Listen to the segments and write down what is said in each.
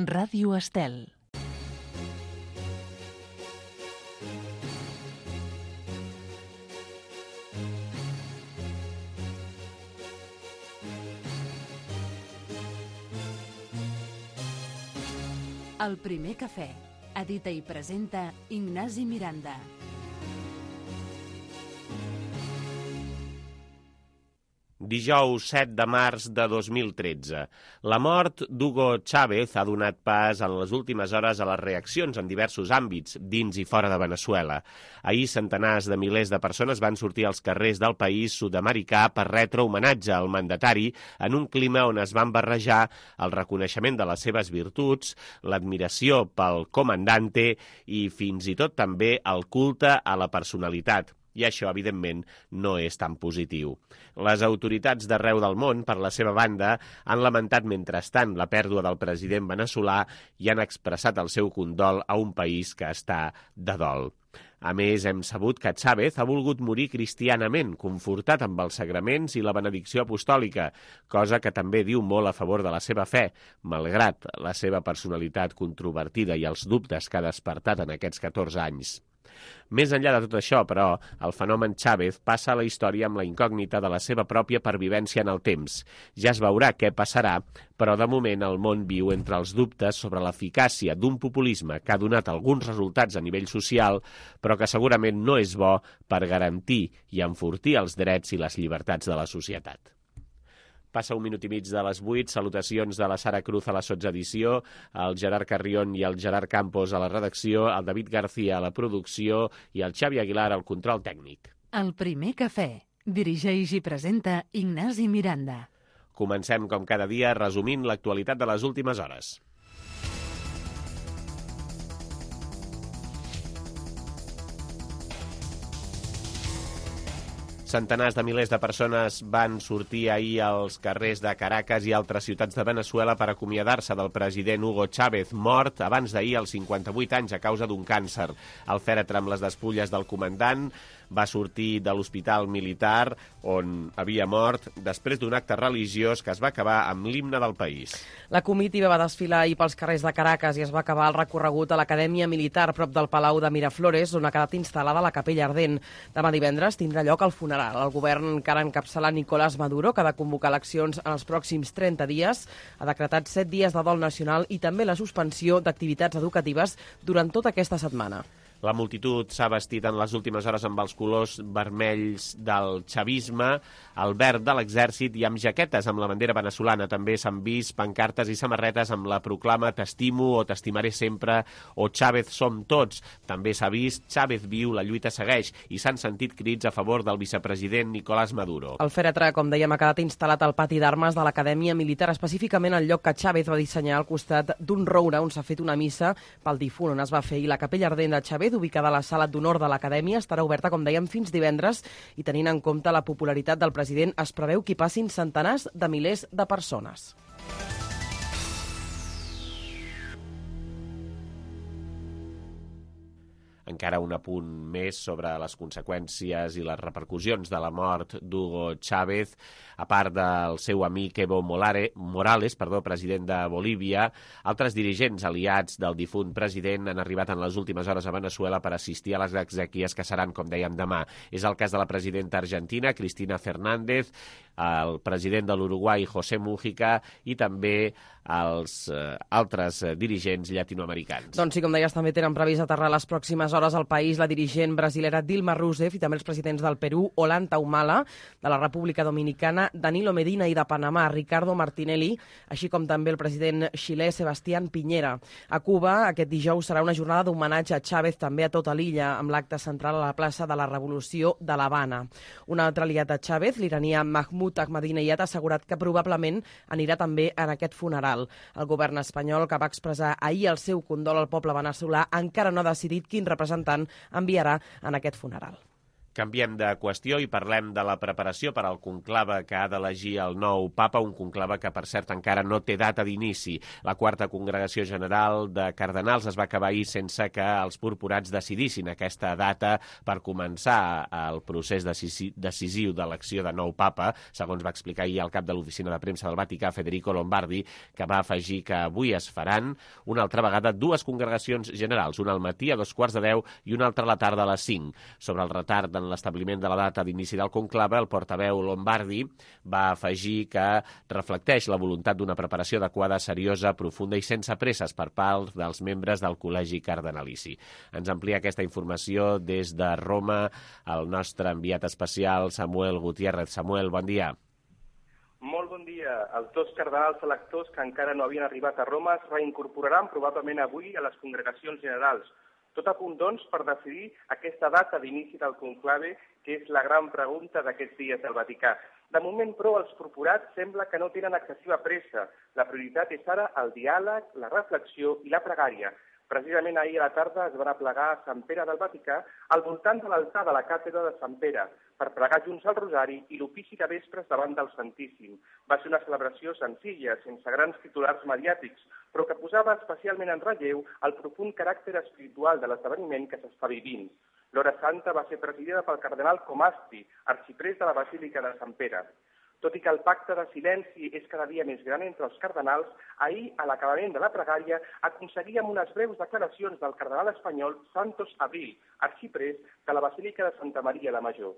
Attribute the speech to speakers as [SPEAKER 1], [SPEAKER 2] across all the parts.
[SPEAKER 1] Ràdio Estel. El primer cafè. Edita i presenta Ignasi Miranda.
[SPEAKER 2] Dijous 7 de març de 2013. La mort d'Hugo Chávez ha donat pas en les últimes hores a les reaccions en diversos àmbits, dins i fora de Veneçuela. Ahir centenars de milers de persones van sortir als carrers del país sud-americà per retre homenatge al mandatari en un clima on es van barrejar el reconeixement de les seves virtuts, l'admiració pel comandante i fins i tot també el culte a la personalitat. I això, evidentment, no és tan positiu. Les autoritats d'arreu del món, per la seva banda, han lamentat mentrestant la pèrdua del president veneçolà i han expressat el seu condol a un país que està de dol. A més, hem sabut que Chávez ha volgut morir cristianament, confortat amb els sagraments i la benedicció apostòlica, cosa que també diu molt a favor de la seva fe, malgrat la seva personalitat controvertida i els dubtes que ha despertat en aquests 14 anys. Més enllà de tot això, però, el fenomen Chávez passa a la història amb la incògnita de la seva pròpia pervivència en el temps. Ja es veurà què passarà, però de moment el món viu entre els dubtes sobre l'eficàcia d'un populisme que ha donat alguns resultats a nivell social, però que segurament no és bo per garantir i enfortir els drets i les llibertats de la societat. Passa un minut i mig de les 8, salutacions de la Sara Cruz a la sotsedició, el Gerard Carrion i el Gerard Campos a la redacció, el David García a la producció i el Xavi Aguilar al control tècnic.
[SPEAKER 1] El primer cafè. Dirigeix i presenta Ignasi Miranda.
[SPEAKER 2] Comencem, com cada dia, resumint l'actualitat de les últimes hores. Centenars de milers de persones van sortir ahir als carrers de Caracas i altres ciutats de Veneçuela per acomiadar-se del president Hugo Chávez, mort abans d'ahir als 58 anys a causa d'un càncer. El fèretre amb les despulles del comandant va sortir de l'hospital militar on havia mort després d'un acte religiós que es va acabar amb l'himne del país.
[SPEAKER 3] La comitiva va desfilar ahir pels carrers de Caracas i es va acabar el recorregut a l'Acadèmia Militar prop del Palau de Miraflores, on ha quedat instal·lada la capella ardent. Demà divendres tindrà lloc el funeral. El govern encara encapçala Nicolás Maduro, que ha de convocar eleccions en els pròxims 30 dies, ha decretat 7 dies de dol nacional i també la suspensió d'activitats educatives durant tota aquesta setmana.
[SPEAKER 2] La multitud s'ha vestit en les últimes hores amb els colors vermells del xavisme, el verd de l'exèrcit i amb jaquetes amb la bandera veneçolana. També s'han vist pancartes i samarretes amb la proclama «T'estimo» o «T'estimaré sempre» o «Chávez som tots». També s'ha vist «Chávez viu, la lluita segueix» i s'han sentit crits a favor del vicepresident Nicolás Maduro.
[SPEAKER 3] El fèretre, com dèiem, ha quedat instal·lat al pati d'armes de l'Acadèmia Militar, específicament al lloc que Chávez va dissenyar al costat d'un roure on s'ha fet una missa pel difunt on es va fer, i la capella ardent de Chávez, ubicada a la sala d'honor de l'Acadèmia, estarà oberta, com dèiem, fins divendres, i tenint en compte la popularitat del president, es preveu que hi passin centenars de milers de persones.
[SPEAKER 2] Encara un apunt més sobre les conseqüències i les repercussions de la mort d'Hugo Chávez. A part del seu amic Evo Morales, president de Bolívia, altres dirigents aliats del difunt president han arribat en les últimes hores a Veneçuela per assistir a les exèquies que seran, com dèiem, demà. És el cas de la presidenta argentina, Cristina Fernández, el president de l'Uruguai, José Mújica, i també els altres dirigents llatinoamericans.
[SPEAKER 3] Doncs sí, com deies, també tenen previst aterrar les pròximes hores al país la dirigent brasilera Dilma Rousseff i també els presidents del Perú, Ollanta Humala, de la República Dominicana, Danilo Medina, i de Panamà, Ricardo Martinelli, així com també el president xilè Sebastián Piñera. A Cuba, aquest dijous serà una jornada d'homenatge a Chávez també a tota l'illa, amb l'acte central a la plaça de la Revolució de l'Havana. Un altre aliat de Chávez, l'iranià Mahmoud Ahmadinejad, ha assegurat que probablement anirà també en aquest funeral. El govern espanyol, que va expressar ahir el seu condol al poble veneçolà, encara no ha decidit quin representant enviarà en aquest funeral.
[SPEAKER 2] Canviem de qüestió i parlem de la preparació per al conclave que ha d'elegir el nou papa, un conclave que, per cert, encara no té data d'inici. La quarta congregació general de cardenals es va acabar ahir sense que els purpurats decidissin aquesta data per començar el procés decisiu d'elecció de nou papa, segons va explicar ahir el cap de l'oficina de premsa del Vaticà, Federico Lombardi, que va afegir que avui es faran una altra vegada dues congregacions generals, una al matí a 2:15 i una altra a la tarda a les 5. Sobre el retard en l'establiment de la data d'inici del conclave, el portaveu Lombardi va afegir que reflecteix la voluntat d'una preparació adequada, seriosa, profunda i sense presses per part dels membres del Col·legi Cardenalici. Ens amplia aquesta informació des de Roma el nostre enviat especial Samuel Gutiérrez. Samuel, bon dia.
[SPEAKER 4] Molt bon dia. Els dos cardenals electors que encara no havien arribat a Roma es reincorporaran probablement avui a les congregacions generals. Tot a punt, doncs, per decidir aquesta data d'inici del conclave, que és la gran pregunta d'aquests dies del Vaticà. De moment, però, els purpurats sembla que no tenen excessiva pressa. La prioritat és ara el diàleg, la reflexió i la pregària. Precisament ahir a la tarda es van aplegar a Sant Pere del Vaticà al voltant de l'altar de la càtedra de Sant Pere per pregar junts el rosari i l'ofici de vespres davant del Santíssim. Va ser una celebració senzilla, sense grans titulars mediàtics, però que posava especialment en relleu el profund caràcter espiritual de l'esdeveniment que s'està vivint. L'hora santa va ser presidida pel cardenal Comasti, arxiprés de la Basílica de Sant Pere. Tot i que el pacte de silenci és cada dia més gran entre els cardenals, ahir, a l'acabament de la pregària, aconseguíem unes breus declaracions del cardenal espanyol Santos Abril, arxiprés de la Basílica de Santa María la Mayor.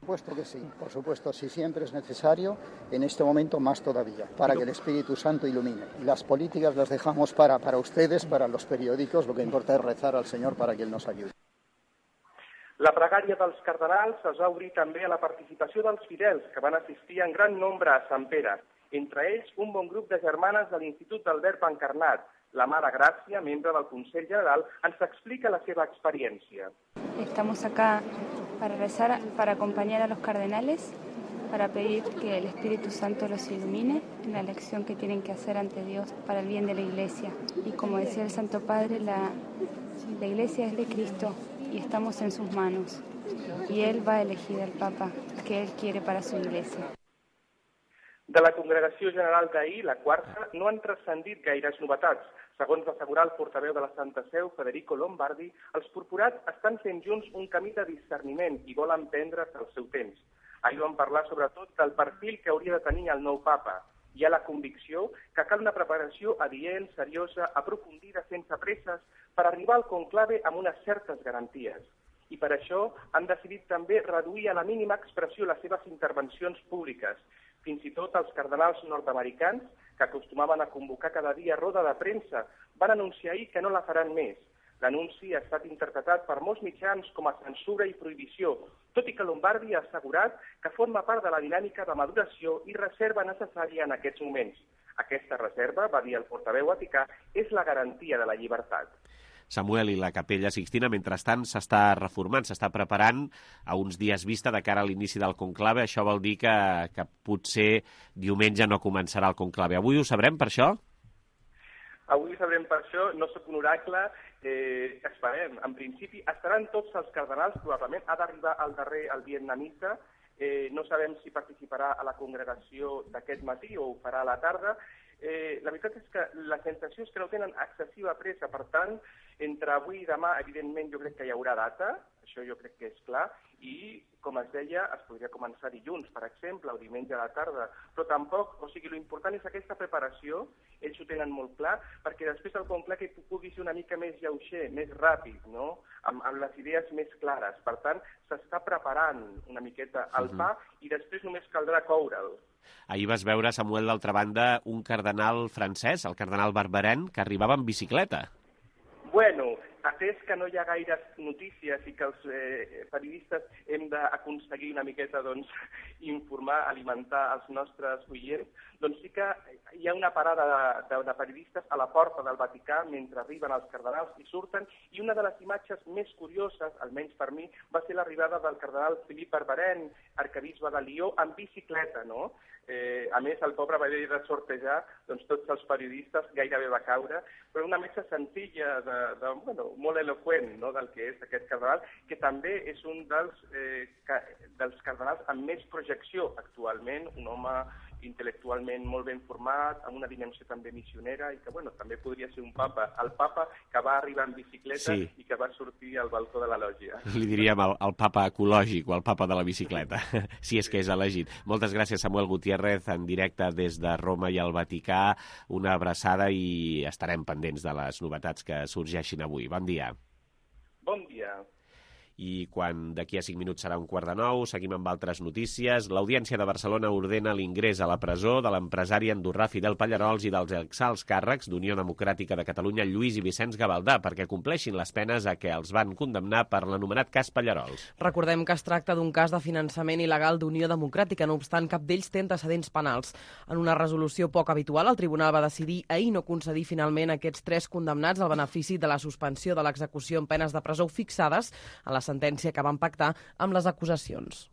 [SPEAKER 5] Por supuesto que sí, por supuesto, si siempre es necesario, en este momento más todavía, para que el Espíritu Santo ilumine. Las políticas las dejamos para ustedes, para los periódicos, lo que importa es rezar al Señor para que Él nos ayude.
[SPEAKER 4] La pregària dels cardenals es va obrir també a la participació dels fidels, que van assistir en gran nombre a Sant Pere. Entre ells, un bon grup de germanes de l'Institut del Verb Encarnat. La Mare Gràcia, membre del Consell General, ens explica la seva experiència.
[SPEAKER 6] Estamos acá para rezar, para acompañar a los cardenales, para pedir que el Espíritu Santo los ilumine en la elección que tienen que hacer ante Dios para el bien de la Iglesia. Y como decía el Santo Padre, la Iglesia es de Cristo y estamos en sus manos. Y Él va a elegir al Papa que Él quiere para su Iglesia.
[SPEAKER 4] De la congregació general d'ahir, la quarta, no han transcendit gaires novetats. Segons va assegurar el portaveu de la Santa Seu, Federico Lombardi, els purpurats estan fent junts un camí de discerniment i volen prendre's el seu temps. Ahir vam parlar sobretot del perfil que hauria de tenir el nou papa. Hi ha la convicció que cal una preparació adient, seriosa, aprofundida, sense presses, per arribar al conclave amb unes certes garanties. I per això han decidit també reduir a la mínima expressió les seves intervencions públiques. Fins i tot els cardenals nord-americans, que acostumaven a convocar cada dia roda de premsa, van anunciar ahir que no la faran més. L'anunci ha estat interpretat per molts mitjans com a censura i prohibició, tot i que Lombardi ha assegurat que forma part de la dinàmica de maduració i reserva necessària en aquests moments. Aquesta reserva, va dir el portaveu vaticà, és la garantia de la llibertat.
[SPEAKER 2] Samuel, i la Capella Sixtina, mentrestant, s'està reformant, s'està preparant a uns dies vista de cara a l'inici del conclave. Això vol dir que potser diumenge no començarà el conclave. Avui ho sabrem per això?
[SPEAKER 4] Avui ho sabrem per això, no sóc un oracle, esperem. En principi estaran tots els cardenals, probablement ha d'arribar al darrer el vietnamita, no sabem si participarà a la congregació d'aquest matí o ho farà a la tarda. La veritat és que la sensació és que no tenen excessiva pressa, per tant, entre avui i demà, evidentment, jo crec que hi haurà data, això jo crec que és clar, i, com es deia, es podria començar dilluns, per exemple, o diumenge a la tarda, però tampoc, o sigui, l'important és aquesta preparació, ells ho tenen molt clar, perquè després el conclave pugui ser una mica més lleuger, més ràpid, no?, amb les idees més clares. Per tant, s'està preparant una miqueta el pa i després només caldrà coure'l.
[SPEAKER 2] Ahir vas veure, Samuel, d'altra banda, un cardenal francès, el cardenal Barberin, que arribava en bicicleta.
[SPEAKER 4] Bueno, atès que no hi ha gaires notícies i que els periodistes hem d'aconseguir una miqueta, doncs, informar, alimentar els nostres oients, doncs sí que hi ha una parada de periodistes a la porta del Vaticà mentre arriben els cardenals i surten, i una de les imatges més curioses, almenys per mi, va ser l'arribada del cardenal Philippe Barbarin, arquebisbe de Lió, en bicicleta, no? A més, el pobre va haver de sortejar tots els periodistes, gairebé va caure, però una mesa senzilla, molt eloqüent, no?, del que és aquest cardenal, que també és un dels cardenals amb més projecció actualment, un home intel·lectualment molt ben format, amb una dimensió també missionera, i que també podria ser un papa, el papa que va arribar en bicicleta i que va sortir al balcó de la lògia.
[SPEAKER 2] Li diríem el papa ecològic o el papa de la bicicleta, si és que és elegit. Moltes gràcies, Samuel Gutiérrez, en directe des de Roma i el Vaticà. Una abraçada i estarem pendents de les novetats que sorgeixin avui. Bon dia.
[SPEAKER 4] Bon dia.
[SPEAKER 2] I quan d'aquí a 5 minuts serà 8:45, seguim amb altres notícies. L'Audiència de Barcelona ordena l'ingrés a la presó de l'empresari andorrà Fidel Pallerols i dels exalts càrrecs d'Unió Democràtica de Catalunya Lluís i Vicenç Gavaldà perquè compleixin les penes a què els van condemnar per l'anomenat cas Pallerols.
[SPEAKER 3] Recordem que es tracta d'un cas de finançament il·legal d'Unió Democràtica, no obstant cap d'ells té antecedents penals. En una resolució poc habitual, el tribunal va decidir ahir no concedir finalment a aquests 3 condemnats el benefici de la suspensió de l'execució en penes de presó fixades a la sentència que van pactar amb les acusacions.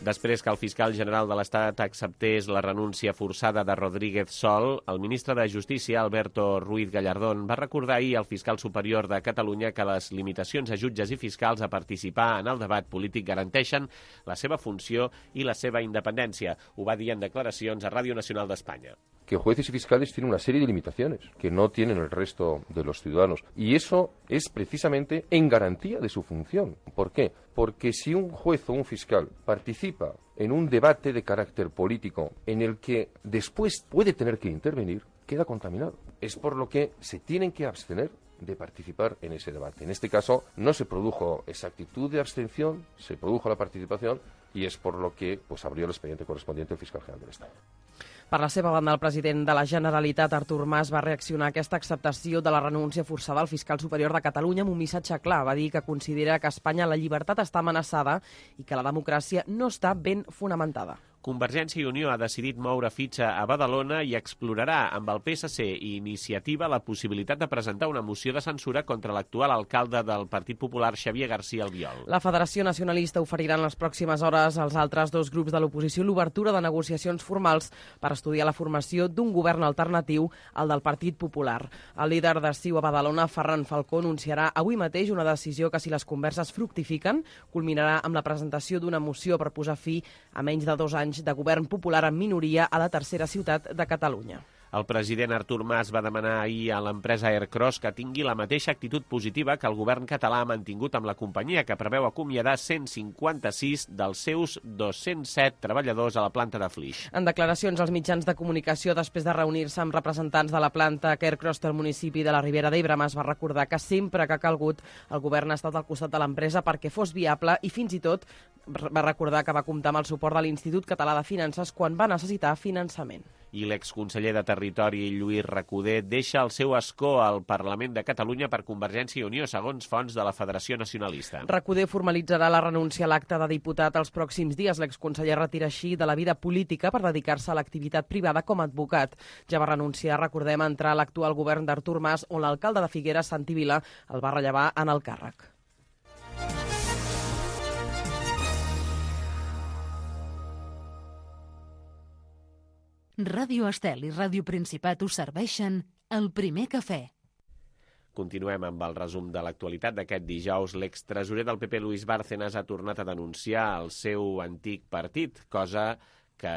[SPEAKER 2] Després que el fiscal general de l'Estat acceptés la renúncia forçada de Rodríguez Sol, el ministre de Justícia, Alberto Ruiz Gallardón, va recordar ahir al fiscal superior de Catalunya que les limitacions a jutges i fiscals a participar en el debat polític garanteixen la seva funció i la seva independència. Ho va dir en declaracions a Ràdio Nacional d'Espanya.
[SPEAKER 7] Que jueces y fiscales tienen una serie de limitaciones que no tienen el resto de los ciudadanos. Y eso es precisamente en garantía de su función. ¿Por qué? Porque si un juez o un fiscal participa en un debate de carácter político en el que después puede tener que intervenir, queda contaminado. Es por lo que se tienen que abstener de participar en ese debate. En este caso no se produjo esa actitud de abstención, se produjo la participación y es por lo que abrió el expediente correspondiente el fiscal general del Estado.
[SPEAKER 3] Per la seva banda, el president de la Generalitat, Artur Mas, va reaccionar a aquesta acceptació de la renúncia forçada al fiscal superior de Catalunya amb un missatge clar. Va dir que considera que a Espanya la llibertat està amenaçada i que la democràcia no està ben fonamentada.
[SPEAKER 2] Convergència i Unió ha decidit moure fitxa a Badalona i explorarà amb el PSC i Iniciativa la possibilitat de presentar una moció de censura contra l'actual alcalde del Partit Popular, Xavier García Albiol.
[SPEAKER 3] La Federació Nacionalista oferirà en les pròximes hores als altres 2 grups de l'oposició l'obertura de negociacions formals per estudiar la formació d'un govern alternatiu al del Partit Popular. El líder de CiU a Badalona, Ferran Falcó, anunciarà avui mateix una decisió que, si les converses fructifiquen, culminarà amb la presentació d'una moció per posar fi a menys de 2 anys de govern popular en minoria a la tercera ciutat de Catalunya.
[SPEAKER 2] El president Artur Mas va demanar ahir a l'empresa Aircross que tingui la mateixa actitud positiva que el govern català ha mantingut amb la companyia, que preveu acomiadar 156 dels seus 207 treballadors a la planta de Flix.
[SPEAKER 3] En declaracions als mitjans de comunicació després de reunir-se amb representants de la planta Aircross del municipi de la Ribera d'Ebre, Mas va recordar que sempre que ha calgut el govern ha estat al costat de l'empresa perquè fos viable i fins i tot va recordar que va comptar amb el suport de l'Institut Català de Finances quan va necessitar finançament.
[SPEAKER 2] I l'exconseller de Territori, Lluís Recoder, deixa el seu escó al Parlament de Catalunya per Convergència i Unió, segons fonts de la Federació Nacionalista.
[SPEAKER 3] Recoder formalitzarà la renúncia a l'acte de diputat els pròxims dies. L'exconseller retira així de la vida política per dedicar-se a l'activitat privada com a advocat. Ja va renunciar, recordem, a entrar a l'actual govern d'Artur Mas, on l'alcalde de Figueres, Santi Vila, el va rellevar en el càrrec.
[SPEAKER 1] Ràdio Estel i Ràdio Principat us serveixen el primer cafè.
[SPEAKER 2] Continuem amb el resum de l'actualitat d'aquest dijous. L'extresorer del PP, Luis Bárcenas, ha tornat a denunciar el seu antic partit, cosa que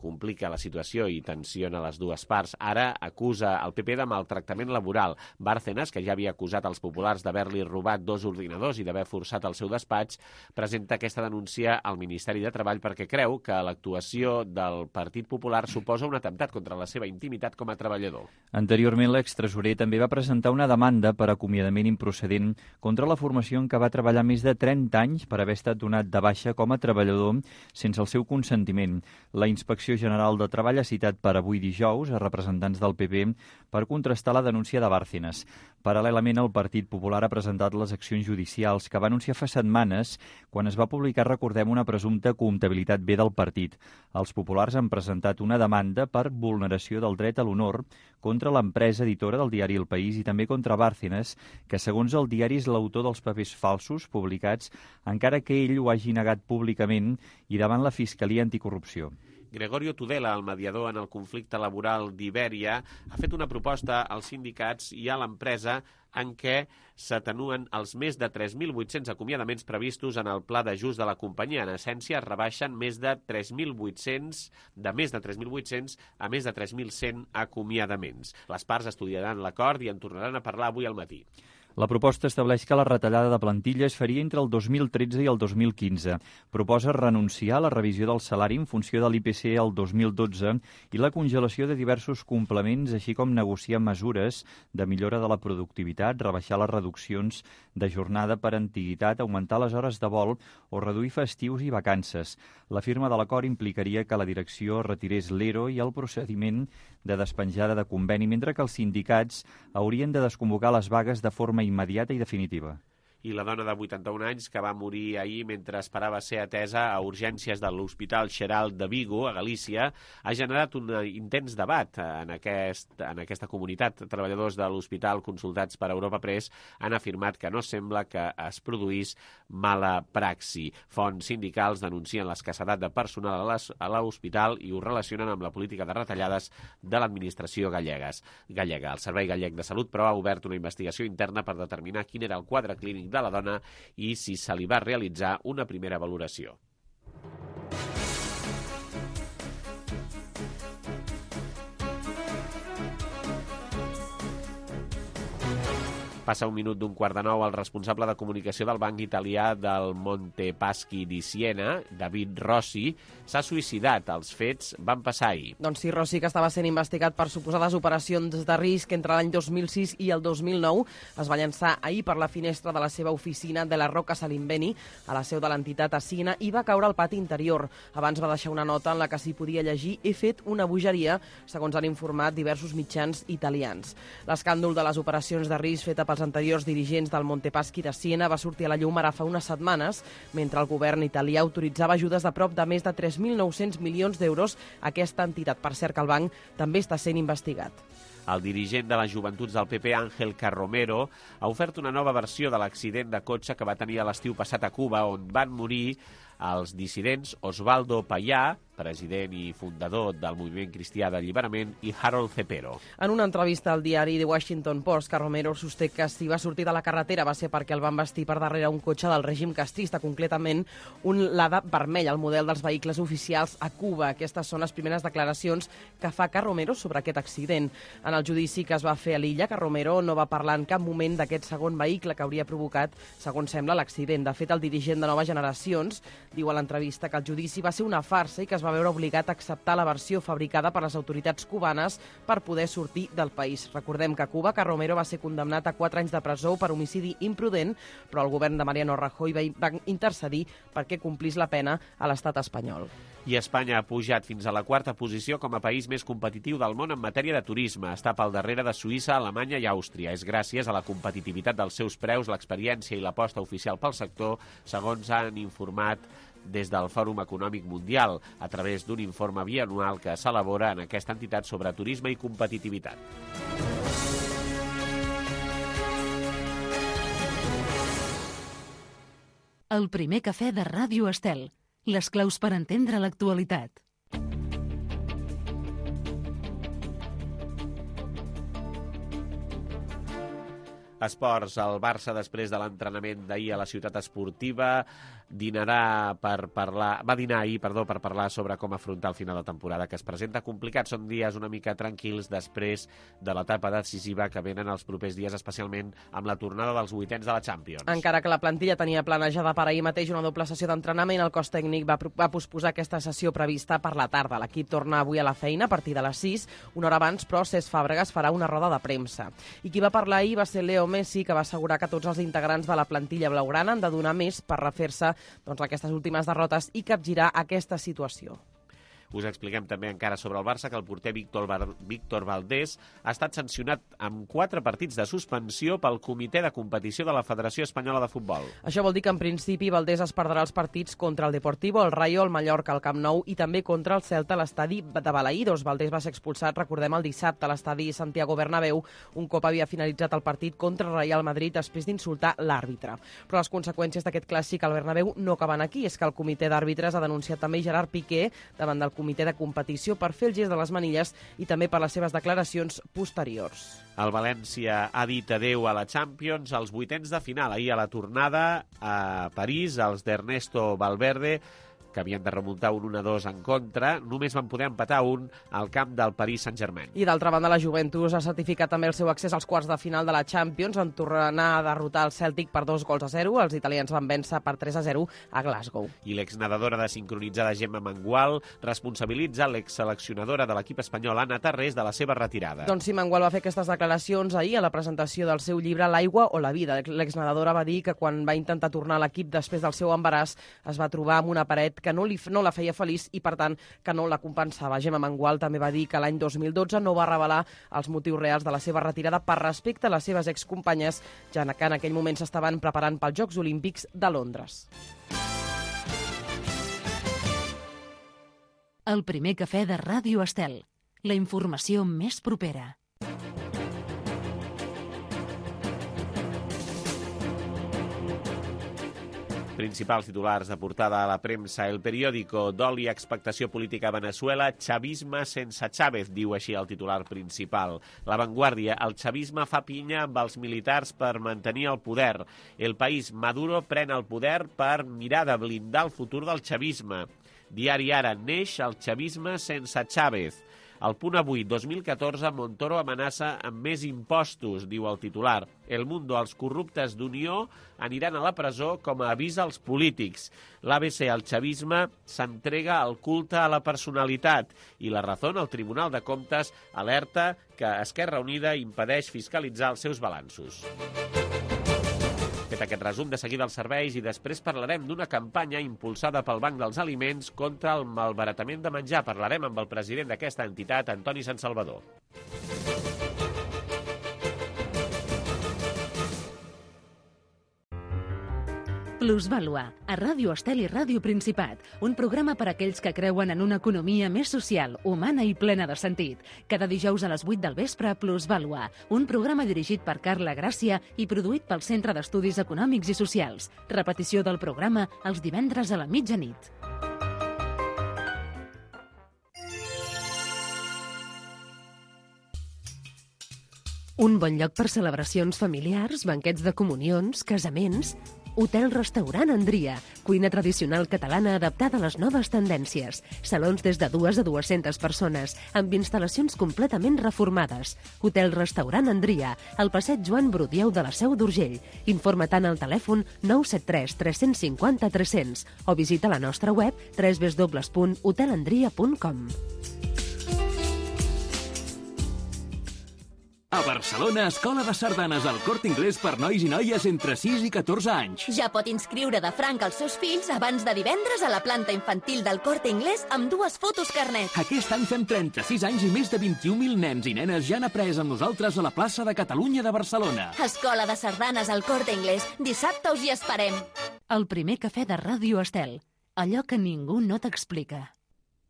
[SPEAKER 2] complica la situació i tensiona les dues parts. Ara acusa el PP de maltractament laboral. Bárcenas, que ja havia acusat els populars d'haver-li robat 2 ordinadors i d'haver forçat el seu despatx, presenta aquesta denúncia al Ministeri de Treball perquè creu que l'actuació del Partit Popular suposa un atemptat contra la seva intimitat com a treballador.
[SPEAKER 8] Anteriorment, l'extresorer també va presentar una demanda per acomiadament improcedent contra la formació en què va treballar més de 30 anys per haver estat donat de baixa com a treballador sense el seu consentiment. La inspecció Direcció General de Treball ha citat per avui dijous a representants del PP per contrastar la denúncia de Bárcenas. Paral·lelament, el Partit Popular ha presentat les accions judicials que va anunciar fa setmanes quan es va publicar, recordem, una presumpta comptabilitat B del partit. Els populars han presentat una demanda per vulneració del dret a l'honor contra l'empresa editora del diari El País i també contra Bárcenas, que segons el diari és l'autor dels papers falsos publicats, encara que ell ho hagi negat públicament i davant la Fiscalia Anticorrupció.
[SPEAKER 2] Gregorio Tudela, el mediador en el conflicte laboral d'Ibèria, ha fet una proposta als sindicats i a l'empresa en què s'atenuen els més de 3.800 acomiadaments previstos en el pla d'ajust de la companyia. En essència, es rebaixen més de 3.800 a més de 3.100 acomiadaments. Les parts estudiaran l'acord i en tornaran a parlar avui al matí.
[SPEAKER 8] La proposta estableix que la retallada de plantilla es faria entre el 2013 i el 2015. Proposa renunciar a la revisió del salari en funció de l'IPC el 2012 i la congelació de diversos complements, així com negociar mesures de millora de la productivitat, rebaixar les reduccions de jornada per antiguitat, augmentar les hores de vol o reduir festius i vacances. La firma de l'acord implicaria que la direcció retirés l'ERO i el procediment de despenjada de conveni, mentre que els sindicats haurien de desconvocar les vagues de forma immediata i definitiva.
[SPEAKER 2] I la dona de 81 anys que va morir ahir mentre esperava ser atesa a urgències de l'Hospital Xeral de Vigo, a Galícia, ha generat un intens debat en aquesta comunitat. Treballadors de l'hospital consultats per Europa Press han afirmat que no sembla que es produís mala praxi. Fonts sindicals denuncien l'escassedat de personal a l'hospital i ho relacionen amb la política de retallades de l'administració gallega. El Servei Gallec de Salut, però, ha obert una investigació interna per determinar quin era el quadre clínic de la dona i si se li va realitzar una primera valoració. Passa un minut d'un 8:45, el responsable de comunicació del banc italià del Monte Paschi di Siena, David Rossi, s'ha suïcidat. Els fets van passar ahir.
[SPEAKER 3] Doncs sí, Rossi, que estava sent investigat per suposades operacions de risc entre l'any 2006 i el 2009, es va llançar ahir per la finestra de la seva oficina de la Rocca Salimbeni, a la seu de l'entitat a Siena, i va caure al pati interior. Abans va deixar una nota en la que s'hi podia llegir: "He fet una bogeria", segons han informat diversos mitjans italians. L'escàndol de les operacions de risc feta pels anteriors dirigents del Monte Paschi de Siena va sortir a la llum ara fa unes setmanes, mentre el govern italià autoritzava ajudes de prop de més de 3.900 milions d'euros a aquesta entitat. Per cert, que el banc també està sent investigat.
[SPEAKER 2] El dirigent de les joventuts del PP, Ángel Carromero, ha ofert una nova versió de l'accident de cotxe que va tenir a l'estiu passat a Cuba, on van morir els dissidents Osvaldo Payá, president i fundador del Moviment Cristià d'Alliberament, i Harold Cepero.
[SPEAKER 3] En una entrevista al diari The Washington Post, Carromero sosté que si va sortir de la carretera va ser perquè el van vestir per darrere un cotxe del règim castrista, concretament un Lada vermell, el model dels vehicles oficials a Cuba. Aquestes són les primeres declaracions que fa Carromero sobre aquest accident. En el judici que es va fer a l'illa, Carromero no va parlar en cap moment d'aquest segon vehicle que hauria provocat, segons sembla, l'accident. De fet, el dirigent de Noves Generacions diu a l'entrevista que el judici va ser una farsa i que es va veure obligat a acceptar la versió fabricada per les autoritats cubanes per poder sortir del país. Recordem que a Cuba Carromero va ser condemnat a 4 anys de presó per homicidi imprudent, però el govern de Mariano Rajoy va intercedir perquè complís la pena a l'estat espanyol.
[SPEAKER 2] I Espanya ha pujat fins a la 4a posició com a país més competitiu del món en matèria de turisme. Està pel darrere de Suïssa, Alemanya i Àustria. És gràcies a la competitivitat dels seus preus, l'experiència i l'aposta oficial pel sector, segons han informat des del Fòrum Econòmic Mundial, a través d'un informe bianual que s'elabora en aquesta entitat sobre turisme i competitivitat.
[SPEAKER 1] El primer cafè de Ràdio Estel. Les claus per entendre l'actualitat.
[SPEAKER 2] Esports. El Barça, després de l'entrenament d'ahir a la ciutat esportiva, va dinar ahir per parlar sobre com afrontar el final de temporada, que es presenta complicat. Són dies una mica tranquils després de l'etapa decisiva que venen els propers dies, especialment amb la tornada dels vuitens de la Champions.
[SPEAKER 3] Encara que la plantilla tenia planejada per ahir mateix una doble sessió d'entrenament, el cos tècnic va posposar aquesta sessió prevista per la tarda. L'equip torna avui a la feina a partir de les 6, una hora abans, però Cesc Fàbregas farà una roda de premsa. I qui va parlar ahir va ser Leo Messi, que va assegurar que tots els integrants de la plantilla blaugrana han de donar més per refer-se aquestes últimes derrotes i capgirar aquesta situació.
[SPEAKER 2] Us expliquem també encara sobre el Barça que el porter Víctor Valdés ha estat sancionat amb 4 partits de suspensió pel Comitè de Competició de la Federació Espanyola de Futbol.
[SPEAKER 3] Això vol dir que en principi Valdés es perdrà els partits contra el Deportivo, el Rayo, el Mallorca, el Camp Nou i també contra el Celta a l'estadi de Balaïdos. Valdés va ser expulsat, recordem, el dissabte a l'estadi Santiago Bernabéu, un cop havia finalitzat el partit contra el Real Madrid després d'insultar l'àrbitre. Però les conseqüències d'aquest clàssic al Bernabéu no acaben aquí. És que el comitè d'àrbitres ha denunciat també Gerard Piqué davant del comitè de competició per fer el gest de les manilles i també per les seves declaracions posteriors.
[SPEAKER 2] El València ha dit adeu a la Champions als vuitens de final. Ahir a la tornada a París, els d'Ernesto Valverde, que havien de remuntar un 1-2 en contra, només van poder empatar un al camp del Paris Saint-Germain.
[SPEAKER 3] I d'altra banda, la Juventus ha certificat també el seu accés als quarts de final de la Champions en tornar a derrotar el Celtic per 2-0. Els italians van vèncer per 3-0 a Glasgow.
[SPEAKER 2] I l'exnedadora de sincronitzada Gemma Mengual responsabilitza l'exseleccionadora de l'equip espanyol Anna Tarrés de la seva retirada.
[SPEAKER 3] Doncs sí, Mengual va fer aquestes declaracions ahir a la presentació del seu llibre L'aigua o la vida. L'exnedadora va dir que quan va intentar tornar a l'equip després del seu embaràs es va trobar amb una paret que no la feia feliç i, per tant, que no la compensava. Gemma Mengual també va dir que l'any 2012 no va revelar els motius reals de la seva retirada per respecte a les seves excompanyes, ja que en aquell moment s'estaven preparant pels Jocs Olímpics de Londres.
[SPEAKER 1] El primer cafè de Ràdio Estel. La informació més propera.
[SPEAKER 2] Principals titulars de portada a la premsa. El periòdico: dol i expectació política a Venezuela, chavisme sense Chávez, diu així el titular principal. La Vanguardia: el chavisme fa pinya amb els militars per mantenir el poder. El País: Maduro pren el poder per mirar de blindar el futur del chavisme. Diari Ara: neix el chavisme sense Chávez. El Punt Avui: 2014, Montoro amenaça amb més impostos, diu el titular. El Mundo: els corruptes d'Unió aniran a la presó com a avís als polítics. L'ABC: el chavisme s'entrega al culte a la personalitat. I La Razón: el Tribunal de Comptes alerta que Esquerra Unida impedeix fiscalitzar els seus balanços. Fet aquest resum, de seguida els serveis i després parlarem d'una campanya impulsada pel Banc dels Aliments contra el malbaratament de menjar. Parlarem amb el president d'aquesta entitat, Antoni Sansalvador.
[SPEAKER 1] Plusvàlua, a Ràdio Estel i Ràdio Principat, un programa per a aquells que creuen en una economia més social, humana i plena de sentit. Cada dijous a les 8 del vespre, Plusvàlua, un programa dirigit per Carla Gràcia i produït pel Centre d'Estudis Econòmics i Socials. Repetició del programa els divendres a la mitjanit. Un bon lloc per celebracions familiars, banquets de comunions, casaments. Hotel-restaurant Andria, cuina tradicional catalana adaptada a les noves tendències. Salons des de 2 a 200 persones, amb instal·lacions completament reformades. Hotel-restaurant Andria, al passeig Joan Brudieu de la Seu d'Urgell. Informa-te'n al telèfon 973 350 300 o visita la nostra web www.hotelandria.com.
[SPEAKER 9] A Barcelona, Escola de Sardanes al Corte Inglés per nois i noies entre 6 i 14 anys.
[SPEAKER 10] Ja pot inscriure de franc els seus fills abans de divendres a la planta infantil del Corte Inglés amb 2 fotos carnet.
[SPEAKER 9] Aquest any fem 36 anys i més de 21.000 nens i nenes ja han après amb nosaltres a la plaça de Catalunya de Barcelona.
[SPEAKER 10] Escola de Sardanes al Corte Inglés. Dissabte us hi esperem.
[SPEAKER 1] El primer cafè de Ràdio Estel. Allò que ningú no t'explica.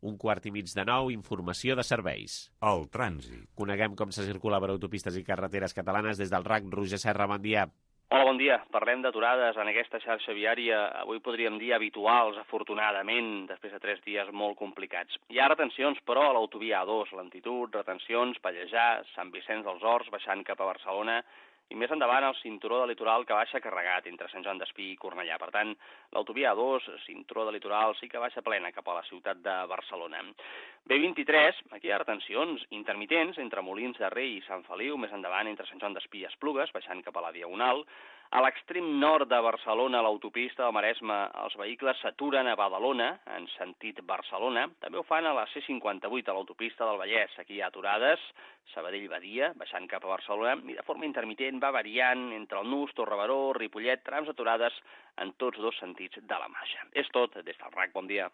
[SPEAKER 2] 8:45, informació de serveis.
[SPEAKER 11] El trànsit.
[SPEAKER 2] Coneguem com se circula per autopistes i carreteres catalanes des del RAC. Roger Serra, bon dia.
[SPEAKER 12] Hola, bon dia. Parlem d'aturades en aquesta xarxa viària, avui podríem dir habituals, afortunadament, després de 3 dies molt complicats. Hi ha retencions, però, a l'autovia A2, lentitud, retencions, Pallejà, Sant Vicenç dels Horts, baixant cap a Barcelona, i més endavant el cinturó de litoral que baixa carregat entre Sant Joan d'Espí i Cornellà. Per tant, l'autovia A2, cinturó de litoral, sí que baixa plena cap a la ciutat de Barcelona. B23, aquí hi ha retencions intermitents entre Molins de Rei i Sant Feliu, més endavant entre Sant Joan d'Espí i Esplugues, baixant cap a la Diagonal. A l'extrem nord de Barcelona, a l'autopista del Maresme, els vehicles s'aturen a Badalona, en sentit Barcelona. També ho fan a la C58, a l'autopista del Vallès. Aquí hi ha aturades, Sabadell-Badia, baixant cap a Barcelona, i de forma intermitent va variant entre el Nus, Torrebaró, Ripollet, trams aturades en tots 2 sentits de la marxa. És tot des del RAC. Bon dia.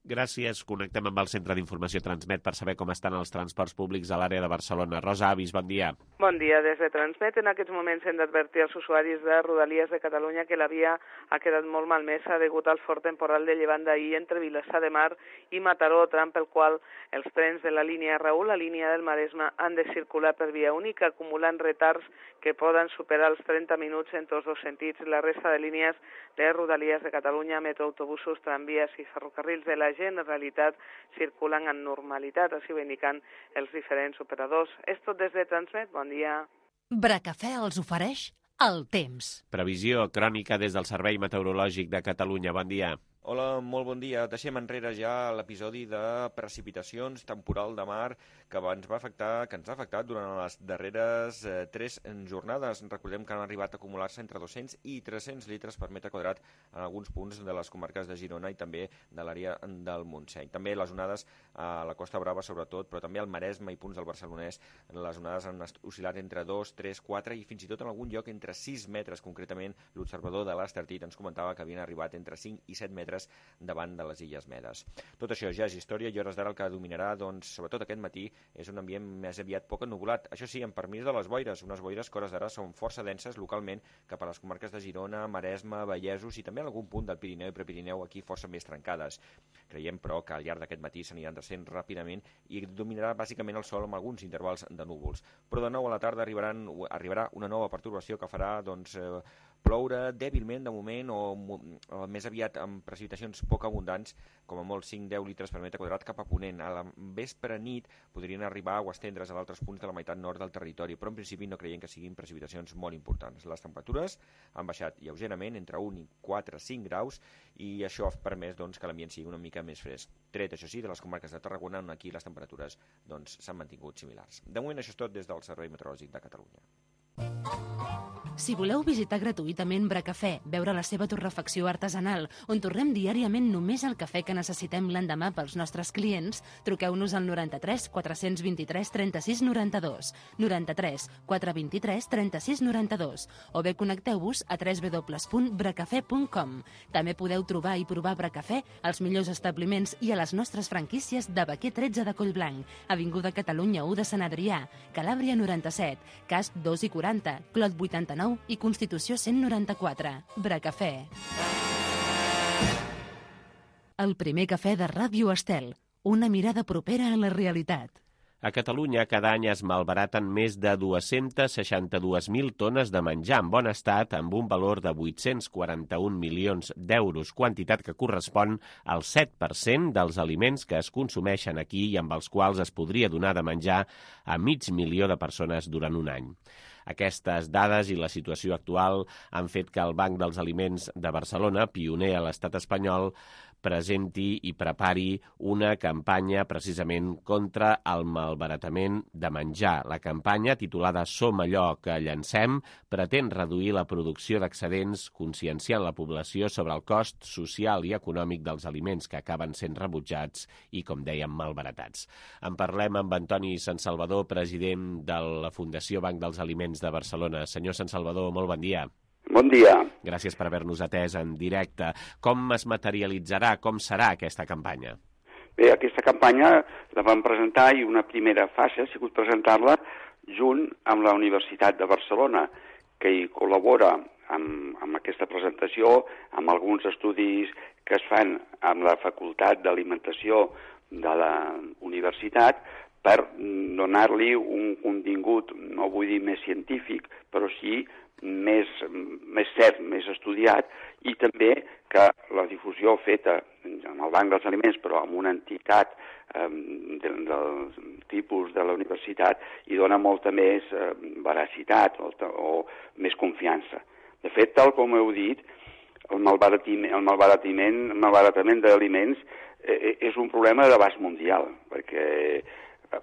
[SPEAKER 2] Gràcies. Connectem amb el Centre d'Informació Transmet per saber com estan els transports públics a l'àrea de Barcelona. Rosa Avis, bon dia.
[SPEAKER 11] Bon dia. Des de Transmet en aquests moments hem d'advertir als usuaris de Rodalies de Catalunya que la via ha quedat molt malmesa degut al fort temporal de llevant d'ahir entre Vilassar de Mar i Mataró, tram pel qual els trens de la línia Raül, la línia del Maresme, han de circular per via única, acumulant retards que poden superar els 30 minuts en tots dos sentits. La resta de línies de Rodalies de Catalunya, metroautobusos, tramvies i ferrocarrils de la gent, en realitat, circulen amb normalitat, així ho indiquen els diferents operadors. És tot des de Transmet. Bon dia.
[SPEAKER 13] Bracafè els ofereix el temps.
[SPEAKER 2] Previsió crònica des del Servei Meteorològic de Catalunya. Bon dia.
[SPEAKER 14] Hola, molt bon dia. Deixem enrere ja l'episodi de precipitacions temporal de mar que ens ha afectat durant les darreres 3 jornades. Recordem que han arribat a acumular-se entre 200 i 300 litres per metre quadrat en alguns punts de les comarques de Girona i també de l'àrea del Montseny. També les onades a la Costa Brava, sobretot, però també al Maresme i punts del Barcelonès, les onades han oscil·lat entre 2, 3, 4 i fins i tot en algun lloc entre 6 metres. Concretament, l'observador de l'Estartit ens comentava que havien arribat entre 5 i 7 metres davant de les Illes Medes. Tot això ja és història i hores d'ara el que dominarà, doncs, sobretot aquest matí, és un ambient més aviat poc ennubulat. Això sí, amb permís de les boires, unes boires que hores d'ara són força denses localment cap a les comarques de Girona, Maresme, Vallesos i també en algun punt del Pirineu i Prepirineu aquí força més trencades. Creiem, però, que al llarg d'aquest matí s'aniran descent ràpidament i dominarà bàsicament el sol amb alguns intervals de núvols. Però de nou a la tarda arribarà una nova pertorbació que farà, doncs, ploure dèbilment de moment o més aviat amb precipitacions poc abundants, com a molt 5-10 litres per metre quadrat cap a ponent. A la vespre nit podrien arribar o estendre's a d'altres punts de la meitat nord del territori, però en principi no creiem que siguin precipitacions molt importants. Les temperatures han baixat lleugerament entre 1 i 4, 5 graus i això ha permès, doncs, que l'ambient sigui una mica més fresc. Tret, això sí, de les comarques de Tarragona, on aquí les temperatures, doncs, s'han mantingut similars. De moment això és tot des del Servei Meteorològic de Catalunya.
[SPEAKER 13] Si voleu visitar gratuïtament Bracafè, veure la seva torrefacció artesanal, on torrem diàriament només el cafè que necessitem l'endemà pels nostres clients, truqueu-nos al 93 423 36 92, 93 423 36 92, o bé connecteu-vos a www.bracafè.com. També podeu trobar i provar Bracafè als millors establiments i a les nostres franquícies de Baquer 13 de Collblanc, Avinguda Catalunya 1 de Sant Adrià, Calàbria 97, Casp 2 i 40, Clot 89 i Constitució 194. Bracafè. El primer cafè de Ràdio Estel. Una mirada propera a la realitat.
[SPEAKER 2] A Catalunya cada any es malbaraten més de 262.000 tones de menjar en bon estat amb un valor de 841 milions d'euros, quantitat que correspon al 7% dels aliments que es consumeixen aquí i amb els quals es podria donar de menjar a 500.000 de persones durant un any. Aquestes dades i la situació actual han fet que el Banc dels Aliments de Barcelona, pioner a l'estat espanyol, presenti i prepari una campanya precisament contra el malbaratament de menjar. La campanya, titulada Som allò que llancem, pretén reduir la producció d'excedents, conscienciant la població sobre el cost social i econòmic dels aliments que acaben sent rebutjats i, com dèiem, malbaratats. En parlem amb Antoni Sansalvador, president de la Fundació Banc dels Aliments de Barcelona. Senyor Sansalvador, molt bon dia.
[SPEAKER 15] Bon dia.
[SPEAKER 2] Gràcies per haver-nos atès en directe. Com es materialitzarà, com serà aquesta campanya?
[SPEAKER 15] Bé, aquesta campanya la vam presentar i una primera fase ha sigut presentar-la junt amb la Universitat de Barcelona, que hi col·labora amb aquesta presentació, amb alguns estudis que es fan amb la Facultat d'Alimentació de la Universitat, per donar-li un contingut, no vull dir més científic, però sí més cert, més estudiat, i també que la difusió feta amb el Banc dels Aliments, però amb una entitat del tipus de la universitat, hi dona molta més veracitat o més confiança. De fet, tal com heu dit, el malbaratament d'aliments és un problema d'abast mundial, perquè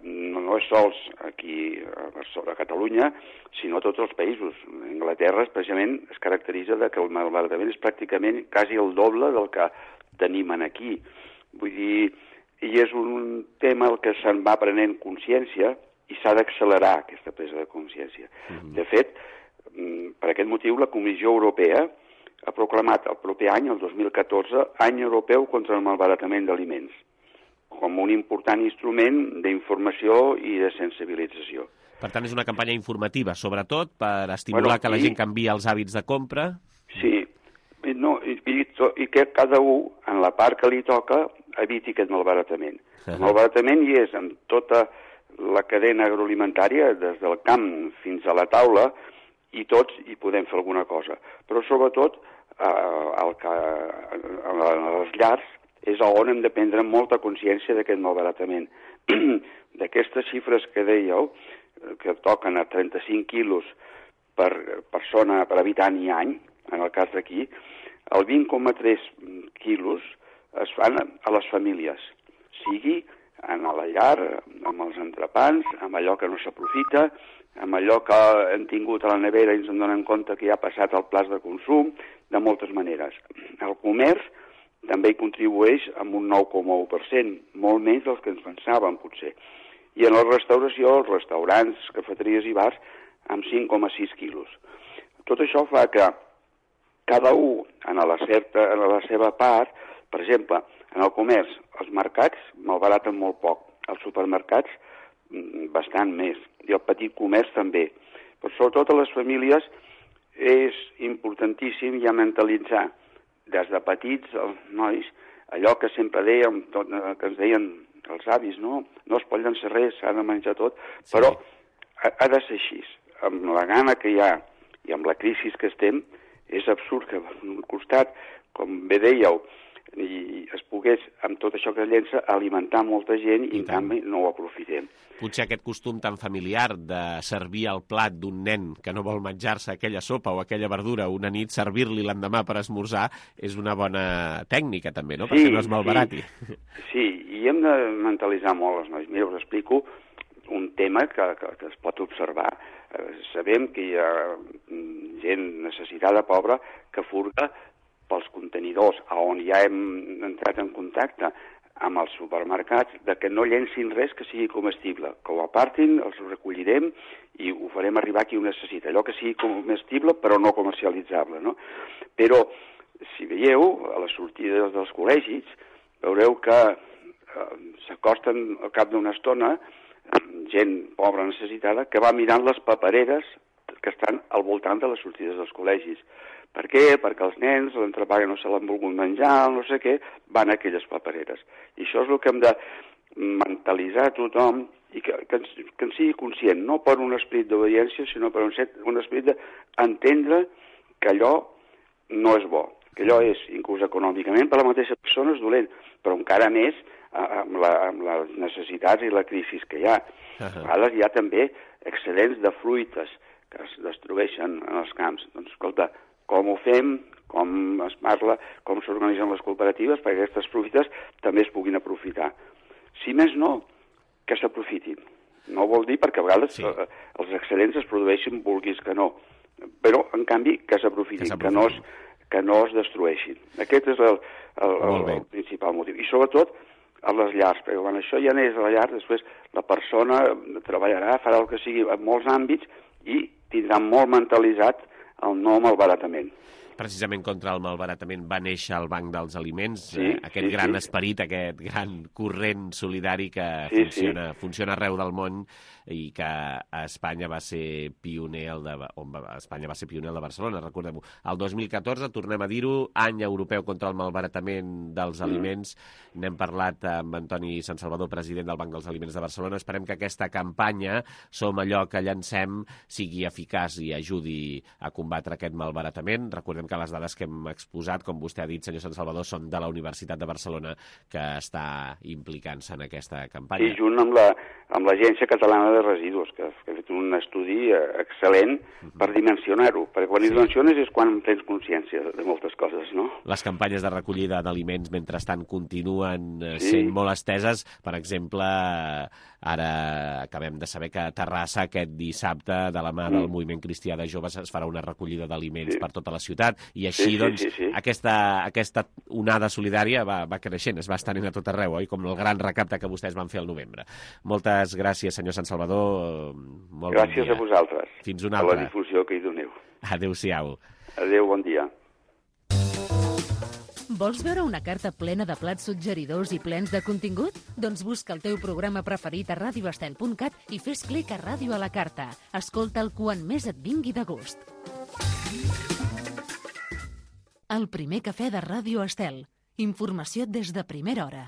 [SPEAKER 15] no és sols aquí a Catalunya, sinó a tots els països. Anglaterra, especialment, es caracteritza que el malbaratament és pràcticament quasi el doble del que tenim aquí. Vull dir, i és un tema al que se'n va prenent consciència i s'ha d'accelerar aquesta presa de consciència. De fet, per aquest motiu, la Comissió Europea ha proclamat el proper any, el 2014, Any Europeu contra el Malbaratament d'Aliments, com un important instrument d'informació i de sensibilització.
[SPEAKER 2] Per tant, és una campanya informativa, sobretot, per estimular que la gent canviï els hàbits de compra.
[SPEAKER 15] Sí, i que cada un, en la part que li toca, eviti aquest malbaratament. El malbaratament hi és en tota la cadena agroalimentària, des del camp fins a la taula, i tots hi podem fer alguna cosa. Però sobretot, a les llars, és on hem de prendre molta consciència d'aquest malbaratament. D'aquestes xifres que dèieu, que toquen a 35 quilos per persona, per habitant i any, en el cas d'aquí, el 20,3 quilos es fan a les famílies, sigui en la llar, amb els entrepans, amb allò que no s'aprofita, amb allò que hem tingut a la nevera i ens en donem compte que ja ha passat al pla de consum, de moltes maneres. El comerç també hi contribueix amb un 9,1%, molt menys dels que ens pensàvem, potser. I en la restauració, els restaurants, cafeteries i bars, amb 5,6 quilos. Tot això fa que cada un, en la seva part, per exemple, en el comerç, els mercats malbaraten molt poc, els supermercats bastant més, i el petit comerç també. Però sobretot a les famílies és importantíssim ja mentalitzar des de petits els nois allò que sempre dèiem, que ens deien els avis, no es pot llançar res, s'ha de menjar tot, però ha de ser així. Amb la gana que hi ha i amb la crisi que estem, és absurd que per un costat, com bé dèieu, i es pogués, amb tot això que es llença, alimentar molta gent i en canvi no ho aprofitem.
[SPEAKER 2] Potser aquest costum tan familiar de servir el plat d'un nen que no vol menjar-se aquella sopa o aquella verdura una nit, servir-li l'endemà per esmorzar, és una bona tècnica també, no? Perquè no es malbarati.
[SPEAKER 15] Sí, i hem de mentalitzar molt els nois. Mira, us explico un tema que es pot observar. Sabem que hi ha gent necessitada, pobra, que furga pels contenidors, on ja hem entrat en contacte amb els supermercats, de que no llencin res que sigui comestible, que ho apartin, els recollirem i ho farem arribar a qui ho necessita, allò que sigui comestible però no comercialitzable, no? Però, si veieu, a les sortides dels col·legis, veureu que s'acosten al cap d'una estona gent pobra necessitada que va mirant les papereres que estan al voltant de les sortides dels col·legis. Per què? Perquè els nens, l'entrepà que no se l'han volgut menjar, no sé què, van a aquelles papereres. I això és el que hem de mentalitzar a tothom i que en sigui conscient, no per un esperit d'obediència, sinó per un esperit d'entendre que allò no és bo, que allò és, inclús econòmicament, per la mateixa persona és dolent, però encara més amb les necessitats i la crisi que hi ha. A vegades hi ha també excedents de fruites que es destrueixen en els camps. Doncs, escolta, com ho fem, com es parla, com s'organitzen les cooperatives perquè aquestes fruites també es puguin aprofitar. Si més no, que s'aprofitin. No vol dir perquè a vegades els excedents es produeixin vulguis que no, però en canvi que s'aprofitin, que no es destrueixin. Aquest és el principal motiu. I sobretot a les llars, perquè quan això ja n'és a la llar, després la persona treballarà, farà el que sigui en molts àmbits i tindrà molt mentalitzat el no malbaratament.
[SPEAKER 2] Precisament contra el malbaratament va néixer el Banc dels Aliments, aquest gran esperit, aquest gran corrent solidari que funciona arreu del món i que a Espanya va ser pioner el de Barcelona, recordem-ho. El 2014, tornem a dir-ho, any europeu contra el malbaratament dels aliments. N'hem parlat amb Antoni Sant Salvador, president del Banc dels Aliments de Barcelona. Esperem que aquesta campanya, Som allò que llancem, sigui eficaç i ajudi a combatre aquest malbaratament. Recordem que les dades que hem exposat, com vostè ha dit, senyor Sant Salvador, són de la Universitat de Barcelona, que està implicant-se en aquesta campanya.
[SPEAKER 15] I junt amb l'Agència Catalana de Residus, que ha fet un estudi excel·lent per dimensionar-ho, perquè quan dimensiones és quan tens consciència de moltes coses, no?
[SPEAKER 2] Les campanyes de recollida d'aliments, mentrestant, continuen sent molt esteses. Per exemple, ara acabem de saber que a Terrassa aquest dissabte, de la mà del Moviment Cristià de Joves, es farà una recollida d'aliments per tota la ciutat, i així, aquesta onada solidària va creixent, es va estenent a tot arreu, oi? Com el gran recapte que vostès van fer al novembre. Moltes gràcies, senyor Sant Salvador.
[SPEAKER 15] Gràcies a vosaltres.
[SPEAKER 2] Fins una altra.
[SPEAKER 15] Per la difusió que hi doneu.
[SPEAKER 2] Adéu-siau.
[SPEAKER 15] Adéu, bon dia.
[SPEAKER 13] Vols veure una carta plena de plats suggeridors i plens de contingut? Doncs busca el teu programa preferit a radioestel.cat i fes clic a Ràdio a la carta. Escolta'l quan més et vingui de gust. El primer cafè de Ràdio Estel. Informació des de primera hora.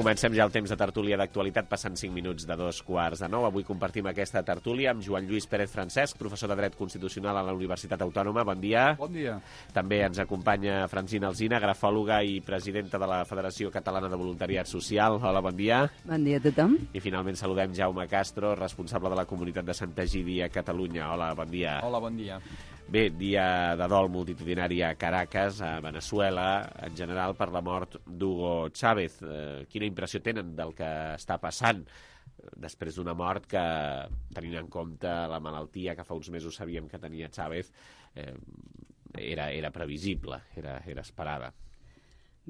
[SPEAKER 2] Comencem ja el temps de tertúlia d'actualitat, passant 5 minuts de 2:45. Avui compartim aquesta tertúlia amb Joan Lluís Pérez Francesc, professor de Dret Constitucional a la Universitat Autònoma. Bon dia.
[SPEAKER 16] Bon dia.
[SPEAKER 2] També ens acompanya Francina Alsina, grafòloga i presidenta de la Federació Catalana de Voluntariat Social. Hola, bon dia.
[SPEAKER 17] Bon dia a tothom.
[SPEAKER 2] I finalment saludem Jaume Castro, responsable de la comunitat de Sant Egidi a Catalunya. Hola, bon dia.
[SPEAKER 16] Hola, bon dia.
[SPEAKER 2] Bé, dia de dol multitudinari a Caracas, a Veneçuela, en general per la mort d'Hugo Chávez. Quina impressió tenen del que està passant després d'una mort que, tenint en compte la malaltia que fa uns mesos sabíem que tenia Chávez, era previsible, era esperada?
[SPEAKER 17] A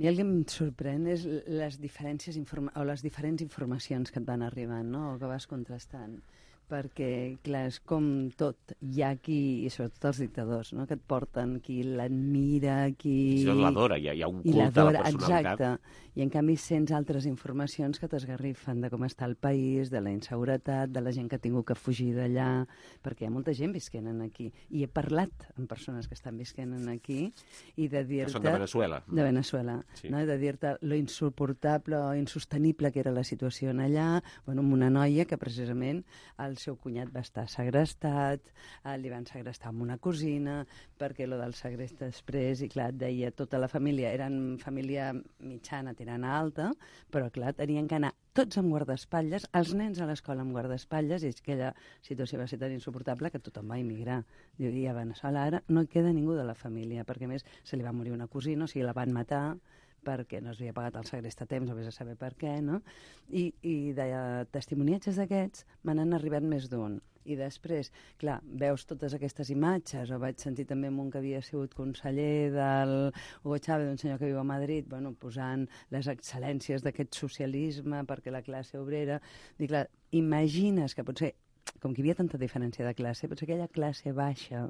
[SPEAKER 17] mi el que em sorprèn és les diferents informacions que et van arribant, no? O que vas contrastant. Perquè, clar, és com tot. Hi ha qui, i sobretot els dictadors, no? Que et porten qui l'admira, qui...
[SPEAKER 2] Això l'adora, hi ha un culte a la personalitat.
[SPEAKER 17] Exacte. I en canvi sents altres informacions que t'esgarrifen de com està el país, de la inseguretat, de la gent que ha tingut que fugir d'allà, perquè hi ha molta gent visquent aquí. I he parlat amb persones que estan visquent aquí i de dir-te...
[SPEAKER 2] Que són de Veneçuela.
[SPEAKER 17] De Veneçuela.
[SPEAKER 2] Sí.
[SPEAKER 17] No? De dir-te lo insuportable o insostenible que era la situació allà, bueno, amb una noia que precisament el seu cunyat va estar segrestat, li van segrestar amb una cosina, perquè lo del segrest després, i clar, deia tota la família, eren família mitjana, tirant a alta, però clar, tenien que anar tots amb guardaespatlles, els nens a l'escola amb guardaespatlles, i aquella situació va ser tan insuportable que tothom va emigrar. I a Veneçuela ara no queda ningú de la família, perquè a més se li va morir una cosina, o sigui, la van matar, perquè no s'havia pagat el segrest a temps, o vés a saber per què, no? I de testimoniatges d'aquests me n'han arribat més d'un. I després, clar, veus totes aquestes imatges, o vaig sentir també amb un que havia sigut conseller del Hugo Chávez, un senyor que viu a Madrid, bueno, posant les excel·lències d'aquest socialisme perquè la classe obrera... I clar, imagines que potser, com que hi havia tanta diferència de classe, potser aquella classe baixa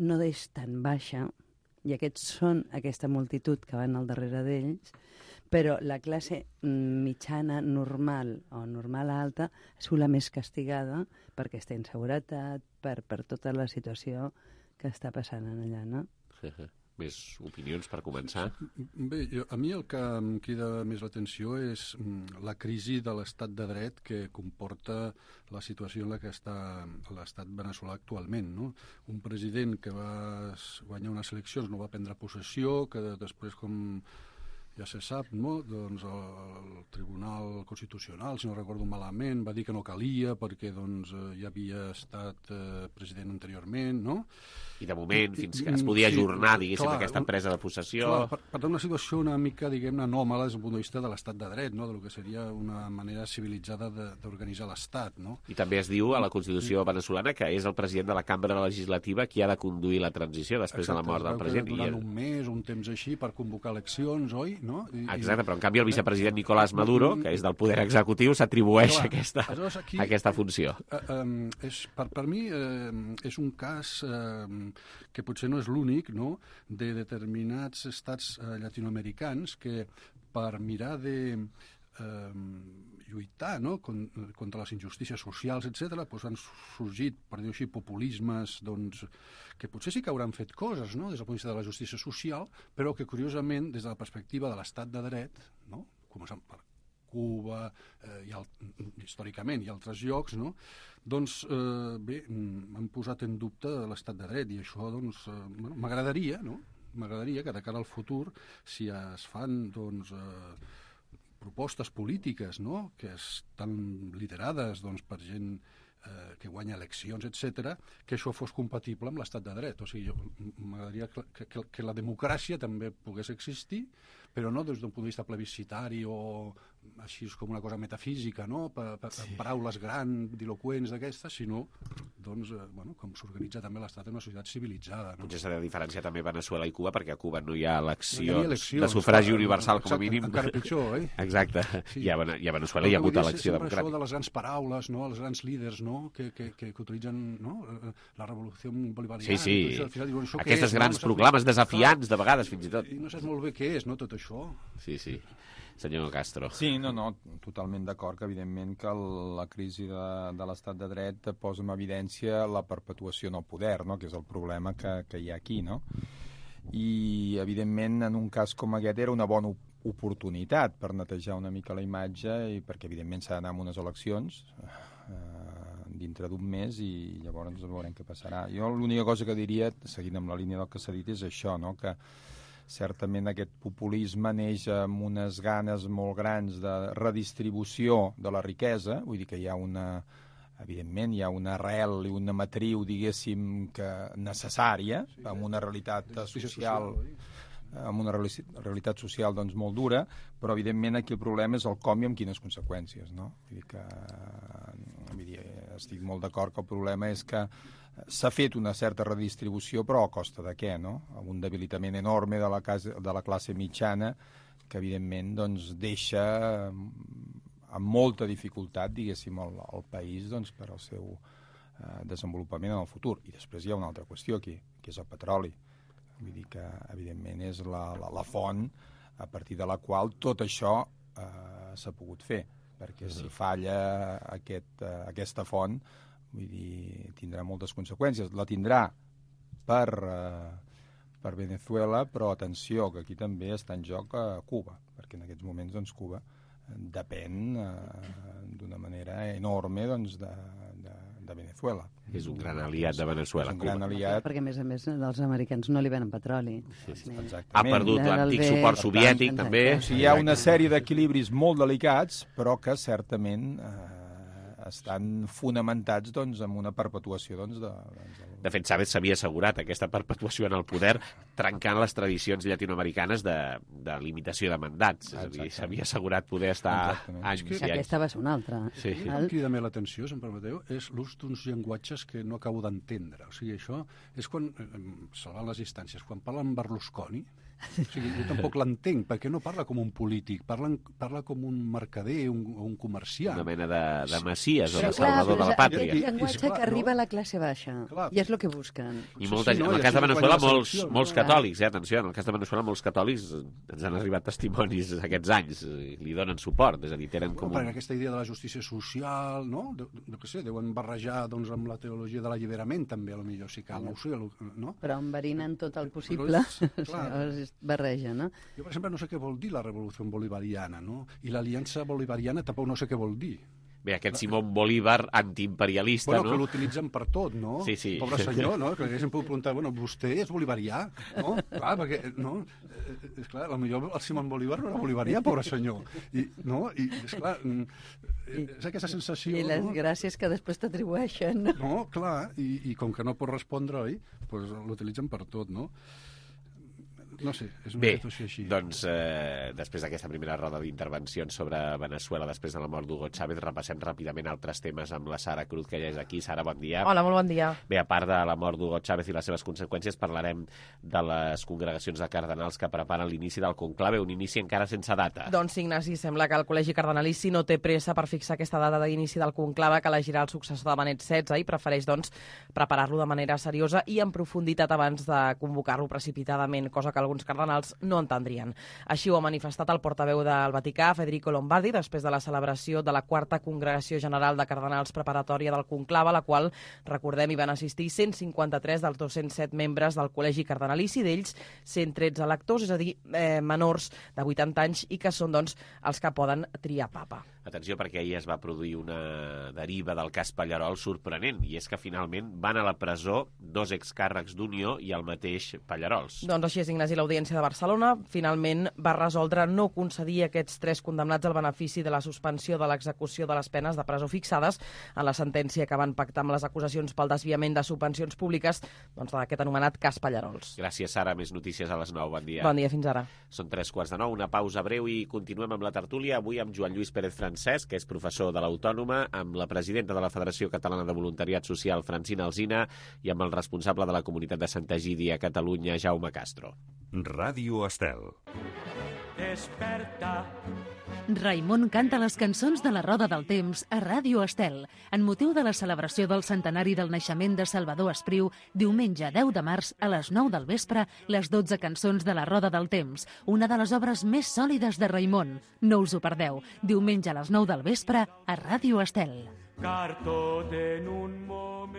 [SPEAKER 17] no és tan baixa, i aquests són aquesta multitud que van al darrere d'ells, però la classe mitjana normal o normal alta és la més castigada per aquesta inseguretat, per tota la situació que està passant allà, no?
[SPEAKER 2] Més opinions per començar?
[SPEAKER 16] Bé, a mi el que em crida més l'atenció és la crisi de l'estat de dret que comporta la situació en la que està l'estat veneçolà actualment, no? Un president que va guanyar unes eleccions, no va prendre possessió, que després, com ja se sap, no? Doncs el Tribunal Constitucional, si no recordo malament, va dir que no calia perquè doncs, ja havia estat president anteriorment, no?
[SPEAKER 2] I de moment, fins que es podia ajornar, diguéssim, aquesta presa de possessió...
[SPEAKER 16] Clar, per tant, una situació una mica, diguem-ne, anòmala des del punt de vista de l'estat de dret, no? Del que seria una manera civilitzada d'organitzar l'estat, no?
[SPEAKER 2] I també es diu a la Constitució veneçolana que és el president de la cambra legislativa qui ha de conduir la transició després de la mort del president.
[SPEAKER 16] Durant un mes, un temps així, per convocar eleccions, oi? no?
[SPEAKER 2] Exacte, però en canvi el vicepresident Nicolás Maduro, que és del poder executiu, s'atribueix aquesta funció.
[SPEAKER 16] Per mi és un cas que potser no és l'únic, no?, de determinats estats llatinoamericans que per mirar de lluitar, no?, contra les injustícies socials, etc., doncs han sorgit, per dir-ho així, populismes que potser sí que hauran fet coses, no?, des del punt de vista de la justícia social, però que, curiosament, des de la perspectiva de l'estat de dret, no?, començant per Cuba, històricament, i altres llocs, no?, doncs, bé, han posat en dubte l'estat de dret, i això, doncs, m'agradaria, no?, m'agradaria que de cara al futur, si es fan, doncs, propostes polítiques, no?, que estan liderades, doncs, per gent que guanya eleccions, etc., que això fos compatible amb l'estat de dret. O sigui, m'agradaria que la democràcia també pogués existir, però no des d'un punt de vista plebiscitari o així com una cosa metafísica, no?, paraules grans, diloqüents d'aquestes, sinó, doncs, com s'organitza també l'Estat en una societat civilitzada.
[SPEAKER 2] Potser s'ha de diferenciar també Veneçuela i Cuba, perquè a Cuba no hi ha eleccions de sufragi universal, com a mínim.
[SPEAKER 16] Encara pitjor, eh?
[SPEAKER 2] Exacte. I a Veneçuela hi ha hagut elecció democràtica.
[SPEAKER 16] Això de les grans paraules, no?, els grans líders, no?, que utilitzen, no?, la revolució bolivariana.
[SPEAKER 2] Sí. Aquestes grans proclames desafiants, de vegades, fins i tot.
[SPEAKER 16] I no saps molt bé què és, no?, tot això.
[SPEAKER 2] Sí. Senyor Castro.
[SPEAKER 18] Sí, no, totalment d'acord que evidentment que la crisi de l'estat de dret posa en evidència la perpetuació en el poder, no?, que és el problema que hi ha aquí, no? I evidentment en un cas com aquest era una bona oportunitat per netejar una mica la imatge i perquè evidentment s'ha d'anar a unes eleccions dintre d'un mes i llavors veurem què passarà. Jo l'única cosa que diria, seguint amb la línia del que s'ha dit, és això, no?, que certament aquest populisme neix amb unes ganes molt grans de redistribució de la riquesa, vull dir que evidentment hi ha una arrel i una matriu, diguéssim, que necessària, amb una realitat social amb una realitat social doncs, molt dura, però evidentment aquí el problema és el com i amb quines conseqüències, no? Vull dir, estic molt d'acord que el problema és que s'ha fet una certa redistribució, però a costa de què, no? Un debilitament enorme de la classe mitjana que evidentment doncs, deixa amb molta dificultat, diguéssim, el país doncs, per al seu desenvolupament en el futur. I després hi ha una altra qüestió aquí, que és el petroli. Vull dir que, evidentment, és la font a partir de la qual tot això s'ha pogut fer, perquè si falla aquesta font, vull dir, tindrà moltes conseqüències. La tindrà per Venezuela, però atenció, que aquí també està en joc Cuba, perquè en aquests moments doncs, Cuba depèn d'una manera enorme doncs, de Venezuela.
[SPEAKER 2] És un gran aliat de Venezuela.
[SPEAKER 18] És un gran aliat.
[SPEAKER 17] Perquè, a més, els americans no li venen petroli.
[SPEAKER 2] Ha perdut l'antic suport soviètic, també.
[SPEAKER 18] O sigui, hi ha una sèrie d'equilibris molt delicats, però que certament estan fonamentats doncs, en una perpetuació
[SPEAKER 2] De fet, Chávez s'havia assegurat aquesta perpetuació en el poder trencant les tradicions llatinoamericanes de limitació de mandats. És a dir, s'havia assegurat poder estar anys i anys.
[SPEAKER 17] Aquesta va ser una altra.
[SPEAKER 16] Sí. El que em crida més l'atenció, si em permeteu, és l'ús d'uns llenguatges que no acabo d'entendre. O sigui, això és quan, salvant les distàncies, quan parlen Berlusconi, o sigui, jo tampoc l'entenc, perquè no parla com un polític, parla com un mercader o un comerciant.
[SPEAKER 2] Una mena de messies o de salvador de la pàtria.
[SPEAKER 17] És llenguatge que arriba a la classe baixa, i és el que busquen.
[SPEAKER 2] I molta gent, en el cas de Venezuela, molts catòlics, atenció, en el cas de Venezuela molts catòlics ens han arribat testimonis aquests anys, li donen suport, és a dir, tenen com
[SPEAKER 16] perquè aquesta idea de la justícia social, no? No sé, deuen barrejar doncs, amb la teologia de l'alliberament, també, potser si cal, no ho sé, no?
[SPEAKER 17] Però enverinen tot el possible, es barreja, no?
[SPEAKER 16] Jo, per exemple, no sé què vol dir la revolució bolivariana, no? I l'aliança bolivariana tampoc no sé què vol dir.
[SPEAKER 2] Bé, aquest Simón Bolívar antiimperialista,
[SPEAKER 16] no? Que l'utilitzen per tot, no?
[SPEAKER 2] Sí.
[SPEAKER 16] Pobre senyor, no? Que haguéssim pogut preguntar, vostè és bolivarià? No? Clar, perquè, no? És clar, potser el Simón Bolívar no era bolivarià, pobre senyor. I és clar, és aquesta sensació...
[SPEAKER 17] I les gràcies que després t'atribueixen.
[SPEAKER 16] No, clar, i com que no pot respondre, oi? Doncs l'utilitzen per tot, no? No sé, és una situació així.
[SPEAKER 2] Bé, doncs després d'aquesta primera roda d'intervencions sobre Veneçuela, després de la mort d'Hugo Chávez, repassem ràpidament altres temes amb la Sara Cruz, que ja és aquí. Sara, bon dia.
[SPEAKER 3] Hola, molt bon dia.
[SPEAKER 2] Bé, a part de la mort d'Hugo Chávez i les seves conseqüències, parlarem de les congregacions de cardenals que preparen l'inici del conclave, un inici encara sense data.
[SPEAKER 3] Doncs sí, Ignasi, sembla que el Col·legi Cardenalici no té pressa per fixar aquesta data d'inici del conclave que elegirà el successor de Benet XVI i prefereix, doncs, preparar-lo de manera seriosa i en profunditat abans de convocar-lo precipitadament, cosa que alguns cardenals no entendrien. Així ho ha manifestat el portaveu del Vaticà, Federico Lombardi, després de la celebració de la quarta Congregació General de Cardenals preparatòria del conclave, a la qual, recordem, hi van assistir 153 dels 207 membres del Col·legi Cardenalici, d'ells 113 electors, és a dir, menors de 80 anys i que són, doncs, els que poden triar papa.
[SPEAKER 2] Atenció, perquè ahir es va produir una deriva del cas Pallerol sorprenent, i és que finalment van a la presó 2 excàrrecs d'Unió i el mateix Pallerols.
[SPEAKER 3] Doncs així és, Ignasi, l'Audiència de Barcelona finalment va resoldre no concedir a aquests 3 condemnats el benefici de la suspensió de l'execució de les penes de presó fixades en la sentència que van pactar amb les acusacions pel desviament de subvencions públiques, doncs, d'aquest anomenat cas Pallerols.
[SPEAKER 2] Gràcies, Sara. Més notícies a les 9. Bon dia.
[SPEAKER 3] Bon dia, fins ara.
[SPEAKER 2] Són 3:45, una pausa breu i continuem amb la tertúlia. Avui amb Joan Lluís Pérez Francesc, que és professor de l'Autònoma, amb la presidenta de la Federació Catalana de Voluntariat Social, Francina Alsina, i amb el responsable de la comunitat de Santa Egídia a Catalunya, Jaume Castro.
[SPEAKER 19] Ràdio Estel.
[SPEAKER 13] Desperta. Raimon canta les cançons de la Roda del Temps a Ràdio Estel, en motiu de la celebració del centenari del naixement de Salvador Espriu, diumenge 10 de març a les 9 del vespre, les 12 cançons de la Roda del Temps, una de les obres més sòlides de Raimon. No us ho perdeu, diumenge a les 9 del vespre a Ràdio Estel.
[SPEAKER 20] Car tot en un moment.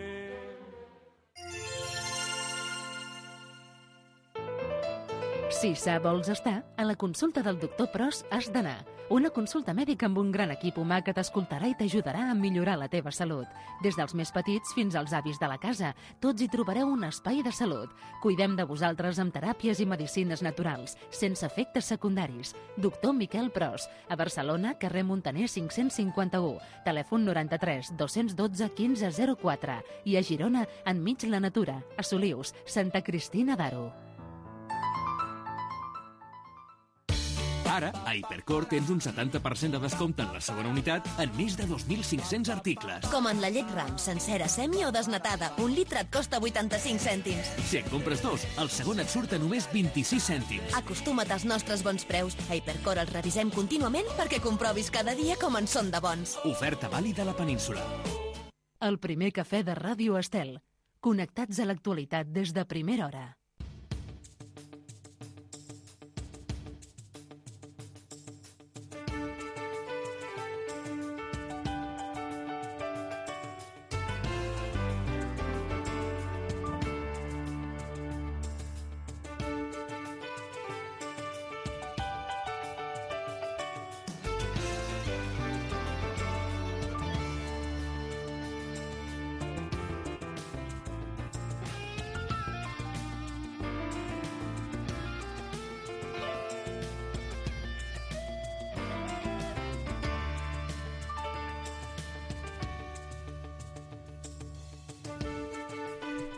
[SPEAKER 13] Si sa vols estar, a la consulta del doctor Pros has d'anar. Una consulta mèdica amb un gran equip humà que t'escoltarà i t'ajudarà a millorar la teva salut. Des dels més petits fins als avis de la casa, tots hi trobareu un espai de salut. Cuidem de vosaltres amb teràpies i medicines naturals, sense efectes secundaris. Doctor Miquel Pros, a Barcelona, carrer Montaner 551, telèfon 93 212 1504 i a Girona, enmig la natura, a Solius, Santa Cristina d'Aro.
[SPEAKER 9] Ara, a Hipercor tens un 70% de descompte en la segona unitat en més de 2.500 articles.
[SPEAKER 10] Com en la llet Ram, sencera, semi o desnatada. Un litre et costa 85 cèntims.
[SPEAKER 9] Si en compres 2, el segon et surt a només 26 cèntims.
[SPEAKER 10] Acostuma't als nostres bons preus. A Hipercor els revisem contínuament perquè comprovis cada dia com en són de bons.
[SPEAKER 9] Oferta vàlida a la península.
[SPEAKER 13] El primer cafè de Ràdio Estel. Connectats a l'actualitat des de primera hora.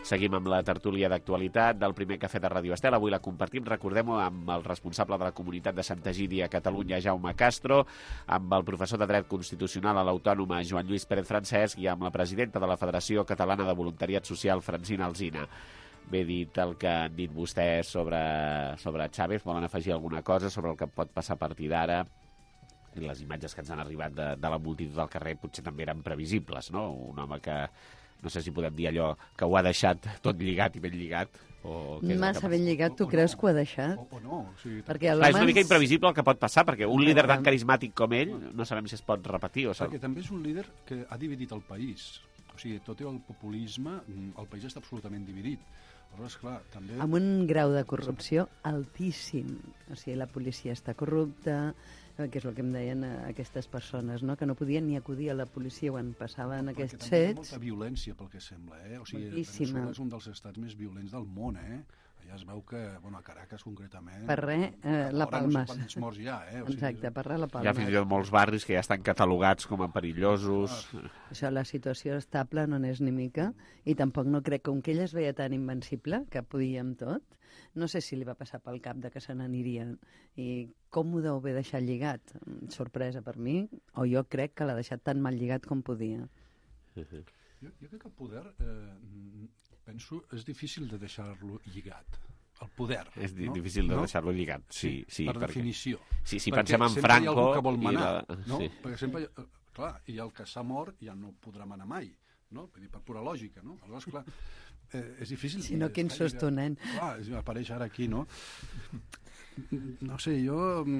[SPEAKER 2] Seguim amb la tertúlia d'actualitat del primer cafè de Ràdio Estel. Avui la compartim, recordem-ho, amb el responsable de la comunitat de Santa Egídia a Catalunya, Jaume Castro, amb el professor de Dret Constitucional a l'Autònoma, Joan Lluís Pérez Francesc, i amb la presidenta de la Federació Catalana de Voluntariat Social, Francina Alsina. Bé dit el que han dit vostès sobre Chávez, volen afegir alguna cosa sobre el que pot passar a partir d'ara? I les imatges que ens han arribat de la multitud del carrer potser també eren previsibles, no? Un home que, no sé si podem dir allò, que ho ha deixat tot lligat i ben lligat.
[SPEAKER 17] Massa ben lligat, tu creus que ho ha deixat?
[SPEAKER 16] O no. O sigui,
[SPEAKER 2] és una mica imprevisible el que pot passar, perquè un líder tan carismàtic com ell no sabem si es pot repetir.
[SPEAKER 16] Perquè també és un líder que ha dividit el país. O sigui, tot i el populisme, el país està absolutament dividit. Aleshores, clar, també...
[SPEAKER 17] Amb un grau de corrupció altíssim. O sigui, la policia està corrupta, que és el que em deien aquestes persones, no? Que no podien ni acudir a la policia quan passaven aquests fets.
[SPEAKER 16] Hi ha molta violència, pel que sembla, eh? O sigui, Veneçuela és un dels estats més violents del món, eh? Ja es veu que, bueno, a Caracas concretament...
[SPEAKER 17] Per res, la Palma.
[SPEAKER 16] No sé quants morts hi ha,
[SPEAKER 17] Exacte, per res la Palma.
[SPEAKER 2] Hi ha fins i tot molts barris que ja estan catalogats com a perillosos.
[SPEAKER 17] Això, la situació estable no n'és ni mica, i tampoc no crec, com que ella es veia tan invencible, que podia amb tot, no sé si li va passar pel cap de que se n'aniria. I com ho deu haver deixat lligat? Sorpresa per mi, o jo crec que l'ha deixat tan mal lligat com podia.
[SPEAKER 16] Jo crec que el poder, penso, és difícil de deixar-lo lligat. El poder.
[SPEAKER 2] És difícil de deixar-lo lligat, sí.
[SPEAKER 16] Per definició.
[SPEAKER 2] Sí, si pensem en Franco...
[SPEAKER 16] Perquè sempre hi ha algú que vol manar, no?
[SPEAKER 2] Sí.
[SPEAKER 16] Perquè sempre, clar, i el que s'ha mort ja no podrà manar mai, no? Vull dir, per pura lògica, no? Aleshores, clar, és difícil...
[SPEAKER 17] Si no, quin susto, nen.
[SPEAKER 16] Clar, apareix ara aquí, no? No sé, jo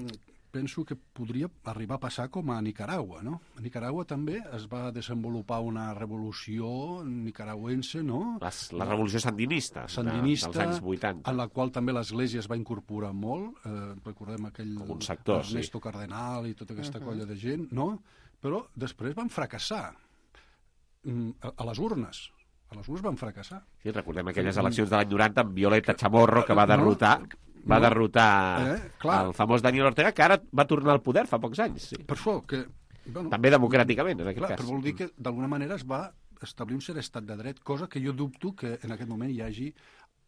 [SPEAKER 16] penso que podria arribar a passar com a Nicaragua, no? A Nicaragua també es va desenvolupar una revolució nicaragüense, no?
[SPEAKER 2] La revolució sandinista dels anys 80.
[SPEAKER 16] En la qual també l'Església es va incorporar molt. Recordem aquell Ernesto Cardenal i tota aquesta colla de gent, no? Però després van fracassar a les urnes. A les urnes van fracassar.
[SPEAKER 2] Sí, recordem aquelles eleccions de l'any 90 amb Violeta Chamorro, que va derrotar... Va derrotar el famós Daniel Ortega, que ara va tornar al poder fa pocs anys. Sí.
[SPEAKER 16] Per això que...
[SPEAKER 2] Bueno, també democràticament, en aquest cas.
[SPEAKER 16] Però vol dir que d'alguna manera es va establir un cert estat de dret, cosa que jo dubto que en aquest moment hi hagi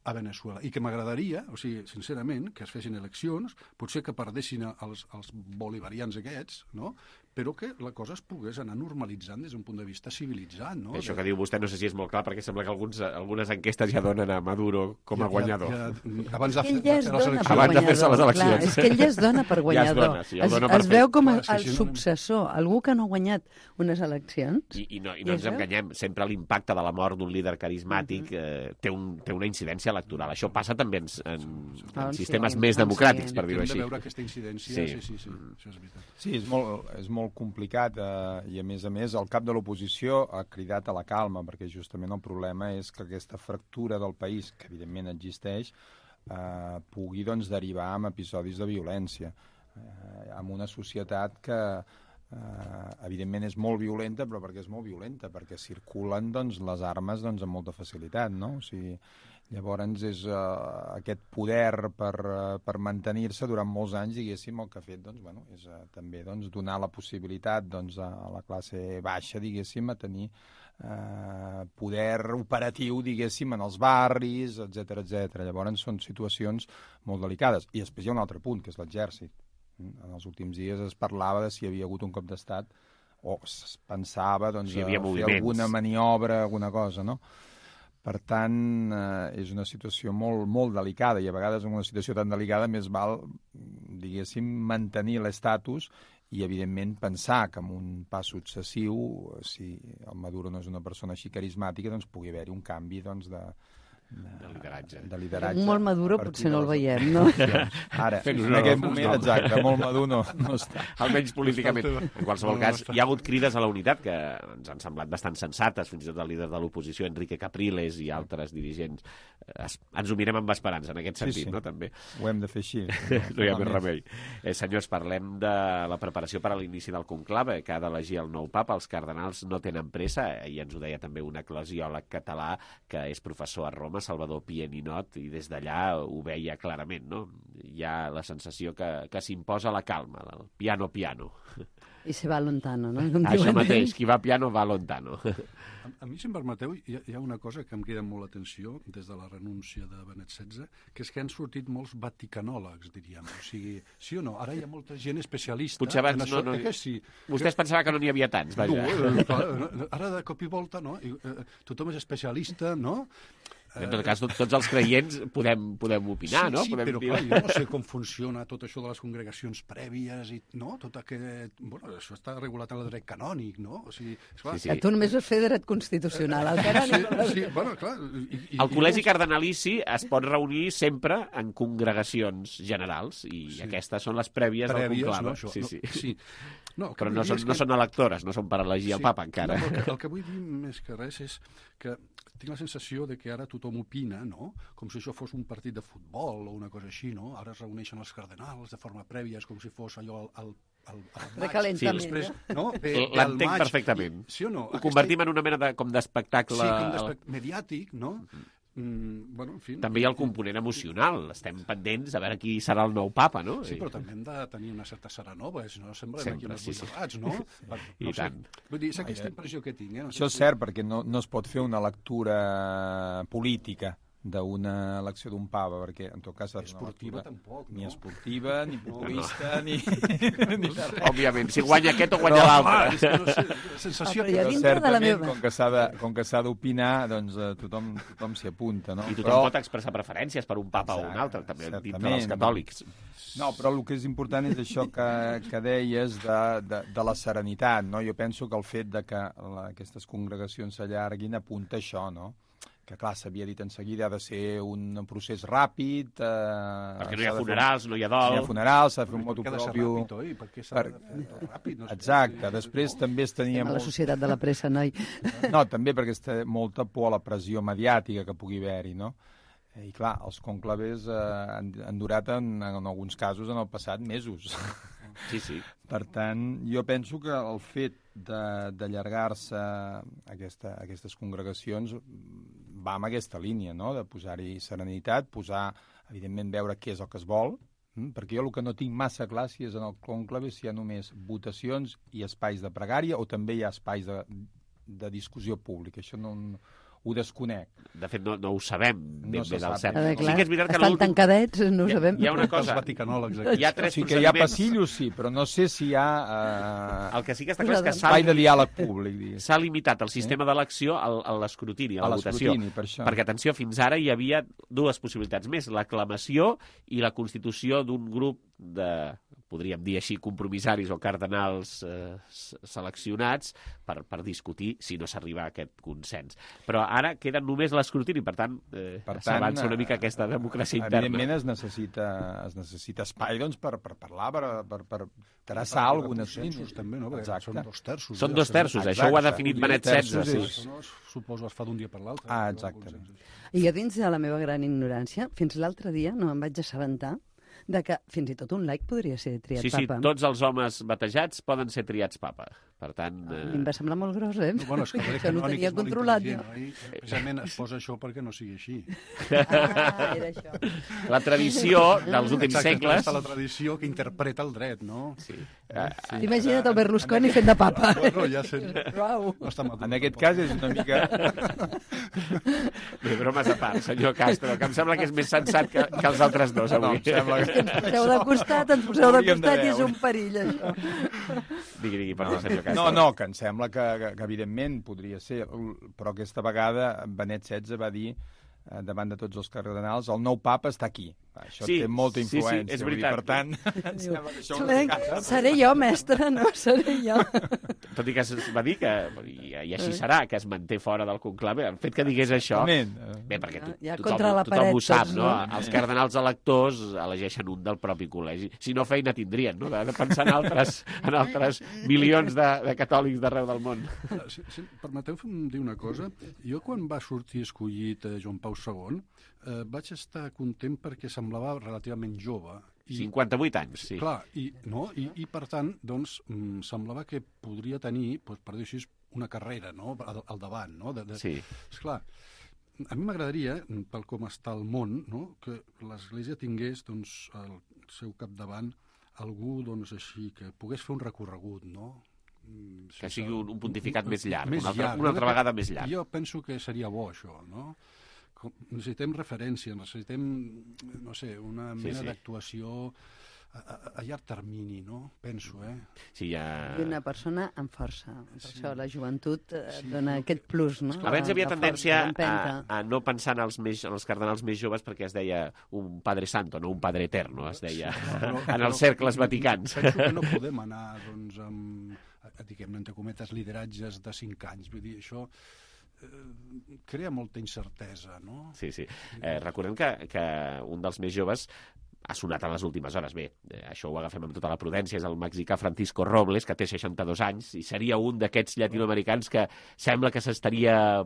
[SPEAKER 16] a Veneçuela. I que m'agradaria, o sigui, sincerament, que es fessin eleccions, potser que perdessin els bolivarians aquests, no? Però que la cosa es pogués anar normalitzant des d'un punt de vista civilitzat, no?
[SPEAKER 2] Això que diu vostè no sé si és molt clar, perquè sembla que algunes enquestes ja donen a Maduro com a guanyador.
[SPEAKER 16] Abans de
[SPEAKER 2] fer-se les eleccions.
[SPEAKER 17] Clar, és que ell ja es dona per guanyador. Es veu com el successor, algú que no ha guanyat unes eleccions.
[SPEAKER 2] I no ens enganyem, sempre l'impacte de la mort d'un líder carismàtic té una incidència electoral. Això passa també en sistemes més democràtics, per dir-ho així.
[SPEAKER 16] Hem de veure aquesta incidència, sí, això és veritat.
[SPEAKER 18] Sí, és molt complicat i a més el cap de l'oposició ha cridat a la calma, perquè justament el problema és que aquesta fractura del país, que evidentment existeix, pugui doncs derivar en episodis de violència, en una societat que evidentment és molt violenta, però perquè és molt violenta, perquè circulen doncs les armes doncs amb molta facilitat, no? O sigui, llavors és aquest poder per mantenir-se durant molts anys, diguéssim, el que ha fet doncs, bueno, és també doncs, donar la possibilitat doncs, a la classe baixa, diguéssim, a tenir poder operatiu, diguéssim, en els barris, etc. Llavors són situacions molt delicades. I després hi ha un altre punt, que és l'exèrcit. En els últims dies es parlava de si hi havia hagut un cop d'estat o es pensava doncs,
[SPEAKER 2] si
[SPEAKER 18] fer alguna maniobra, alguna cosa, no? Per tant, és una situació molt delicada, i a vegades en una situació tan delicada més val, diguéssim, mantenir l'estatus i, evidentment, pensar que amb un pas successiu, si el Maduro no és una persona així carismàtica, doncs pugui haver-hi un canvi doncs, de lideratge.
[SPEAKER 17] Molt Maduro potser no el veiem, no?
[SPEAKER 18] Ara, en aquest moment, exacte, molt Maduro no està.
[SPEAKER 2] Almenys políticament. En qualsevol cas, hi ha hagut crides a la unitat que ens han semblat bastant sensates, fins i tot el líder de l'oposició, Enrique Capriles, i altres dirigents. Ens ho mirem amb esperança, en aquest sentit, no? També.
[SPEAKER 18] Ho hem de fer així.
[SPEAKER 2] No hi ha més remei. Senyors, parlem de la preparació per a l'inici del conclave, que ha d'elegir el nou papa. Els cardenals no tenen pressa, i ens ho deia també un eclesiòleg català que és professor a Roma, Salvador Pieninot, i des d'allà ho veia clarament, no? Hi ha la sensació que s'imposa la calma, el piano.
[SPEAKER 17] I se va lontano, no?
[SPEAKER 2] Això mateix, qui va piano va lontano.
[SPEAKER 16] A mi, si em permeteu, hi ha una cosa que em crida molt l'atenció des de la renúncia de Benet XVI, que és que han sortit molts vaticanòlegs, diríem. O sigui, sí o no? Ara hi ha molta gent especialista.
[SPEAKER 2] Potser abans
[SPEAKER 16] en això, no. Sí.
[SPEAKER 2] Vostès pensava que no n'hi havia tants, vaja.
[SPEAKER 16] No, ara de cop i volta, no? Tothom és especialista, no?
[SPEAKER 2] En tot cas, tots els creients podem opinar, no?
[SPEAKER 16] Sí, però clar, jo no sé com funciona tot això de les congregacions prèvies i, no? Tot aquest... Bueno, això està regulat en el dret canònic, no? O sigui, esclar...
[SPEAKER 17] Sí. Tu només vas fer dret constitucional, el canònic.
[SPEAKER 16] Sí, bueno, clar...
[SPEAKER 2] El col·legi cardenalici es pot reunir sempre en congregacions generals, i aquestes són les prèvies del conclave.
[SPEAKER 16] No, sí. No,
[SPEAKER 2] però no són electores, no són per elegir el papa encara.
[SPEAKER 16] No, el que vull dir més que res és que tinc la sensació de que ara tothom opina, no? Com si això fos un partit de futbol o una cosa així, no? Ara es reuneixen els cardenals de forma prèvia, és com si fos allò al
[SPEAKER 17] recalentament.
[SPEAKER 16] Després, no?
[SPEAKER 2] L'entenc perfectament.
[SPEAKER 16] Sí o no?
[SPEAKER 2] Ho convertim en una mena com d'espectacle...
[SPEAKER 16] Sí, mediàtic, no? bueno, en fi...
[SPEAKER 2] També hi ha el component emocional. Estem pendents a veure qui serà el nou papa, no?
[SPEAKER 16] Sí, però també hem de tenir una certa serenova, si no semblem aquí uns boirats, no?
[SPEAKER 2] I tant.
[SPEAKER 16] Vull dir, és aquesta impressió que tinc.
[SPEAKER 18] Això és cert, perquè no es pot fer una lectura política d'una elecció d'un papa, perquè en tot cas
[SPEAKER 16] esportiva tampoc,
[SPEAKER 18] ni esportiva, ni populista, ni...
[SPEAKER 2] Òbviament, si guanya aquest o guanya l'altre.
[SPEAKER 16] Sensació
[SPEAKER 18] que certament, com que s'ha d'opinar, doncs tothom s'hi apunta, no?
[SPEAKER 2] I tothom pot expressar preferències per un papa o un altre, també dintre dels catòlics.
[SPEAKER 18] No, però el que és important és això que deies de la serenitat, no? Jo penso que el fet de que aquestes congregacions s'allarguin apunta això, no? Que clar, s'havia dit en seguida, ha de ser un procés ràpid...
[SPEAKER 2] Perquè no hi ha funerals, no hi ha dol...
[SPEAKER 18] No hi ha funerals, s'ha de fer un motu propio...
[SPEAKER 16] Perquè s'ha de fer ràpid.
[SPEAKER 18] Exacte, després també es tenia...
[SPEAKER 17] La societat de la pressa, noi.
[SPEAKER 18] No, també perquè es té molta por a la pressió mediàtica que pugui haver-hi, no? I clar, els conclaves han durat en alguns casos en el passat mesos.
[SPEAKER 2] Sí.
[SPEAKER 18] Per tant, jo penso que el fet d'allargar-se aquestes congregacions va en aquesta línia, no? De posar-hi serenitat, evidentment, veure què és el que es vol, perquè jo el que no tinc massa clar si és en el conclave si hi ha només votacions i espais de pregària o també hi ha espais de discussió pública. Això no ho desconec.
[SPEAKER 2] De fet, no ho sabem ben bé del cert.
[SPEAKER 17] Sí que és veritat que estan tancadets, no ho sabem.
[SPEAKER 2] Hi ha una cosa...
[SPEAKER 16] Hi
[SPEAKER 2] ha tres
[SPEAKER 18] procediments... Sí que hi ha passillos, sí, però no sé si hi ha...
[SPEAKER 2] El que sí que està clar és que
[SPEAKER 18] espai de diàleg públic.
[SPEAKER 2] S'ha limitat el sistema d'elecció a l'escrutini, a la votació. Perquè, atenció, fins ara hi havia dues possibilitats més, l'aclamació i la constitució d'un grup de, podríem dir així, compromissaris o cardenals seleccionats per discutir si no s'arriba a aquest consens. Però ara queda només l'escrutini, per tant, s'avança una mica aquesta democràcia interna.
[SPEAKER 18] Evidentment es necessita espai doncs, per parlar, per traçar alguna cosa.
[SPEAKER 16] També, no? Són 2/3.
[SPEAKER 2] Són 2/3, això ho ha definit Benet XVI.
[SPEAKER 16] Això no suposo es fa d'un dia per l'altre.
[SPEAKER 18] Exacte.
[SPEAKER 17] I jo dins de la meva gran ignorància, fins l'altre dia no em vaig assabentar de que fins i tot un laic podria ser triat papa.
[SPEAKER 2] Sí, tots els homes batejats poden ser triats papa. Per tant...
[SPEAKER 17] A mi em va semblar molt gros, eh?
[SPEAKER 16] Bueno, és que
[SPEAKER 17] això no ho tenia controlat.
[SPEAKER 16] Precisament es posa això perquè no sigui així.
[SPEAKER 17] Era això.
[SPEAKER 2] La tradició dels últims segles...
[SPEAKER 16] Exacte, la tradició que interpreta el dret, no?
[SPEAKER 2] Sí.
[SPEAKER 17] Imagina't el Berlusconi fent de papa.
[SPEAKER 16] Bueno, ja sé.
[SPEAKER 18] En aquest cas és una mica...
[SPEAKER 2] Bé, bromes a part, senyor Castro, que em sembla que és més sensat que els altres dos avui.
[SPEAKER 17] Ens poseu de costat i és un perill, això.
[SPEAKER 2] Digui, perdó, senyor Castro.
[SPEAKER 18] No, que em sembla que evidentment podria ser, però aquesta vegada Benet XVI va dir davant de tots els cardenals, el nou papa està aquí. Això té molta influència.
[SPEAKER 2] Sí, és veritat.
[SPEAKER 18] Per tant,
[SPEAKER 17] seré jo, mestre, no? Seré jo.
[SPEAKER 2] Tot i que es va dir que, i així serà, que es manté fora del conclave, el fet que digués això... Bé, perquè tothom ho sap, no? Els cardenals electors elegeixen un del propi col·legi. Si no, feina tindrien, no? De pensar en altres milions de catòlics d'arreu del món.
[SPEAKER 16] Permeteu-me dir una cosa. Jo, quan va sortir escollit Joan Pau II, vaig estar content perquè semblava relativament jove.
[SPEAKER 2] 58 anys, sí.
[SPEAKER 16] Clar, i per tant, doncs, semblava que podria tenir, per dir així, una carrera, no?, al davant, no?
[SPEAKER 2] Sí.
[SPEAKER 16] Esclar, a mi m'agradaria, pel com està el món, no?, que l'Església tingués, doncs, al seu capdavant algú, doncs, així, que pogués fer un recorregut, no?,
[SPEAKER 2] que sigui un pontificat més llarg, una altra vegada més llarg.
[SPEAKER 16] Jo penso que seria bo, això, no? Necessitem referència, necessitem, no sé, una mena d'actuació a llarg termini, no? Penso,
[SPEAKER 2] Sí,
[SPEAKER 17] I una persona amb força. Per això la joventut dona aquest plus, no?
[SPEAKER 2] Abans hi havia tendència a no pensar en els cardenals més joves perquè es deia un padre santo, no un padre eterno, es deia en els cercles vaticans.
[SPEAKER 16] Penso que no podem anar, doncs, amb, diguem-ne, entre cometes, lideratges de 5 anys. Vull dir, això crea molta incertesa, no?
[SPEAKER 2] Sí. Recordem que un dels més joves ha sonat a les últimes hores. Bé, això ho agafem amb tota la prudència, és el mexicà Francisco Robles, que té 62 anys, i seria un d'aquests llatinoamericans que sembla que s'estaria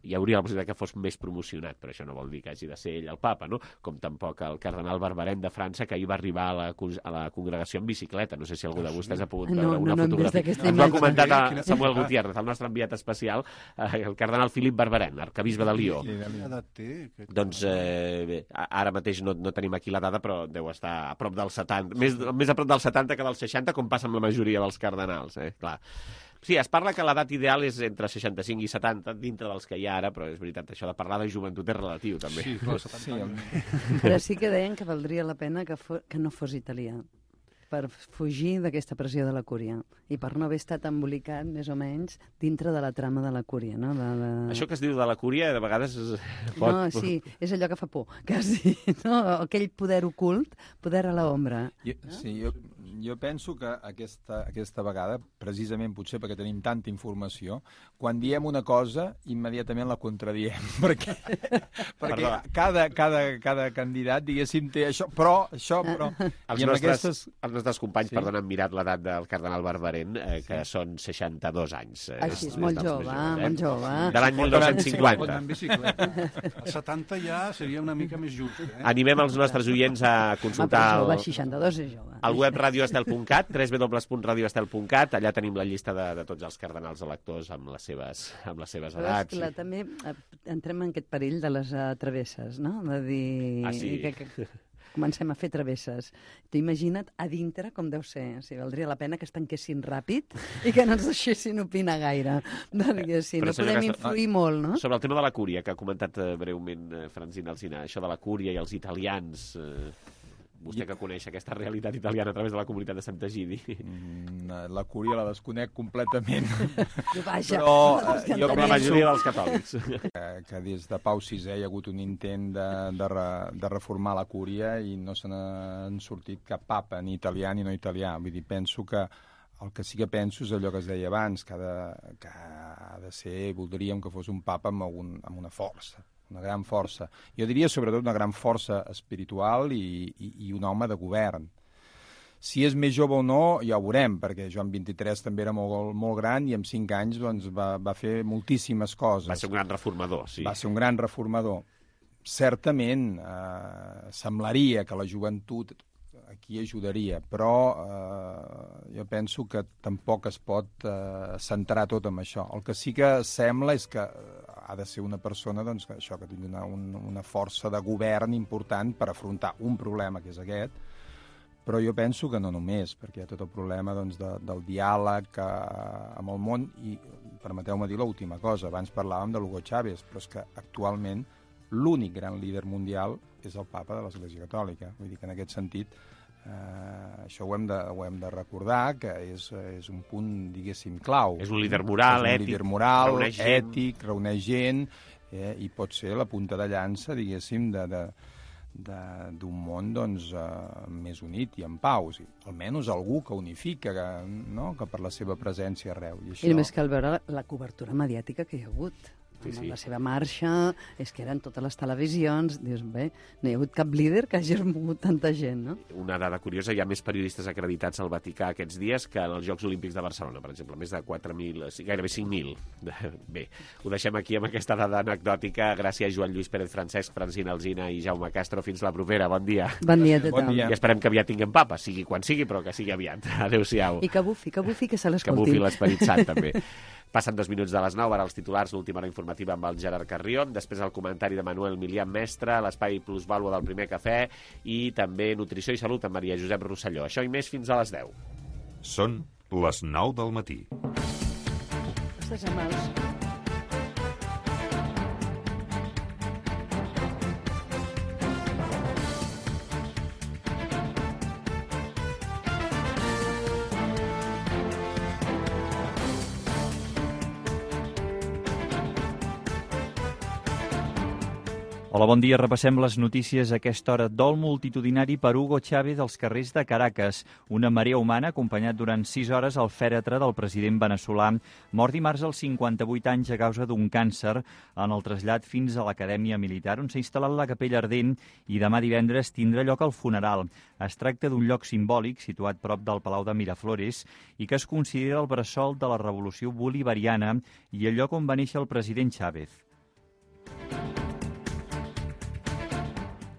[SPEAKER 2] hi hauria la possibilitat que fos més promocionat, però això no vol dir que hagi de ser ell el papa, no? Com tampoc el cardenal Barbarin de França, que ahir va arribar a la congregació en bicicleta. No sé si algú de vostès ha pogut veure una fotografia. Ens ho ha comentat Samuel Gutiérrez, el nostre enviat especial, el cardenal Philippe Barbarin, arcabisbe de Lió. Doncs ara mateix no tenim aquí la dada, però deu estar a prop del 70, més a prop del 70 que del 60, com passa amb la majoria dels cardenals, clar. Sí, es parla que l'edat ideal és entre 65 i 70, dintre dels que hi ha ara, però és veritat, això de parlar de joventut és relatiu, també.
[SPEAKER 16] Sí, clar, 70 anys.
[SPEAKER 17] Però sí que deien que valdria la pena que no fos italià, per fugir d'aquesta pressió de la cúria i per no haver estat embolicat, més o menys, dintre de la trama de la cúria, no?
[SPEAKER 2] Això que es diu de la cúria, de vegades pot...
[SPEAKER 17] No, sí, és allò que fa por, quasi, no? Aquell poder ocult, poder a l'ombra.
[SPEAKER 18] Sí, jo penso que aquesta vegada, precisament potser perquè tenim tanta informació, quan diem una cosa, immediatament la contradiem, perquè cada candidat, diguéssim, té això, però...
[SPEAKER 2] Els nostres companys, perdona, han mirat l'edat del cardenal Barbarin, que són 62 anys.
[SPEAKER 17] Així és molt jove, molt jove.
[SPEAKER 2] De l'any 1250.
[SPEAKER 16] El 70 ja seria una mica més just.
[SPEAKER 2] Animem els nostres oients a consultar
[SPEAKER 17] el 62 és jove.
[SPEAKER 2] El web radioestel.cat, www.radioestel.cat, allà tenim la llista de tots els cardenals electors amb les seves edats.
[SPEAKER 17] Però també entrem en aquest perill de les travesses, no? De dir... que comencem a fer travesses. T'imagina't a dintre com deu ser. O sigui, valdria la pena que es tanquessin ràpid i que no ens deixessin opinar gaire. No podem influir molt, no?
[SPEAKER 2] Sobre el tema de la cúria, que ha comentat breument Francina Alsina, això de la cúria i els italians... Vostè que coneix aquesta realitat italiana a través de la comunitat de Sant'Egidi.
[SPEAKER 18] La cúria la desconec completament.
[SPEAKER 17] Però
[SPEAKER 2] com la majoria dels catòlics.
[SPEAKER 18] Que des de Pau VI hi ha hagut un intent de reformar la cúria i no se n'han sortit cap papa, ni italià ni no italià. Vull dir, penso que el que sí que penso és allò que es deia abans, que ha de ser, voldríem que fos un papa amb una força. Una gran força. Jo diria sobretot una gran força espiritual i un home de govern. Si és més jove o no, ja ho veurem, perquè Joan XXIII també era molt gran i en 5 anys doncs, va fer moltíssimes coses.
[SPEAKER 2] Va ser un gran reformador, sí.
[SPEAKER 18] Va ser un gran reformador. Certament, semblaria que la joventut aquí ajudaria, però jo penso que tampoc es pot centrar tot en això. El que sí que sembla és que ha de ser una persona doncs, que tingui una força de govern important per afrontar un problema que és aquest, però jo penso que no només, perquè hi ha tot el problema doncs, del diàleg amb el món, i permeteu-me dir l'última cosa, abans parlàvem de Hugo Chávez, però és que actualment l'únic gran líder mundial és el papa de l'Església Catòlica, vull dir que en aquest sentit això ho hem de recordar, que és un punt, diguéssim, clau.
[SPEAKER 2] És un líder moral, ètic.
[SPEAKER 18] És un líder moral, ètic, reuneix gent, i pot ser la punta de llança, diguéssim, d'un món doncs, més unit i en pau. O sigui, almenys algú que unifica, que per la seva presència arreu.
[SPEAKER 17] I més cal veure la cobertura mediàtica que hi ha hagut. La seva marxa, és que eren totes les televisions, dius, bé, no hi ha hagut cap líder que hagi mogut tanta gent, no?
[SPEAKER 2] Una dada curiosa, hi ha més periodistes acreditats al Vaticà aquests dies que en els Jocs Olímpics de Barcelona, per exemple, més de 4.000, gairebé 5.000. Bé, ho deixem aquí amb aquesta dada anecdòtica. Gràcies, Joan Lluís Pérez Francesc, Francina Alsina i Jaume Castro. Fins la propera. Bon dia.
[SPEAKER 17] Bon dia a tothom.
[SPEAKER 2] I esperem que aviat tinguem papa, sigui quan sigui, però que sigui aviat. Adéu-siau.
[SPEAKER 17] I que bufi, que se l'escoltin.
[SPEAKER 2] Que bufi l'Esperit Sant, també. Passen 2 minuts de les 9, ara els titulars, l'última hora informativa amb el Gerard Carrió, després el comentari de Manuel Milian Mestre, l'espai plusvàlua del Primer Cafè i també Nutrició i Salut amb Maria Josep Rosselló. Això i més fins a les 10.
[SPEAKER 19] Són les 9 del matí.
[SPEAKER 17] Estàs amb els...
[SPEAKER 8] Hola, bon dia. Repassem les notícies a aquesta hora. Dol multitudinari per Hugo Chávez als carrers de Caracas. Una marea humana acompanyat durant 6 hores al fèretre del president veneçolà, mort dimarts als 58 anys a causa d'un càncer, en el trasllat fins a l'Acadèmia Militar, on s'ha instal·lat la capella ardent, i demà divendres tindrà lloc el funeral. Es tracta d'un lloc simbòlic situat prop del Palau de Miraflores i que es considera el bressol de la revolució bolivariana i el lloc on va néixer el president Chávez.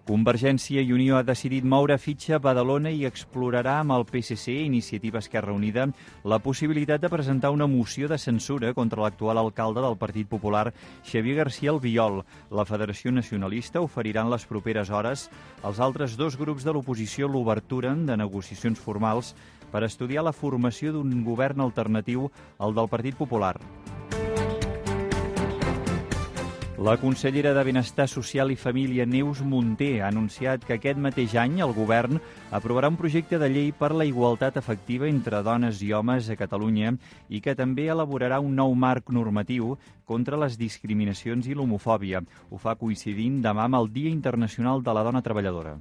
[SPEAKER 8] Convergència i Unió ha decidit moure fitxa a Badalona i explorarà amb el PSC, Iniciativa Esquerra Unida, la possibilitat de presentar una moció de censura contra l'actual alcalde del Partit Popular, Xavier García Albiol. La Federació Nacionalista oferirà en les properes hores als altres 2 grups de l'oposició l'obertura de negociacions formals per estudiar la formació d'un govern alternatiu al del Partit Popular. La consellera de Benestar Social i Família, Neus Munté, ha anunciat que aquest mateix any el govern aprovarà un projecte de llei per la igualtat efectiva entre dones i homes a Catalunya i que també elaborarà un nou marc normatiu contra les discriminacions i l'homofòbia. Ho fa coincidint demà amb el Dia Internacional de la Dona Treballadora.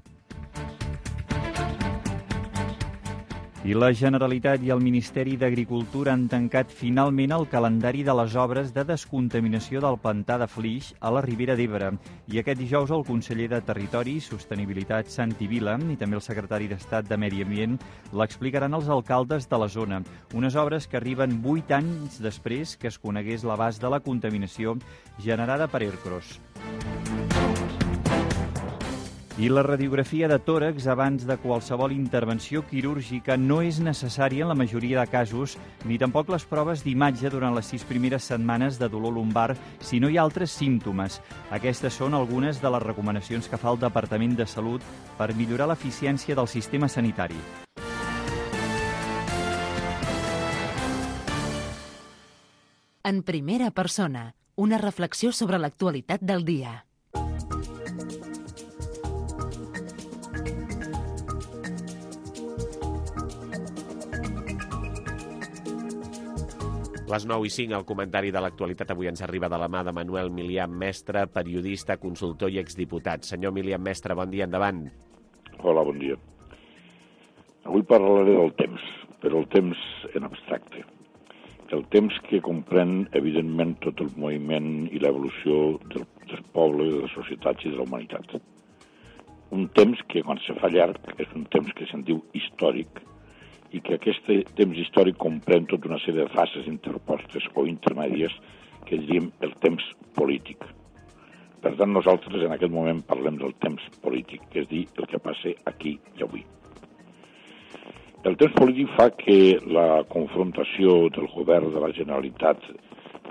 [SPEAKER 8] I la Generalitat i el Ministeri d'Agricultura han tancat finalment el calendari de les obres de descontaminació del pantà de Flix a la Ribera d'Ebre. I aquest dijous el conseller de Territori i Sostenibilitat, Santi Vila, i també el secretari d'Estat de Medi Ambient l'explicaran als alcaldes de la zona. Unes obres que arriben 8 anys després que es conegués l'abast de la contaminació generada per Ercros. I la radiografia de tòrax abans de qualsevol intervenció quirúrgica no és necessària en la majoria de casos, ni tampoc les proves d'imatge durant les 6 primeres setmanes de dolor lumbar si no hi ha altres símptomes. Aquestes són algunes de les recomanacions que fa el Departament de Salut per millorar l'eficiència del sistema sanitari.
[SPEAKER 13] En primera persona, una reflexió sobre l'actualitat del dia.
[SPEAKER 2] Les 9:05, el comentari de l'actualitat avui ens arriba de la mà de Manuel Milian Mestre, periodista, consultor i exdiputat. Senyor Milian Mestre, bon dia, endavant.
[SPEAKER 21] Hola, bon dia. Avui parlaré del temps, però el temps en abstracte. El temps que comprèn, evidentment, tot el moviment i l'evolució dels pobles, de les societats i de la humanitat. Un temps que, quan se fa llarg, és un temps que se'n diu històric, i que aquest temps històric comprèn tota una sèrie de fases interpostes o intermèdies que diríem el temps polític. Per tant, nosaltres en aquest moment parlem del temps polític, que és dir, el que passa aquí i avui. El temps polític fa que la confrontació del govern de la Generalitat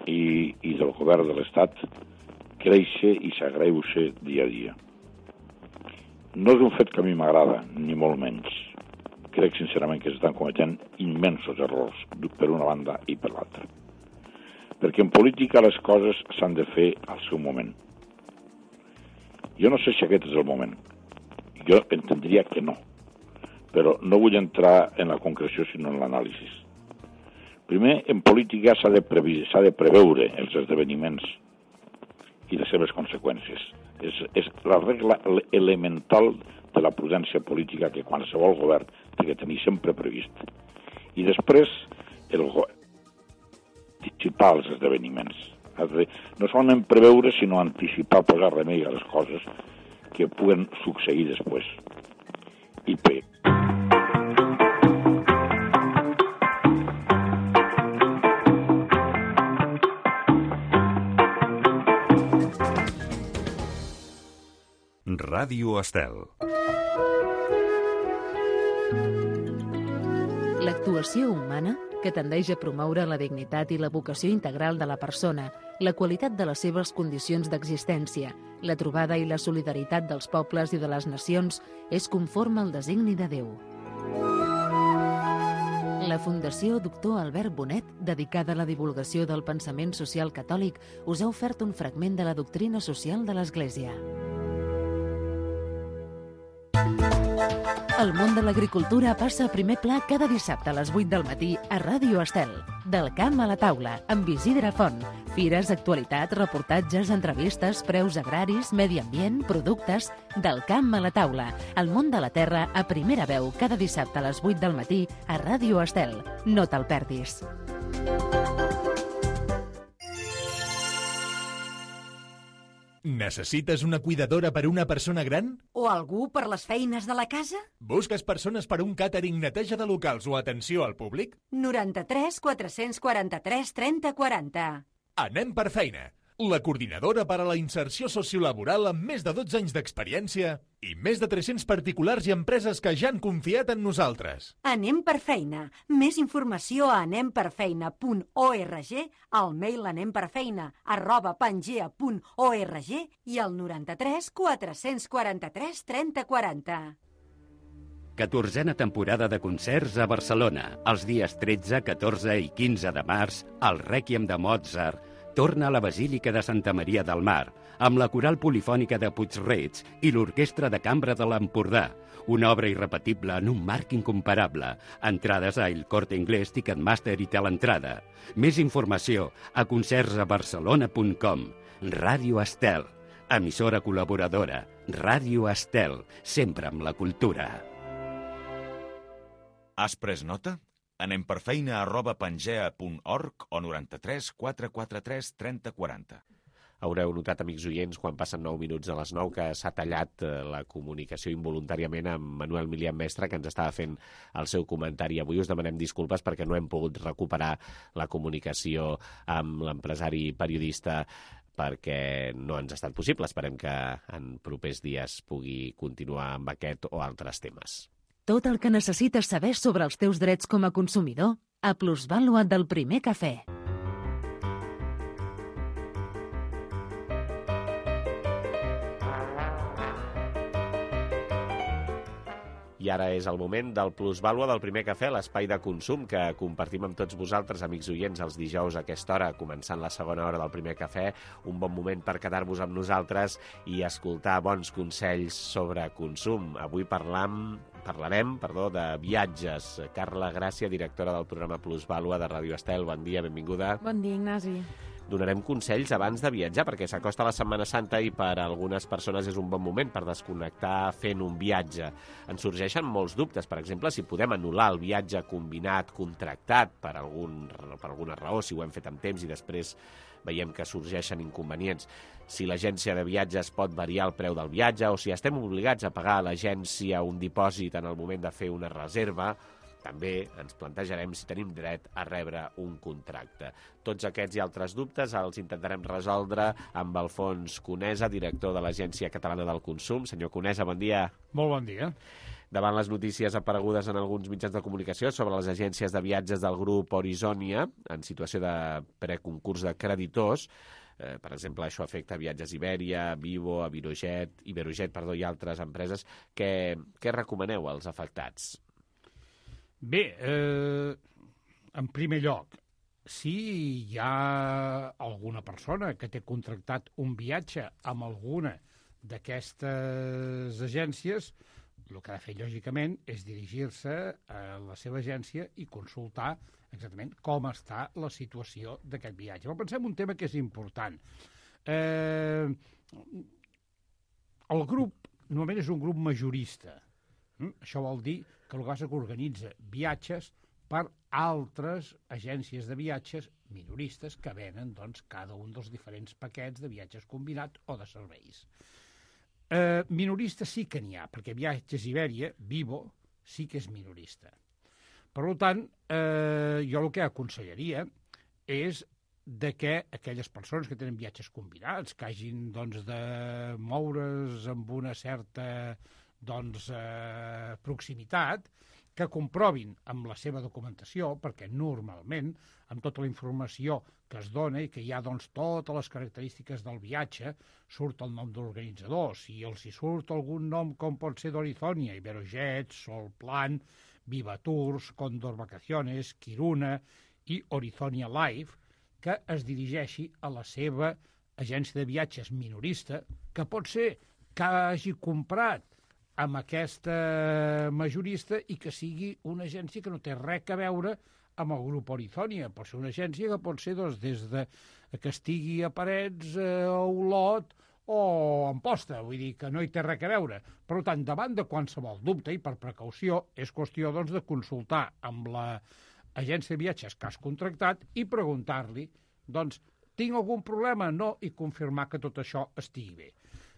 [SPEAKER 21] i del govern de l'Estat creixi i s'agreuja dia a dia. No és un fet que a mi m'agrada, ni molt menys. Crec sincerament que s'estan cometent immensos errors per una banda i per l'altra. Perquè en política les coses s'han de fer al seu moment. Jo no sé si aquest és el moment. Jo entendria que no. Però no vull entrar en la concreció sinó en l'anàlisi. Primer, en política s'ha de preveure els esdeveniments i les seves conseqüències. És la regla elemental de la prudència política que qualsevol govern té que tenir sempre previst. I després, anticipar els esdeveniments. No solament preveure, sinó anticipar, posar remei a les coses que puguen succeir després. I bé.
[SPEAKER 19] Ràdio Estel.
[SPEAKER 13] L'actuació humana, que tendeix a promoure la dignitat i la vocació integral de la persona, la qualitat de les seves condicions d'existència, la trobada i la solidaritat dels pobles i de les nacions, és conforme al designi de Déu. La Fundació Doctor Albert Bonet, dedicada a la divulgació del pensament social catòlic, us ha ofert un fragment de la doctrina social de l'Església.
[SPEAKER 1] El món de l'agricultura passa a primer pla cada dissabte a les 8 del matí a Ràdio Estel. Del camp a la taula, amb Isidre Font. Fires, actualitat, reportatges, entrevistes, preus agraris, medi ambient, productes... Del camp a la taula. El món de la terra a primera veu cada dissabte a les 8 del matí a Ràdio Estel. No te'l perdis.
[SPEAKER 5] Necessites una cuidadora per una persona gran?
[SPEAKER 22] O algú per les feines de la casa?
[SPEAKER 5] Busques persones per un càtering, neteja de locals o atenció al públic?
[SPEAKER 22] 93 443 30 40.
[SPEAKER 5] Anem per feina. La coordinadora per a la inserció sociolaboral amb més de 12 anys d'experiència i més de 300 particulars i empreses que ja han confiat en nosaltres.
[SPEAKER 22] Anem per feina. Més informació a anemperfeina.org, al mail anemperfeina@pangea.org i al 93 443 30 40.
[SPEAKER 23] 14a temporada de concerts a Barcelona. Els dies 13, 14 i 15 de març, el Rèquiem de Mozart torna a la Basílica de Santa Maria del Mar, amb la coral polifònica de Puig-reig i l'Orquestra de Cambra de l'Empordà. Una obra irrepetible en un marc incomparable. Entrades a El Corte Inglés, Ticketmaster i Teleentrada. Més informació a concertsabarcelona.com. Ràdio Estel, emissora col·laboradora. Ràdio Estel, sempre amb la cultura.
[SPEAKER 19] Has pres nota? Anem per feina@pangea.org o 93 443 30 40.
[SPEAKER 2] Haureu notat, amics oients, quan passen 9 minuts de les 9, que s'ha tallat la comunicació involuntàriament amb Manuel Milian Mestre, que ens estava fent el seu comentari. Avui us demanem disculpes perquè no hem pogut recuperar la comunicació amb l'empresari periodista perquè no ens ha estat possible. Esperem que en propers dies pugui continuar amb aquest o altres temes.
[SPEAKER 1] Tot el que necessites saber sobre els teus drets com a consumidor a Plusvàlua del Primer Cafè.
[SPEAKER 2] I ara és el moment del Plusvàlua del Primer Cafè, l'espai de consum que compartim amb tots vosaltres, amics oients, els dijous a aquesta hora, començant la segona hora del Primer Cafè. Un bon moment per quedar-vos amb nosaltres i escoltar bons consells sobre consum. Avui parlarem de viatges. Carla Gràcia, directora del programa Plusvàlua de Ràdio Estel. Bon dia, benvinguda.
[SPEAKER 24] Bon dia, Ignasi.
[SPEAKER 2] Donarem consells abans de viatjar, perquè s'acosta la Setmana Santa i per a algunes persones és un bon moment per desconnectar fent un viatge. Ens sorgeixen molts dubtes, per exemple, si podem anul·lar el viatge combinat, contractat, per alguna raó, si ho hem fet amb temps i després veiem que sorgeixen inconvenients. Si l'agència de viatges pot variar el preu del viatge o si estem obligats a pagar a l'agència un dipòsit en el moment de fer una reserva. També ens plantejarem si tenim dret a rebre un contracte. Tots aquests i altres dubtes els intentarem resoldre amb Alfons Conesa, director de l'Agència Catalana del Consum. Senyor Conesa, bon dia.
[SPEAKER 25] Molt bon dia.
[SPEAKER 2] Davant les notícies aparegudes en alguns mitjans de comunicació sobre les agències de viatges del grup Horizònia en situació de preconcurs de creditors, per exemple, això afecta Viatges Iberia, Vivo, Iberojet i altres empreses, què recomaneu als afectats?
[SPEAKER 25] Bé, en primer lloc, si hi ha alguna persona que té contractat un viatge amb alguna d'aquestes agències, el que ha de fer, lògicament, és dirigir-se a la seva agència i consultar exactament com està la situació d'aquest viatge. Però pensem un tema que és important. El grup normalment és un grup majorista. Això vol dir que el que organitza viatges per altres agències de viatges minoristes que venen cada un dels diferents paquets de viatges combinats o de serveis. Minorista sí que n'hi ha, perquè Viatges Iberia, Vivo, sí que és minorista. Per tant, jo el que aconsellaria és que aquelles persones que tenen viatges combinats, que hagin de moure's amb una certa proximitat, que comprovin amb la seva documentació, perquè normalment, amb tota la informació que es dona i que hi ha totes les característiques del viatge, surt el nom de l'organitzador. Si els hi surt algun nom com pot ser d'Horizònia, Iberojet, Solplan, Viva Tours, Condor Vacaciones, Quiruna i Horizònia Live, que es dirigeixi a la seva agència de viatges minorista, que pot ser que hagi comprat amb aquesta majorista i que sigui una agència que no té res a veure amb el grup Horizontia. Pot ser una agència que pot ser des de que estigui a Parets, a Olot o a Amposta, vull dir que no hi té res a veure. Per tant, davant de qualsevol dubte i per precaució, és qüestió doncs, de consultar amb l'agència de viatges que has contractat i preguntar-li, doncs, tinc algun problema? No, i confirmar que tot això estigui bé.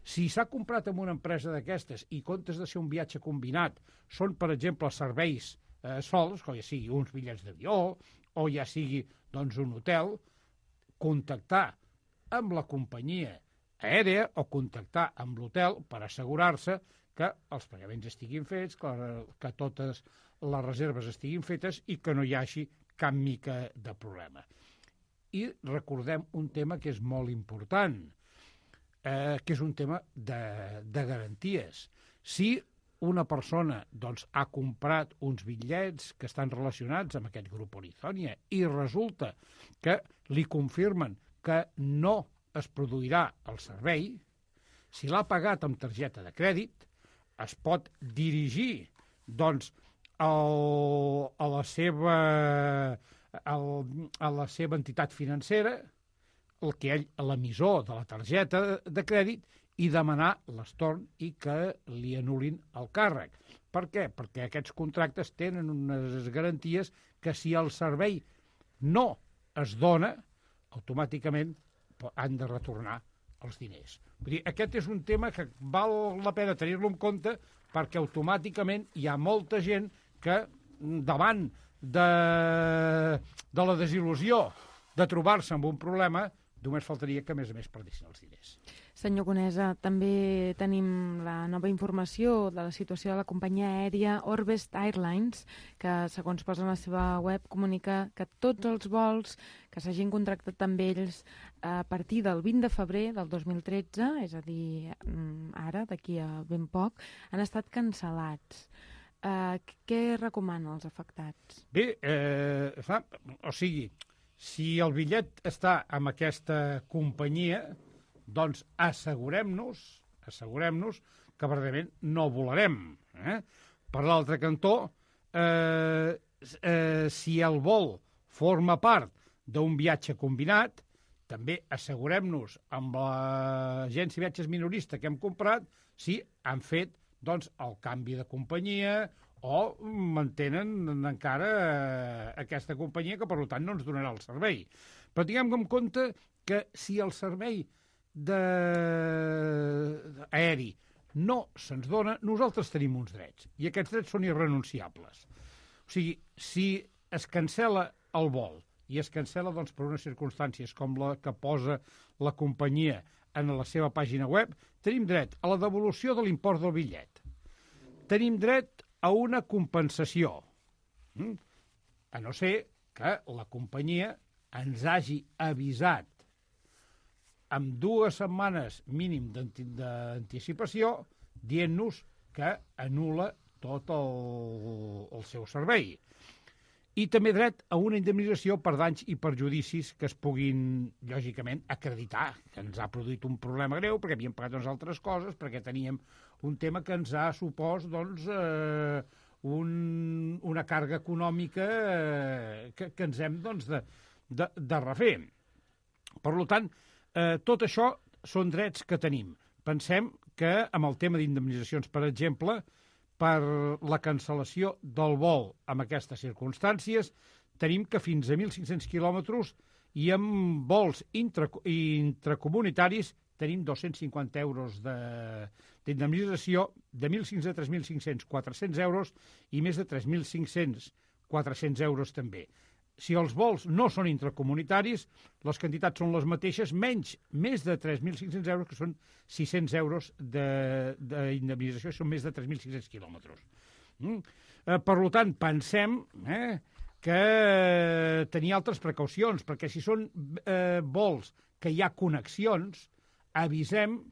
[SPEAKER 25] Si s'ha comprat amb una empresa d'aquestes i comptes de ser un viatge combinat, són, per exemple, serveis sols, com ja sigui uns bitllets d'avió o ja sigui doncs, un hotel, contactar amb la companyia aèria o contactar amb l'hotel per assegurar-se que els pagaments estiguin fets, que totes les reserves estiguin fetes i que no hi hagi cap mica de problema. I recordem un tema que és molt important, que és un tema de garanties. Si una persona doncs, ha comprat uns bitllets que estan relacionats amb aquest grup Horizontia i resulta que li confirmen que no es produirà el servei, si l'ha pagat amb targeta de crèdit, es pot dirigir doncs, a la seva entitat financera, l'emissor de la targeta de crèdit, i demanar l'estorn i que li anul·lin el càrrec. Per què? Perquè aquests contractes tenen unes garanties que si el servei no es dona, automàticament han de retornar els diners. Vull dir, aquest és un tema que val la pena tenir-lo en compte perquè automàticament hi ha molta gent que davant de la desil·lusió de trobar-se amb un problema, només faltaria que, a més perdessin els diners.
[SPEAKER 4] Senyor Conesa, també tenim la nova informació de la situació de la companyia aèria Orbest Airlines, que, segons posa en la seva web, comunica que tots els vols que s'hagin contractat amb ells a partir del 20 de febrer del 2013, és a dir, ara, d'aquí a ben poc, han estat cancel·lats. Què recomana als afectats?
[SPEAKER 25] Bé, si el bitllet està amb aquesta companyia, doncs assegurem-nos que verdaderament no volarem. Per l'altre cantó, si el vol forma part d'un viatge combinat, també assegurem-nos amb l'agència de viatges minorista que hem comprat si han fet doncs, el canvi de companyia o mantenen encara aquesta companyia que, per tant, no ens donarà el servei. Però tinguem en compte que si el servei aeri no se'ns dona, nosaltres tenim uns drets, i aquests drets són irrenunciables. O sigui, si es cancela el vol, i es cancela doncs, per unes circumstàncies com la que posa la companyia en la seva pàgina web, tenim dret a la devolució de l'import del bitllet. Tenim dret a una compensació, a no ser que la companyia ens hagi avisat amb 2 setmanes mínim d'anticipació dient-nos que anul·la tot el seu servei. I també dret a una indemnització per danys i perjudicis que es puguin, lògicament, acreditar que ens ha produït un problema greu perquè havíem pagat unes altres coses, perquè teníem un tema que ens ha supòs doncs, una càrrega econòmica que ens hem doncs, de refer. Per tant, tot això són drets que tenim. Pensem que amb el tema d'indemnitzacions, per exemple, per la cancel·lació del vol amb aquestes circumstàncies, tenim que fins a 1.500 quilòmetres i amb vols intracomunitaris tenim 250 euros d'indemnització, de 1.500 a 3.500, 400 euros i més de 3.500, 400 euros també. Si els vols no són intracomunitaris, les quantitats són les mateixes, més de 3.500 euros, que són 600 euros d'indemnització, són més de 3.500 quilòmetres. Per tant, pensem que tenir altres precaucions, perquè si són vols que hi ha connexions, avisem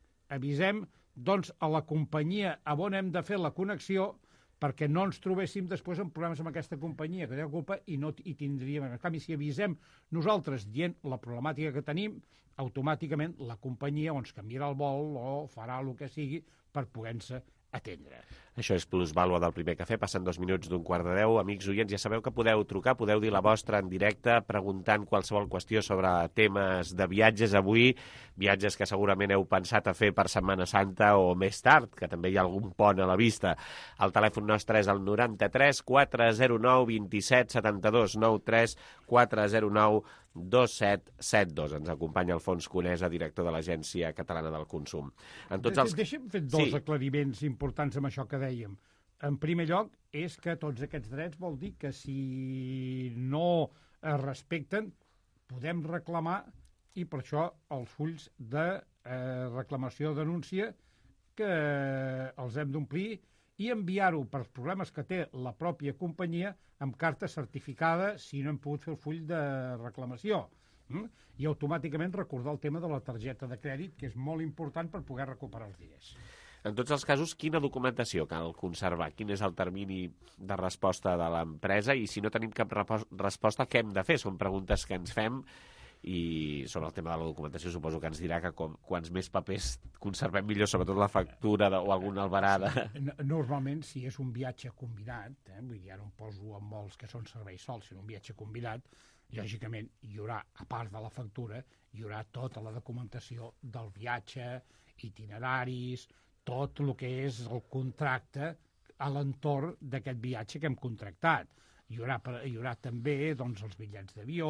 [SPEAKER 25] doncs, a la companyia on hem de fer la connexió perquè no ens trobéssim després amb problemes amb aquesta companyia, que té culpa i tindríem... En canvi, si avisem nosaltres dient la problemàtica que tenim, automàticament la companyia ens canviarà el vol o farà el que sigui per poder-se atendre.
[SPEAKER 2] Això és Plusvàlua del Primer Cafè, passen 2 minuts d'un 9:15. Amics oients, ja sabeu que podeu trucar, podeu dir la vostra en directe, preguntant qualsevol qüestió sobre temes de viatges avui, viatges que segurament heu pensat a fer per Setmana Santa o més tard, que també hi ha algun pont a la vista. El telèfon nostre és el 93 409 27 72, 93 409 2772. Ens acompanya Alfons Conesa, director de l'Agència Catalana del Consum.
[SPEAKER 25] Deixa'm fer dos aclariments importants amb això que dèiem. En primer lloc, és que tots aquests drets vol dir que si no es respecten, podem reclamar, i per això els fulls de reclamació o denúncia que els hem d'omplir i enviar-ho pels problemes que té la pròpia companyia amb carta certificada si no hem pogut fer el full de reclamació. I automàticament recordar el tema de la targeta de crèdit, que és molt important per poder recuperar els diners.
[SPEAKER 2] En tots els casos, quina documentació cal conservar? Quin és el termini de resposta de l'empresa? I si no tenim cap resposta, què hem de fer? Són preguntes que ens fem, i sobre el tema de la documentació suposo que ens dirà que quants més papers conservem millor, sobretot la factura o alguna albarada.
[SPEAKER 25] Normalment, si és un viatge combinat, vull dir, ara em poso amb molts que són serveis sols, si és un viatge combinat, lògicament hi haurà, a part de la factura, hi haurà tota la documentació del viatge, itineraris, tot el que és el contracte a l'entorn d'aquest viatge que hem contractat. Hi haurà també doncs, els bitllets d'avió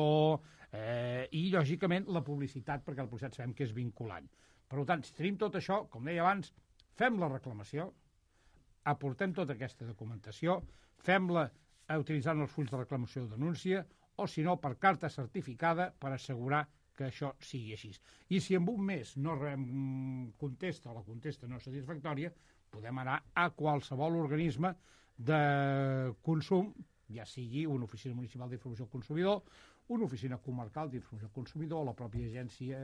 [SPEAKER 25] i, lògicament, la publicitat, perquè la publicitat sabem que és vinculant. Per tant, si tenim tot això, com deia abans, fem la reclamació, aportem tota aquesta documentació, fem-la utilitzant els fulls de reclamació o denúncia, o, si no, per carta certificada per assegurar que això sigui així. I si en un mes no contesta o la contesta no és satisfactòria, podem anar a qualsevol organisme de consum, ja sigui una oficina municipal d'informació al consumidor, una oficina comarcal d'informació al consumidor o la pròpia agència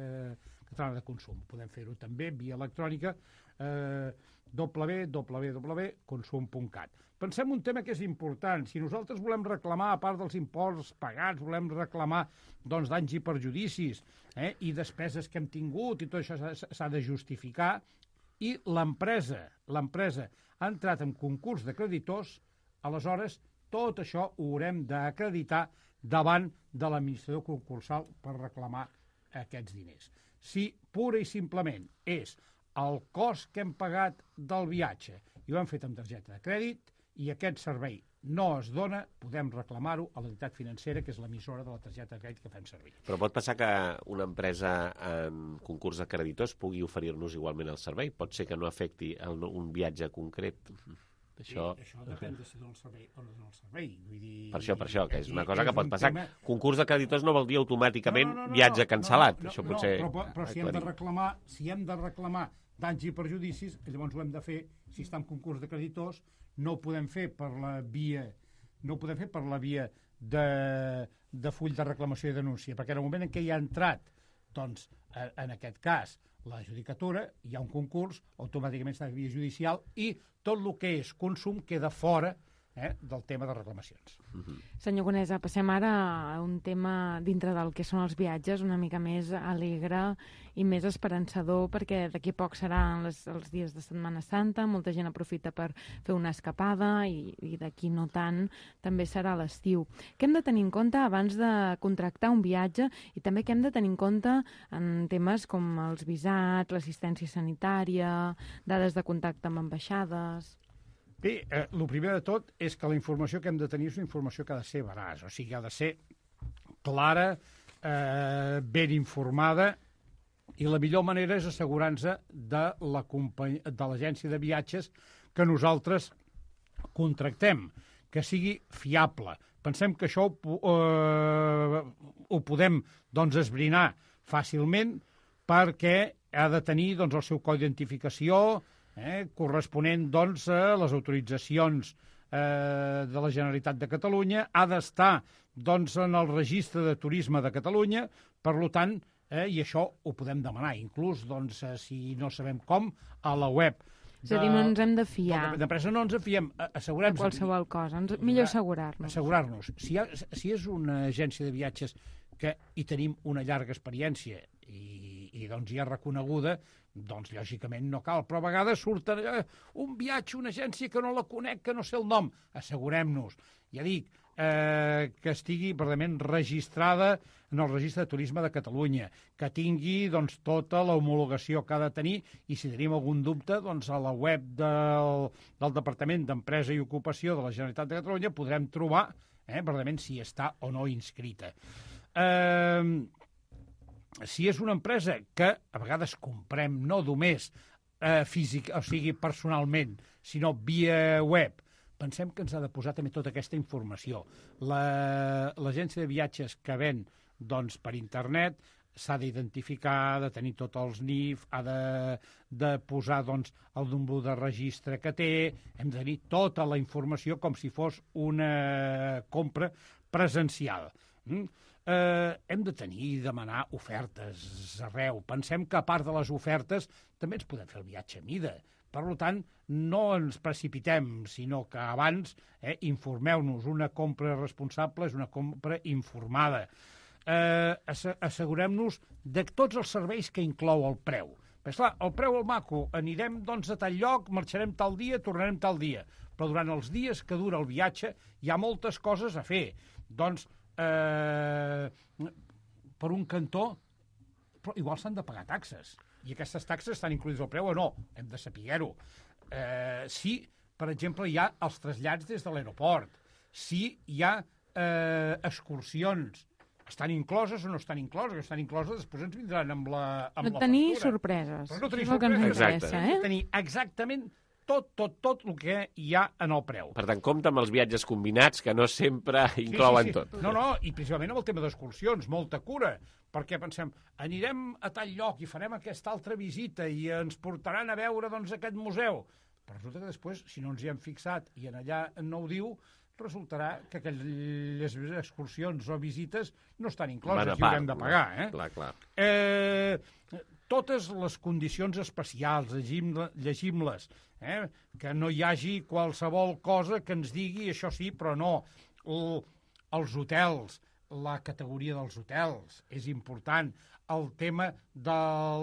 [SPEAKER 25] catalana de consum. Podem fer-ho també via electrònica www.consum.cat. Pensem un tema que és important. Si nosaltres volem reclamar, a part dels imports pagats, volem reclamar danys i perjudicis i despeses que hem tingut, i tot això s'ha de justificar, i l'empresa ha entrat en concurs de creditors, aleshores tot això ho haurem d'acreditar davant de l'administrador concursal per reclamar aquests diners. Si pura i simplement és el cost que hem pagat del viatge i ho hem fet amb targeta de crèdit i aquest servei no es dona, podem reclamar-ho a l'entitat financera, que és l'emissora de la targeta de crèdit que fem servir.
[SPEAKER 2] Però pot passar que una empresa en concurs de creditors pugui oferir-nos igualment el servei? Pot ser que no afecti un viatge concret?
[SPEAKER 25] Això depèn de si dona el servei o no dona el servei.
[SPEAKER 2] Per això, que és una cosa que pot passar. Concurs de creditors no vol dir automàticament viatge cancel·lat.
[SPEAKER 25] Però si hem de reclamar danys i perjudicis, llavors ho hem de fer, si està en concurs de creditors, no ho podem fer per la via de full de reclamació i denúncia, perquè en el moment en què hi ha entrat, doncs, en aquest cas, la judicatura, hi ha un concurs, automàticament està en via judicial i tot el que és consum queda fora del tema de reclamacions.
[SPEAKER 4] Senyor Conesa, passem ara a un tema dintre del que són els viatges una mica més alegre i més esperançador, perquè d'aquí poc seran els dies de Setmana Santa, molta gent aprofita per fer una escapada i d'aquí no tant també serà l'estiu. Què hem de tenir en compte abans de contractar un viatge i també què hem de tenir en compte en temes com els visats, l'assistència sanitària, dades de contacte amb ambaixades?
[SPEAKER 25] Bé, el primer de tot és que la informació que hem de tenir és una informació que ha de ser veraç, o sigui, ha de ser clara, ben informada, i la millor manera és assegurar-nos de l'agència de viatges que nosaltres contractem, que sigui fiable. Pensem que això ho podem esbrinar fàcilment perquè ha de tenir el seu codi d'identificació, corresponent a les autoritzacions de la Generalitat de Catalunya, ha d'estar en el registre de turisme de Catalunya, per tant, i això ho podem demanar, inclús si no sabem com, a la web.
[SPEAKER 4] És a dir, no ens hem de fiar.
[SPEAKER 25] D'empresa no ens en fiem, assegurem-nos.
[SPEAKER 4] Qualsevol cosa, millor assegurar-nos.
[SPEAKER 25] Assegurar-nos. Si és una agència de viatges que hi tenim una llarga experiència i i doncs ja reconeguda, doncs lògicament no cal, però a vegades surt un viatge, una agència que no la conec, que no sé el nom. Assegurem-nos, ja dic, que estigui verdaderament registrada en el Registre de Turisme de Catalunya, que tingui doncs, tota l'homologació que ha de tenir, i si tenim algun dubte, doncs, a la web del Departament d'Empresa i Ocupació de la Generalitat de Catalunya podrem trobar verdaderament si està o no inscrita. Si és una empresa que a vegades comprem no només físic, o sigui, personalment, sinó via web, pensem que ens ha de posar també tota aquesta informació. L'agència de viatges que ven doncs, per internet s'ha d'identificar, ha de tenir tots els NIF, ha de posar doncs, el número de registre que té, hem de tenir tota la informació com si fos una compra presencial. Hem de tenir i demanar ofertes arreu. Pensem que a part de les ofertes també ens podem fer el viatge a mida. Per tant, no ens precipitem, sinó que abans informeu-nos. Una compra responsable és una compra informada. Assegurem-nos de tots els serveis que inclou el preu. Però, esclar, el preu al maco, anirem doncs, a tal lloc, marxarem tal dia, tornarem tal dia. Però durant els dies que dura el viatge hi ha moltes coses a fer. Doncs, per un cantó, però igual s'han de pagar taxes. I aquestes taxes estan incluïdes al preu o no? Hem de saber-ho. Si, per exemple, hi ha els trasllats des de l'aeroport, si hi ha excursions, estan incloses o no estan incloses? Estan incloses, després ens vindran amb la factura.
[SPEAKER 4] Tenir sorpreses.
[SPEAKER 25] Però no tenir
[SPEAKER 4] sorpreses.
[SPEAKER 25] Hem de tenir exactament tot el que hi ha en el preu.
[SPEAKER 2] Per tant, compte amb els viatges combinats, que no sempre inclouen tot.
[SPEAKER 25] No, i principalment amb el tema d'excursions, molta cura, perquè pensem, anirem a tal lloc i farem aquesta altra visita i ens portaran a veure doncs, aquest museu. Però resulta que després, si no ens hi hem fixat i en allà no ho diu, resultarà que aquelles excursions o visites no estan incloses i ho hem de pagar.
[SPEAKER 2] Clar.
[SPEAKER 25] Totes les condicions especials, llegim-les, que no hi hagi qualsevol cosa que ens digui això sí, però no. Els hotels, la categoria dels hotels és important. El tema de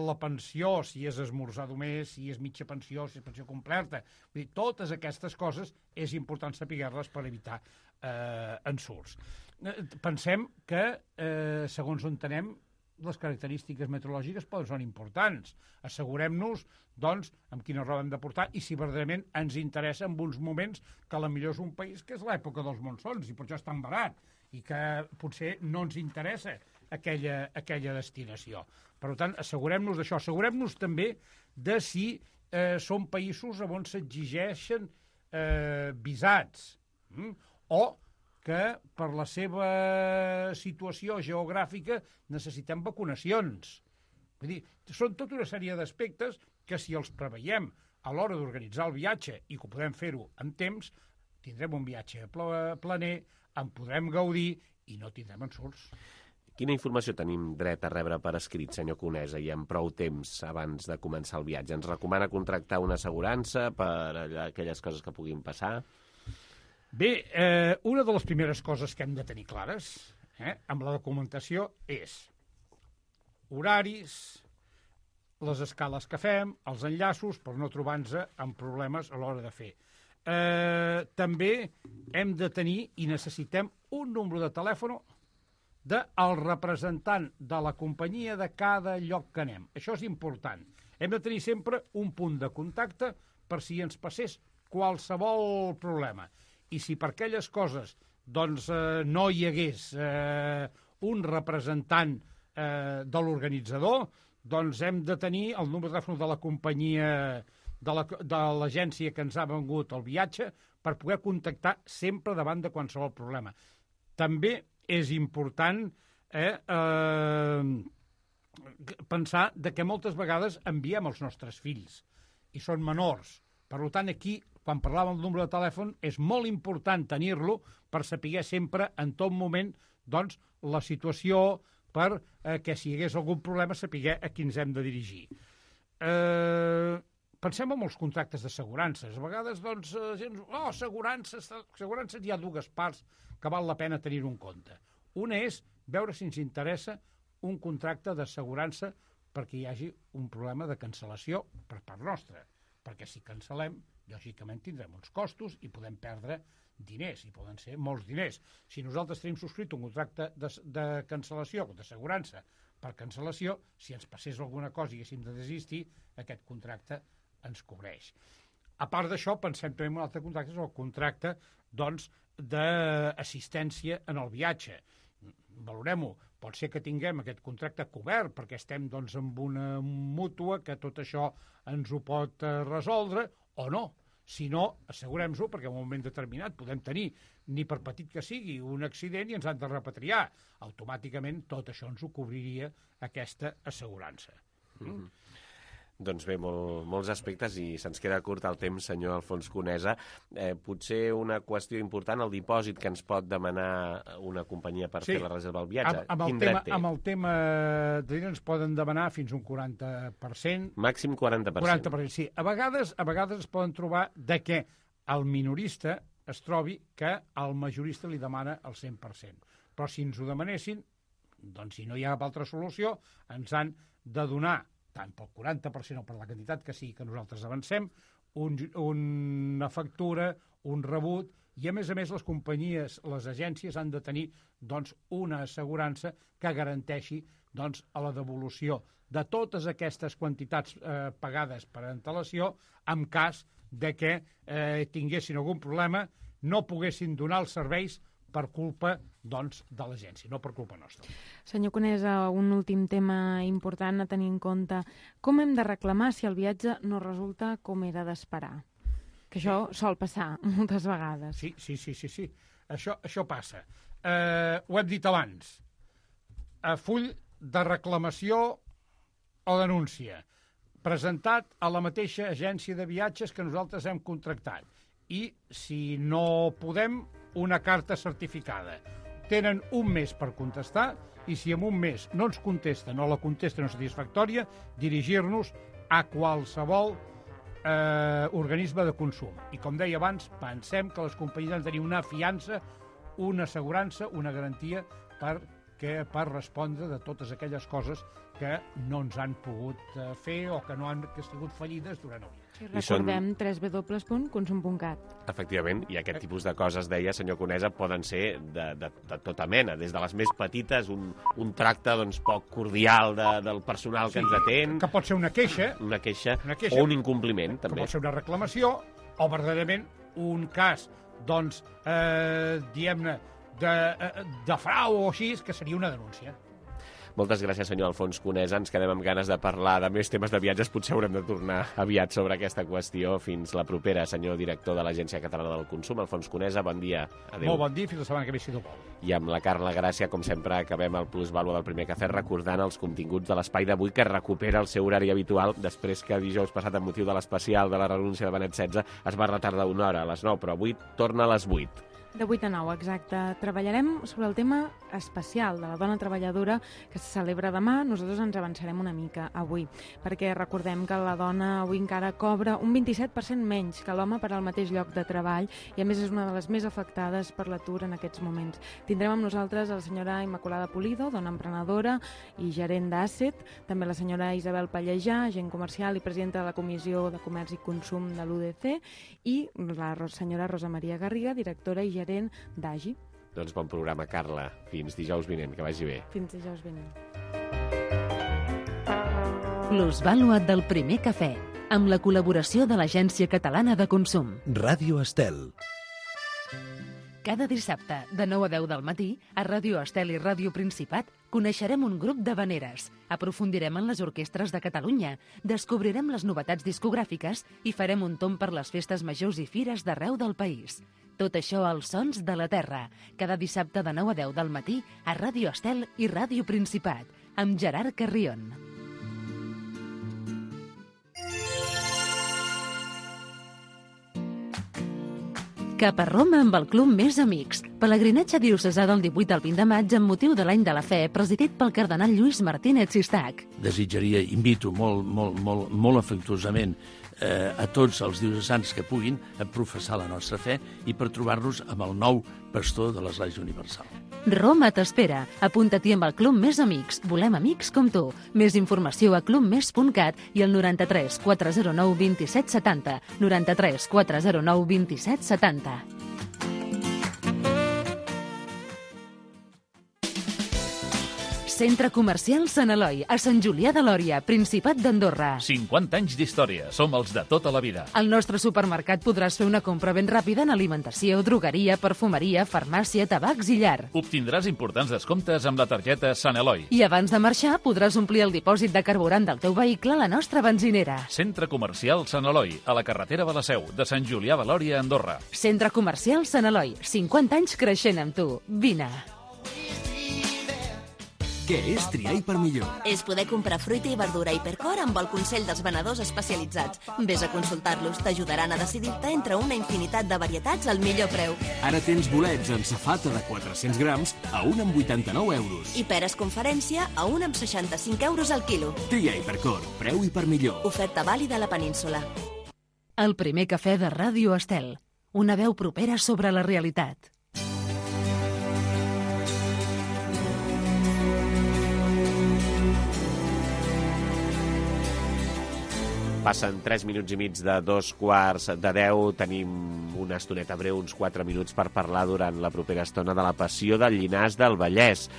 [SPEAKER 25] la pensió, si és esmorzar només, si és mitja pensió, si és pensió completa. Vull dir, totes aquestes coses és important saber-les per evitar ensurts. Pensem que, segons on anem, les característiques meteorològiques són importants. Assegurem-nos, doncs, amb quina roba hem de portar i si verdaderament ens interessa en uns moments que potser és un país que és l'època dels monsons i per això és tan barat i que potser no ens interessa aquella destinació. Per tant, assegurem-nos d'això. Assegurem-nos també de si són països on s'exigeixen visats o que per la seva situació geogràfica necessitem vacunacions. Vull dir, són tota una sèrie d'aspectes que si els preveiem a l'hora d'organitzar el viatge i que ho podem fer-ho amb temps, tindrem un viatge planer, en podrem gaudir i no tindrem ensurts.
[SPEAKER 2] Quina informació tenim dret a rebre per escrit, senyor Conesa, i amb prou temps abans de començar el viatge? Ens recomana contractar una assegurança per aquelles coses que puguin passar?
[SPEAKER 25] Bé, una de les primeres coses que hem de tenir clares amb la documentació és horaris, les escales que fem, els enllaços, per no trobar-nos amb problemes a l'hora de fer. També hem de tenir i necessitem un número de telèfon del representant de la companyia de cada lloc que anem. Això és important. Hem de tenir sempre un punt de contacte per si ens passés qualsevol problema. I si per aquelles coses doncs, no hi hagués un representant de l'organitzador, doncs hem de tenir el número de telèfon de la companyia, de l'agència que ens ha vengut el viatge, per poder contactar sempre davant de qualsevol problema. També és important pensar que moltes vegades enviem els nostres fills i són menors. Per tant, aquí, quan parlàvem del número de telèfon, és molt important tenir-lo per saber sempre, en tot moment, doncs, la situació per que si hi hagués algun problema saber a qui ens hem de dirigir. Pensem en els contractes d'assegurances. A vegades, doncs, assegurances hi ha dues parts que val la pena tenir-ho en compte. Una és veure si ens interessa un contracte d'assegurança perquè hi hagi un problema de cancel·lació per part nostra, perquè si cancel·lem, lògicament tindrem uns costos i podem perdre diners, i poden ser molts diners. Si nosaltres tenim subscrit un contracte de cancel·lació, d'assegurança per cancel·lació, si ens passés alguna cosa i haguéssim de desistir, aquest contracte ens cobreix. A part d'això, pensem també en un altre contracte, és el contracte d'assistència en el viatge. Valorem-ho. Pot ser que tinguem aquest contracte cobert perquè estem amb una mútua que tot això ens ho pot resoldre o no. Si no, assegurem-ho perquè en un moment determinat podem tenir, ni per petit que sigui, un accident i ens han de repatriar. Automàticament tot això ens ho cobriria aquesta assegurança.
[SPEAKER 2] Doncs bé, molts aspectes i se'ns queda curt el temps, senyor Alfons Conesa. Potser una qüestió important, el dipòsit que ens pot demanar una companyia per fer la reserva del viatge. Quin dret té?
[SPEAKER 25] Amb el tema de diners ens poden demanar fins un 40%.
[SPEAKER 2] Màxim 40%.
[SPEAKER 25] 40%, sí. A vegades es poden trobar de que el minorista es trobi que el majorista li demana el 100%. Però si ens ho demanessin, doncs si no hi ha cap altra solució, ens han de donar tant pel 40% o per la quantitat que sigui que nosaltres avancem, una factura, un rebut, i a més les companyies, les agències han de tenir una assegurança que garanteixi a la devolució de totes aquestes quantitats pagades per antelació en cas de que tinguessin algun problema, no poguessin donar els serveis per culpa de l'agència, no per culpa nostra.
[SPEAKER 4] Senyor Conesa, un últim tema important a tenir en compte. Com hem de reclamar si el viatge no resulta com era d'esperar? Que això sol passar moltes vegades.
[SPEAKER 25] Sí. Això passa. Ho hem dit abans. Full de reclamació o denúncia presentat a la mateixa agència de viatges que nosaltres hem contractat. I si no podem, una carta certificada. Tenen un mes per contestar i si en un mes no ens contesten o la contesta no és satisfactòria, dirigir-nos a qualsevol organisme de consum. I com deia abans, pensem que les companyies han de tenir una fiança, una assegurança, una garantia per respondre de totes aquelles coses que no ens han pogut fer o que no han sigut fallides durant el dia.
[SPEAKER 4] I recordem www.consum.cat.
[SPEAKER 2] Efectivament, i aquest tipus de coses, deia, senyor Conesa, poden ser de tota mena, des de les més petites, un tracte poc cordial del personal que ens atén.
[SPEAKER 25] Que pot ser una queixa.
[SPEAKER 2] Una queixa o un incompliment, també.
[SPEAKER 25] Que pot ser una reclamació o, verdaderament, un cas, diguem-ne, de frau o així, que seria una denúncia.
[SPEAKER 2] Moltes gràcies, senyor Alfons Conesa. Ens quedem amb ganes de parlar de més temes de viatges. Potser haurem de tornar aviat sobre aquesta qüestió. Fins la propera, senyor director de l'Agència Catalana del Consum. Alfons Conesa, bon dia. Adéu.
[SPEAKER 25] Molt bon dia, fins la setmana que ve, si no vol.
[SPEAKER 2] I amb la Carla Gràcia, com sempre, acabem el Plusvàlua del Primer Cafè recordant els continguts de l'espai d'avui, que recupera el seu horari habitual després que dijous passat, amb motiu de l'especial de la renúncia de Benet XVI, es va retardar una hora, a les 9, però avui torna a les 8.
[SPEAKER 4] De 8 a 9, exacte. Treballarem sobre el tema especial de la dona treballadora que se celebra demà. Nosaltres ens avançarem una mica avui, perquè recordem que la dona avui encara cobra un 27% menys que l'home per al mateix lloc de treball i a més és una de les més afectades per l'atur en aquests moments. Tindrem amb nosaltres la senyora Immaculada Pulido, dona emprenedora i gerent d'Asset, també la senyora Isabel Pallejà, agent comercial i presidenta de la Comissió de Comerç i Consum de l'UDC, i la senyora Rosa Maria Garriga, directora i gerent d'AGI.
[SPEAKER 2] Doncs bon programa, Carla. Fins dijous vinent, que vagi bé.
[SPEAKER 4] Fins dijous vinent.
[SPEAKER 1] Plusvàlua del Primer Cafè, amb la col·laboració de l'Agència Catalana de Consum.
[SPEAKER 6] Ràdio Estel.
[SPEAKER 1] Cada dissabte, de 9 a 10 del matí, a Ràdio Estel i Ràdio Principat, coneixerem un grup d'havaneres, aprofundirem en les orquestres de Catalunya, descobrirem les novetats discogràfiques i farem un tomb per les festes majors i fires d'arreu del país. Tot això als Sons de la Terra, cada dissabte de 9 a 10 del matí a Ràdio Estel i Ràdio Principat, amb Gerard Carrion. Cap a Roma amb el Club Més Amics. Pelegrinatge diocesà del 18 al 20 de maig amb motiu de l'Any de la Fe, presidit pel cardenal Lluís Martínez Sistac.
[SPEAKER 7] Desitjaria, invito molt afectuosament a tots els diocesans que puguin a professar la nostra fe i per trobar-nos amb el nou pastor de l'Església Universal.
[SPEAKER 13] Roma t'espera. Apunta-t'hi amb el Club Més Amics. Volem amics com tu. Més informació a clubmes.cat i al 93 409 27 70. 93 409 27 70. Centre Comercial Sant Eloi, a Sant Julià de Lòria, Principat d'Andorra.
[SPEAKER 6] 50 anys d'història. Som els de tota la vida.
[SPEAKER 13] Al nostre supermercat podràs fer una compra ben ràpida en alimentació, drogueria, perfumeria, farmàcia, tabacs i llar.
[SPEAKER 6] Obtindràs importants descomptes amb la targeta Sant Eloi.
[SPEAKER 13] I abans de marxar podràs omplir el dipòsit de carburant del teu vehicle a la nostra benzinera.
[SPEAKER 6] Centre Comercial Sant Eloi, a la carretera de la Seu, de Sant Julià de Lòria, Andorra.
[SPEAKER 13] Centre Comercial Sant Eloi, 50 anys creixent amb tu. Vine.
[SPEAKER 9] Què és triar per millor?
[SPEAKER 10] És poder comprar fruita i verdura a Hipercor amb el Consell dels Venedors Especialitzats. Vés a consultar-los, t'ajudaran a decidir-te entre una infinitat de varietats al millor preu.
[SPEAKER 9] Ara tens bolets en safata de 400 grams a 1 amb 89 euros.
[SPEAKER 10] I peres conferència a 1 amb 65 euros al quilo.
[SPEAKER 9] Tria Hipercor, preu i per millor.
[SPEAKER 10] Oferta vàlida a la península.
[SPEAKER 13] El primer cafè de Ràdio Estel. Una veu propera sobre la realitat.
[SPEAKER 2] Passen 3 minuts i mig de 9:15. Tenim una estoneta breu, uns 4 minuts per parlar durant la propera estona de la passió del Llinars del Vallès.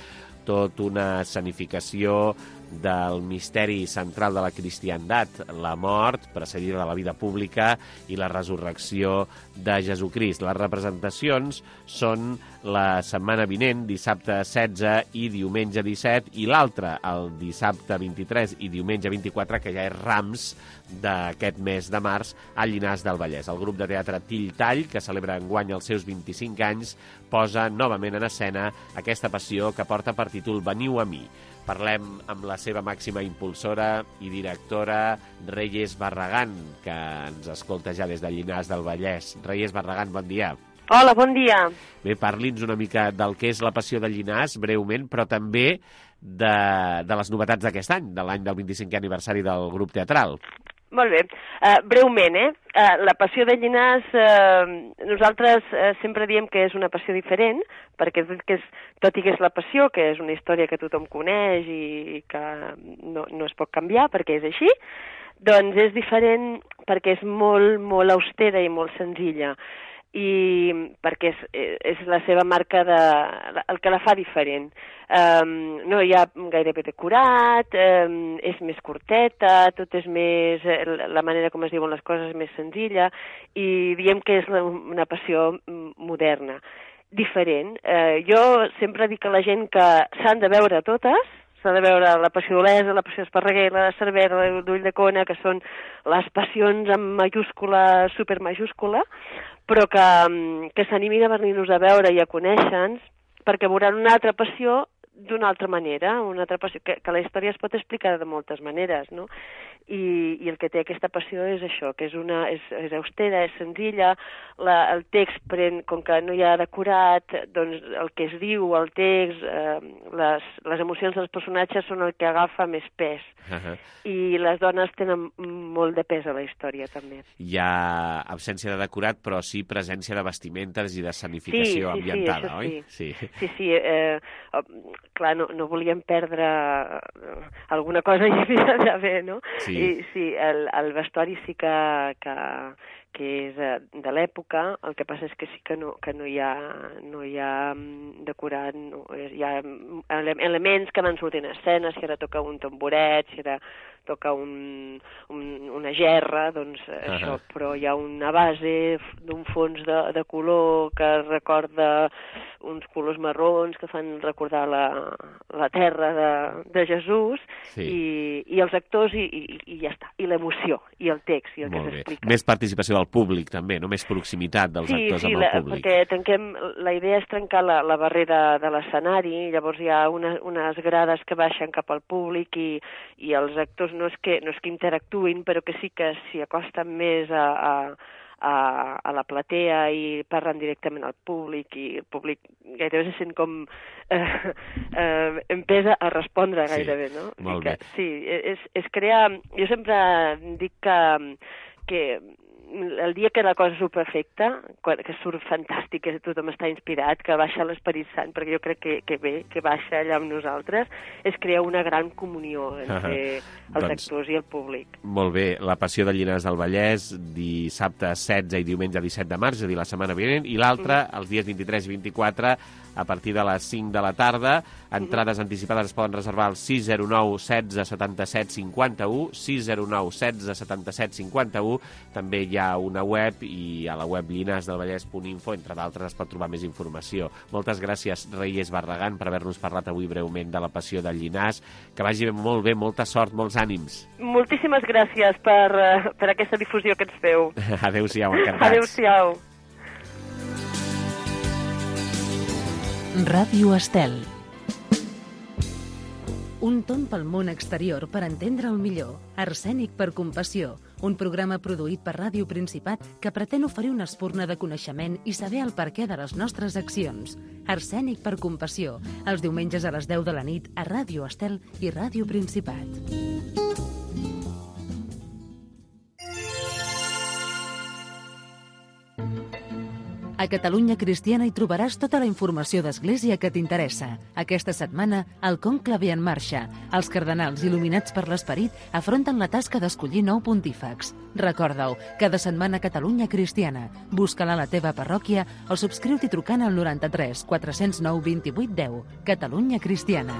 [SPEAKER 2] Tot una escenificació del misteri central de la cristiandat, la mort, precedida de la vida pública, i la resurrecció de Jesucrist. Les representacions són la setmana vinent, dissabte 16 i diumenge 17, i l'altra, el dissabte 23 i diumenge 24, que ja és Rams d'aquest mes de març, al Llinars del Vallès. El grup de teatre Till Tall, que celebra enguany els seus 25 anys, posa novament en escena aquesta passió que porta per títol Veniu a mi. Parlem amb la seva màxima impulsora i directora, Reyes Barragán, que ens escolta ja des de Llinars del Vallès. Reyes Barragán, bon dia.
[SPEAKER 11] Hola, bon dia.
[SPEAKER 2] Bé, parli'ns una mica del que és la passió de Llinars, breument, però també de les novetats d'aquest any, de l'any del 25è aniversari del grup teatral.
[SPEAKER 11] Molt bé. Breument, la passió de Llinars, nosaltres sempre diem que és una passió diferent, perquè tot i que és la passió, que és una història que tothom coneix i que no es pot canviar perquè és així, doncs és diferent perquè és molt, molt austera i molt senzilla, i perquè és la seva marca, el que la fa diferent. No hi ha gairebé decorat, és més curteta, tot és més... la manera com es diuen les coses és més senzilla, i diem que és una passió moderna, diferent. Jo sempre dic a la gent que s'han de veure totes, s'ha de veure la passió d'Olesa, la passió d'Esparreguer, la de Cervera, la d'Ulldecona, que són les passions amb majúscula, supermajúscula, però que s'animin a venir-nos a veure i a conèixer-nos, perquè veuran una altra passió d'una altra manera, una altra passió, que la història es pot explicar de moltes maneres, no? I el que té aquesta passió és això, que és austera, és senzilla, el text pren, com que no hi ha decorat, doncs el que es diu, el text, les emocions dels personatges són el que agafa més pes. I les dones tenen molt de pes a la història, també.
[SPEAKER 2] Hi ha absència de decorat, però sí presència de vestimentes i d'escenificació ambientada, oi?
[SPEAKER 11] Sí. Clar, no volíem perdre alguna cosa hi havia d'haver, no?
[SPEAKER 2] Sí.
[SPEAKER 11] I sí, el vestuari sí que és de l'època, el que passa és que sí que no hi ha decorat, hi ha elements que van sortint a escena, si ara toca un tamboret, si ara toca una gerra, doncs això, però hi ha una base d'un fons de color que recorda uns colors marrons que fan recordar la terra de Jesús, i els actors i ja està, i l'emoció, i el text, i el que s'explica.
[SPEAKER 2] Més participació del públic, també, no? Més proximitat dels actors amb el públic.
[SPEAKER 11] Sí, perquè la idea és trencar la barrera de l'escenari, llavors hi ha unes grades que baixen cap al públic i els actors no és que interactuïn, però que sí que s'hi acosten més a la platea i parlen directament al públic, i el públic gairebé se sent com empesa a respondre gairebé, no?
[SPEAKER 2] Molt bé.
[SPEAKER 11] Sí, és crear... Jo sempre dic que el dia que la cosa s'ho perfecta, que surt fantàstic, que tothom està inspirat, que baixa l'Esperit Sant, perquè jo crec que bé, que baixa allà amb nosaltres, és crear una gran comunió entre els actors i el públic.
[SPEAKER 2] Molt bé, La Passió de Llinars del Vallès, dissabte 16 i diumenge 17 de març, és a dir, la setmana vinent, i l'altre, els dies 23 i 24, a partir de les 5 de la tarda. Entrades anticipades es poden reservar al 609 16 77 51, 609 16 77 51. També hi ha una web, i a la web llinasdelvallès.info, entre d'altres, es pot trobar més informació. Moltes gràcies, Reyes Barragán, per haver-nos parlat avui breument de La Passió de Llinars. Que vagi molt bé, molta sort, molts ànims.
[SPEAKER 11] Moltíssimes gràcies per aquesta difusió que ens feu.
[SPEAKER 2] Adéu-siau, encantats.
[SPEAKER 11] Adéu-siau.
[SPEAKER 1] Ràdio Estel. Un tomb pel món exterior per entendre'l millor. Arsènic per compassió. Un programa produït per Ràdio Principat que pretén oferir una espurna de coneixement i saber el perquè de les nostres accions. Arsènic per compassió. Els diumenges a les 10 de la nit a Ràdio Estel i Ràdio Principat. A Catalunya Cristiana hi trobaràs tota la informació d'Església que t'interessa. Aquesta setmana, el Conclave en marxa. Els cardenals il·luminats per l'Esperit afronten la tasca d'escollir nou pontífex. Recorda-ho, cada setmana Catalunya Cristiana. Busca-la a la teva parròquia o subscriu-t'hi trucant al 93 409 28 10. Catalunya Cristiana.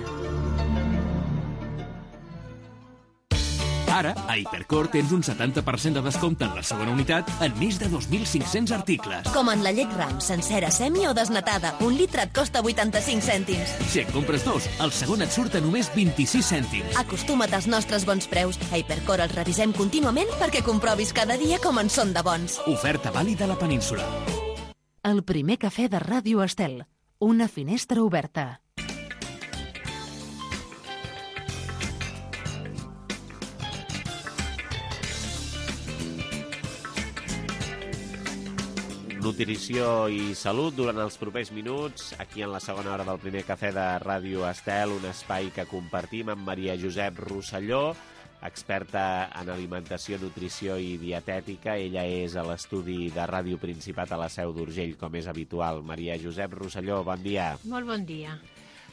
[SPEAKER 9] Ara, a Hipercor tens un 70% de descompte en la segona unitat en més de 2.500 articles.
[SPEAKER 10] Com en la llet Ram, sencera, semi o desnatada. Un litre et costa 85 cèntims.
[SPEAKER 9] Si en compres dos, el segon et surt a només 26 cèntims.
[SPEAKER 10] Acostuma't als nostres bons preus. A Hipercor els revisem contínuament perquè comprovis cada dia com en són de bons.
[SPEAKER 9] Oferta vàlida a la península.
[SPEAKER 1] El primer cafè de Ràdio Estel. Una finestra oberta.
[SPEAKER 2] Nutrició i salut durant els propers minuts, aquí en la segona hora del primer cafè de Ràdio Estel, un espai que compartim amb Maria Josep Rosselló, experta en alimentació, nutrició i dietètica. Ella és a l'estudi de Ràdio Principat a la Seu d'Urgell, com és habitual. Maria Josep Rosselló, bon dia.
[SPEAKER 3] Molt bon dia.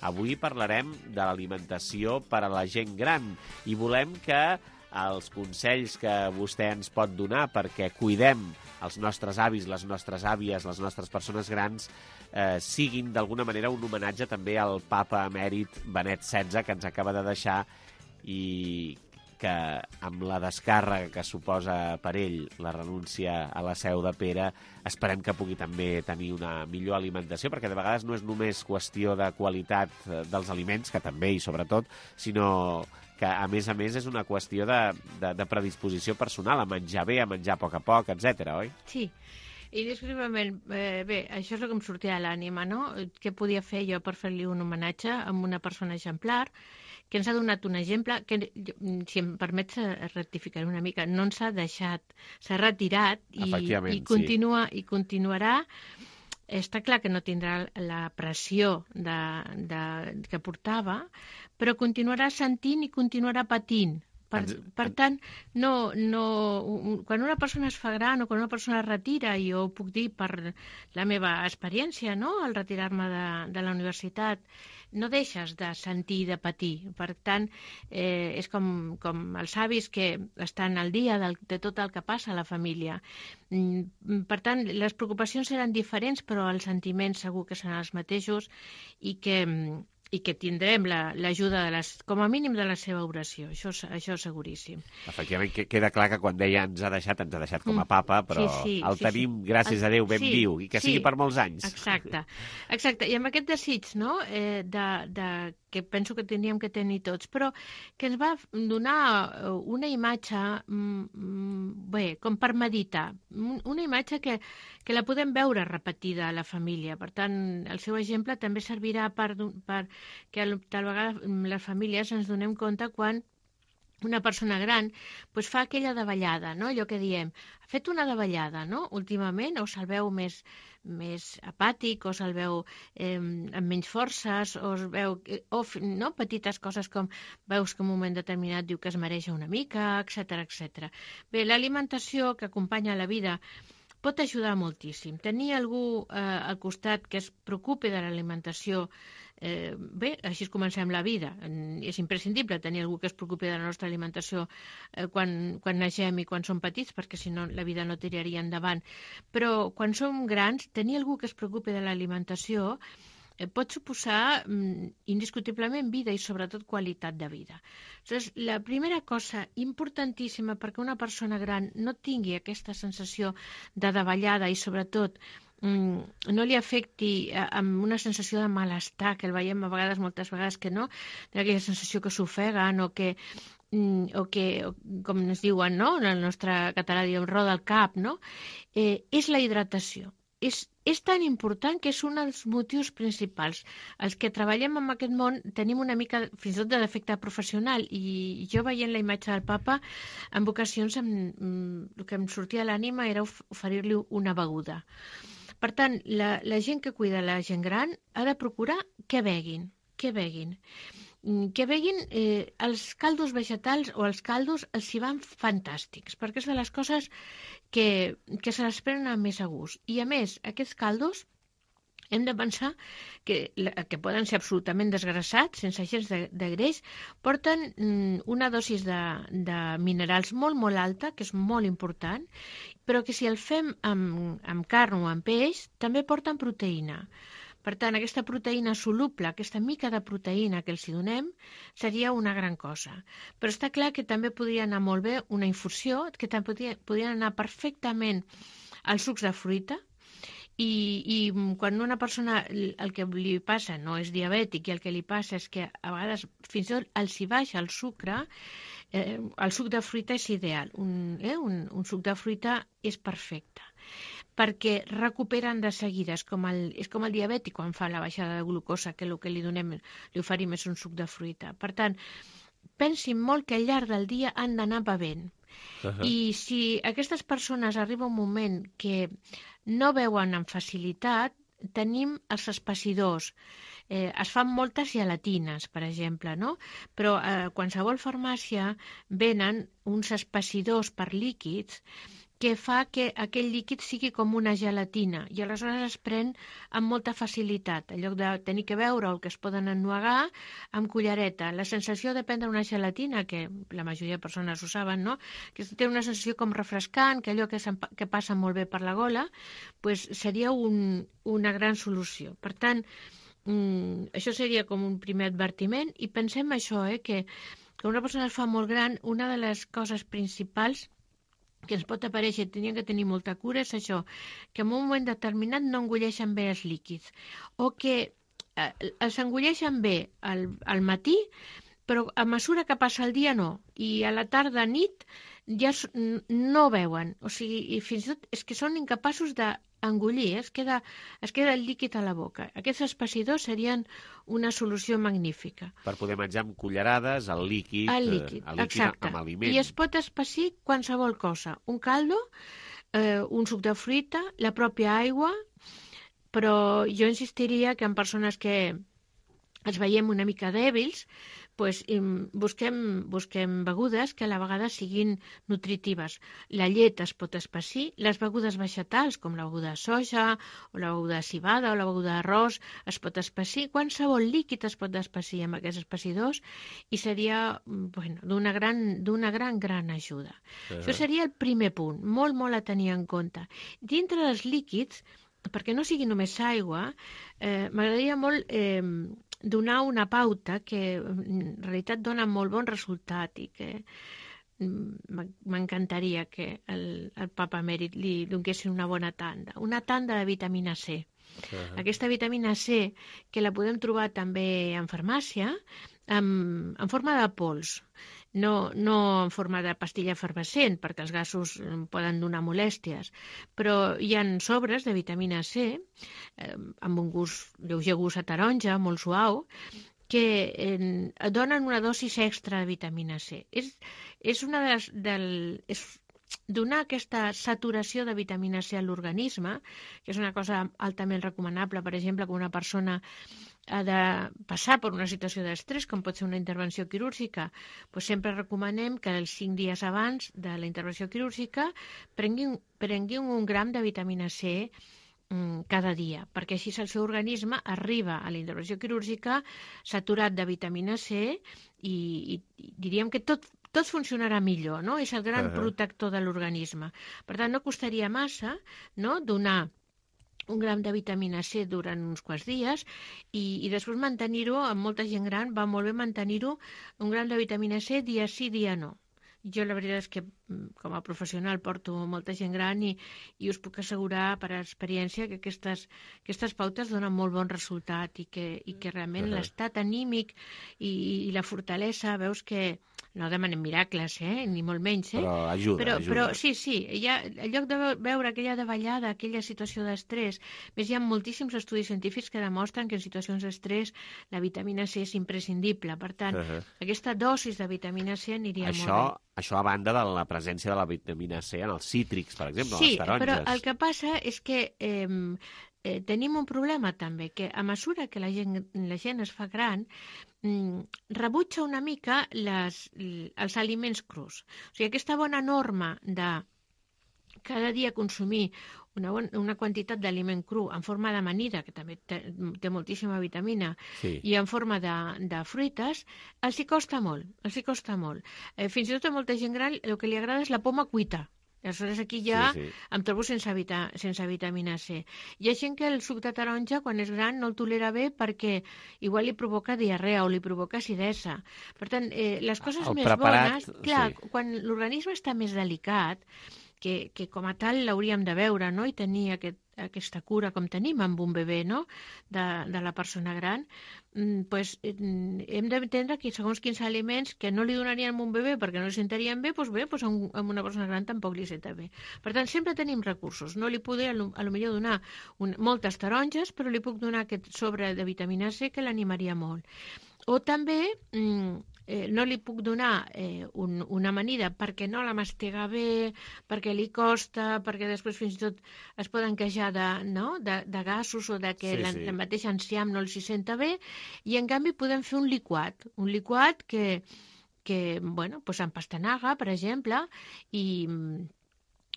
[SPEAKER 2] Avui parlarem de l'alimentació per a la gent gran i volem que els consells que vostè ens pot donar perquè cuidem els nostres avis, les nostres àvies, les nostres persones grans, siguin d'alguna manera un homenatge també al papa emèrit Benet XVI, que ens acaba de deixar, i que amb la descàrrega que suposa per ell la renúncia a la Seu de Pere, esperem que pugui també tenir una millor alimentació, perquè de vegades no és només qüestió de qualitat dels aliments, que també i sobretot, sinó que a més és una qüestió de predisposició personal, a menjar bé, a menjar a poc, etc., oi?
[SPEAKER 3] Sí, indiscutiblement. Bé, això és el que em sortia a l'ànima, no? Què podia fer jo per fer-li un homenatge a una persona exemplar, que ens ha donat un exemple, que, si em permets, rectificar una mica, no ens ha deixat, s'ha retirat i continuarà. Està clar que no tindrà la pressió que portava, però continuarà sentint i continuarà patint. Per tant, quan una persona es fa gran o quan una persona es retira, i jo ho puc dir per la meva experiència, no?, al retirar-me de la universitat, no deixes de sentir i de patir. Per tant, és com els avis que estan al dia de tot el que passa a la família. Per tant, les preocupacions seran diferents, però els sentiments segur que seran els mateixos i que tindrem l'ajuda, com a mínim, de la seva oració. Això seguríssim.
[SPEAKER 2] Efectivament, queda clar que quan deia ens ha deixat com a papa, però el tenim, gràcies a Déu, ben viu, i que sigui per molts anys.
[SPEAKER 3] Exacte. I amb aquest desig, no?, que penso que tindríem que tenir tots, però que ens va donar una imatge, bé, com per meditar, una imatge que la podem veure repetida a la família. Per tant, el seu exemple també servirà per que tal vegada les famílies ens donem compte quan una persona gran fa aquella davallada, no? Allò que diem, ha fet una davallada, no? Últimament, o se'l veu més apàtic, o se'l veu amb menys forces, o es veu, no? Petites coses com veus que en un moment determinat diu que es mareja una mica, etc. Bé, l'alimentació que acompanya la vida pot ajudar moltíssim. Tenir algú al costat que es preocupi de l'alimentació, bé, així comencem la vida. És imprescindible tenir algú que es preocupi de la nostra alimentació quan naixem i quan som petits, perquè si no la vida no tiraria endavant. Però quan som grans, tenir algú que es preocupi de l'alimentació pot suposar indiscutiblement vida i sobretot qualitat de vida. Llavors, la primera cosa importantíssima perquè una persona gran no tingui aquesta sensació de davallada i sobretot no li afecti amb una sensació de malestar, que el veiem a vegades, moltes vegades que no, aquella sensació que s'ofeguen o que com ens diuen, no? En el nostre català diem roda el cap, no? És la hidratació. És tan important que és un dels motius principals. Els que treballem en aquest món tenim una mica, fins i tot, de defecte professional, i jo veient la imatge del papa, en ocasions el que em sortia a l'ànima era oferir-li una beguda. Per tant, la gent que cuida la gent gran ha de procurar que beguin. Que beguin els caldos vegetals o els caldos els hi van fantàstics, perquè és de les coses que se les prenen amb més a gust. I a més, aquests caldos hem de pensar que poden ser absolutament desgrassats, sense gens de greix, porten una dosis de minerals molt, molt alta, que és molt important, però que si el fem amb carn o amb peix, també porten proteïna. Per tant, aquesta proteïna soluble, aquesta mica de proteïna que els hi donem, seria una gran cosa. Però està clar que també podria anar molt bé una infusió, que també podrien anar perfectament als sucs de fruita, i quan una persona el que li passa no és diabètic i el que li passa és que a vegades fins i tot els hi baixa el sucre, el suc de fruita és ideal. Un suc de fruita és perfecte, perquè recuperen de seguida. És com el diabètic quan fa la baixada de glucosa, que el que li oferim és un suc de fruita. Per tant, pensin molt que al llarg del dia han d'anar bevent. I si aquestes persones arriba un moment que no veuen amb facilitat, tenim els espessidors. Es fan moltes gelatines, per exemple, no? Però a qualsevol farmàcia venen uns espessidors per líquids que fa que aquell líquid sigui com una gelatina i aleshores es pren amb molta facilitat. En lloc de tenir que beure el que es poden ennuegar amb cullereta. La sensació de prendre una gelatina, que la majoria de persones ho saben, no? Que té una sensació com refrescant, que allò que passa molt bé per la gola, pues seria una gran solució. Per tant, això seria com un primer advertiment i pensem això, que una persona es fa molt gran, una de les coses principals que ens pot aparèixer, tenien que tenir molta cura, és això, que en un moment determinat no engolleixen bé els líquids, o que els engolleixen bé al matí, però a mesura que passa el dia no, i a la tarda, nit, ja no beuen, o sigui, i fins i tot és que són incapaços d'engollir, es queda el líquid a la boca. Aquests espessidors serien una solució magnífica.
[SPEAKER 2] Per poder menjar amb cullerades el líquid
[SPEAKER 3] exacte.
[SPEAKER 2] Amb aliment.
[SPEAKER 3] I es pot espessir qualsevol cosa. Un caldo, un suc de fruita, la pròpia aigua, però jo insistiria que en persones que ens veiem una mica dèbils, pues, busquem begudes que a la vegada siguin nutritives. La llet es pot espessir, les begudes vegetals, com la beguda de soja, o la beguda de cibada, o la beguda d'arròs, es pot espessir. Qualsevol líquid es pot espessir amb aquests espessidors i seria d'una gran ajuda. Això seria el primer punt, molt, molt a tenir en compte. Dintre dels líquids, perquè no sigui només aigua, m'agradaria molt donar una pauta que en realitat dona molt bon resultat i que m'encantaria que el papa emèrit li donguessin una bona tanda de vitamina C. Aquesta vitamina C, que la podem trobar també en farmàcia, en forma de pols, no en forma de pastilla efervescent, perquè els gasos poden donar molèsties, però hi ha sobres de vitamina C, amb un lleuger gust a taronja, molt suau, que donen una dosis extra de vitamina C. És una és donar aquesta saturació de vitamina C a l'organisme, que és una cosa altament recomanable, per exemple, que una persona ha de passar per una situació d'estrès, com pot ser una intervenció quirúrgica, doncs sempre recomanem que els 5 dies abans de la intervenció quirúrgica prenguin 1 gram de vitamina C cada dia, perquè així el seu organisme arriba a la intervenció quirúrgica saturat de vitamina C i diríem que tot funcionarà millor, no? És el gran protector de l'organisme. Per tant, no costaria massa, no?, donar 1 gram de vitamina C durant uns quants dies i després mantenir-ho, amb molta gent gran va molt bé mantenir-ho 1 gram de vitamina C dia sí, dia no. Jo la veritat és que com a professional porto molta gent gran i us puc assegurar per experiència que aquestes pautes donen molt bon resultat i que realment l'estat anímic i la fortalesa, veus que no demanem miracles, ni molt menys,
[SPEAKER 2] però ajuda.
[SPEAKER 3] Però sí, en lloc de veure aquella davallada, aquella situació d'estrès, més hi ha moltíssims estudis científics que demostren que en situacions d'estrès la vitamina C és imprescindible. Per tant, aquesta dosis de vitamina C aniria molt bé.
[SPEAKER 2] Això a banda de la presència de la vitamina C en els cítrics, per exemple, les taronges. Sí,
[SPEAKER 3] però el que passa és que tenim un problema també, que a mesura que la gent es fa gran, rebutja una mica els aliments crus. O sigui, aquesta bona norma de cada dia consumir una quantitat d'aliment cru en forma d'amanida, que també té moltíssima vitamina, i en forma de fruites, els hi costa molt. Fins i tot a molta gent gran el que li agrada és la poma cuita. Aleshores aquí ja em trobo sense vitamina C. Hi ha gent que el suc de taronja, quan és gran, no el tolera bé perquè igual li provoca diarrea o li provoca acidesa. Per tant, les coses més bones... Clar, quan l'organisme està més delicat, que com a tal l'hauríem de veure, no?, i tenir aquesta cura com tenim amb un bebè, no?, de la persona gran, pues, hem d'entendre que segons quins aliments que no li donarien a un bebè perquè no li sentarien bé, doncs a una persona gran tampoc li senta bé. Per tant, sempre tenim recursos. No li podré a lo millor donar moltes taronges, però li puc donar aquest sobre de vitamina C que l'animaria molt. O també no li puc donar una amanida perquè no la mastiga bé, perquè li costa, perquè després fins i tot es poden queixar de gasos o de que la mateixa enciam no els hi senta bé, i en canvi podem fer un liquat que bueno, doncs amb pastanaga, per exemple,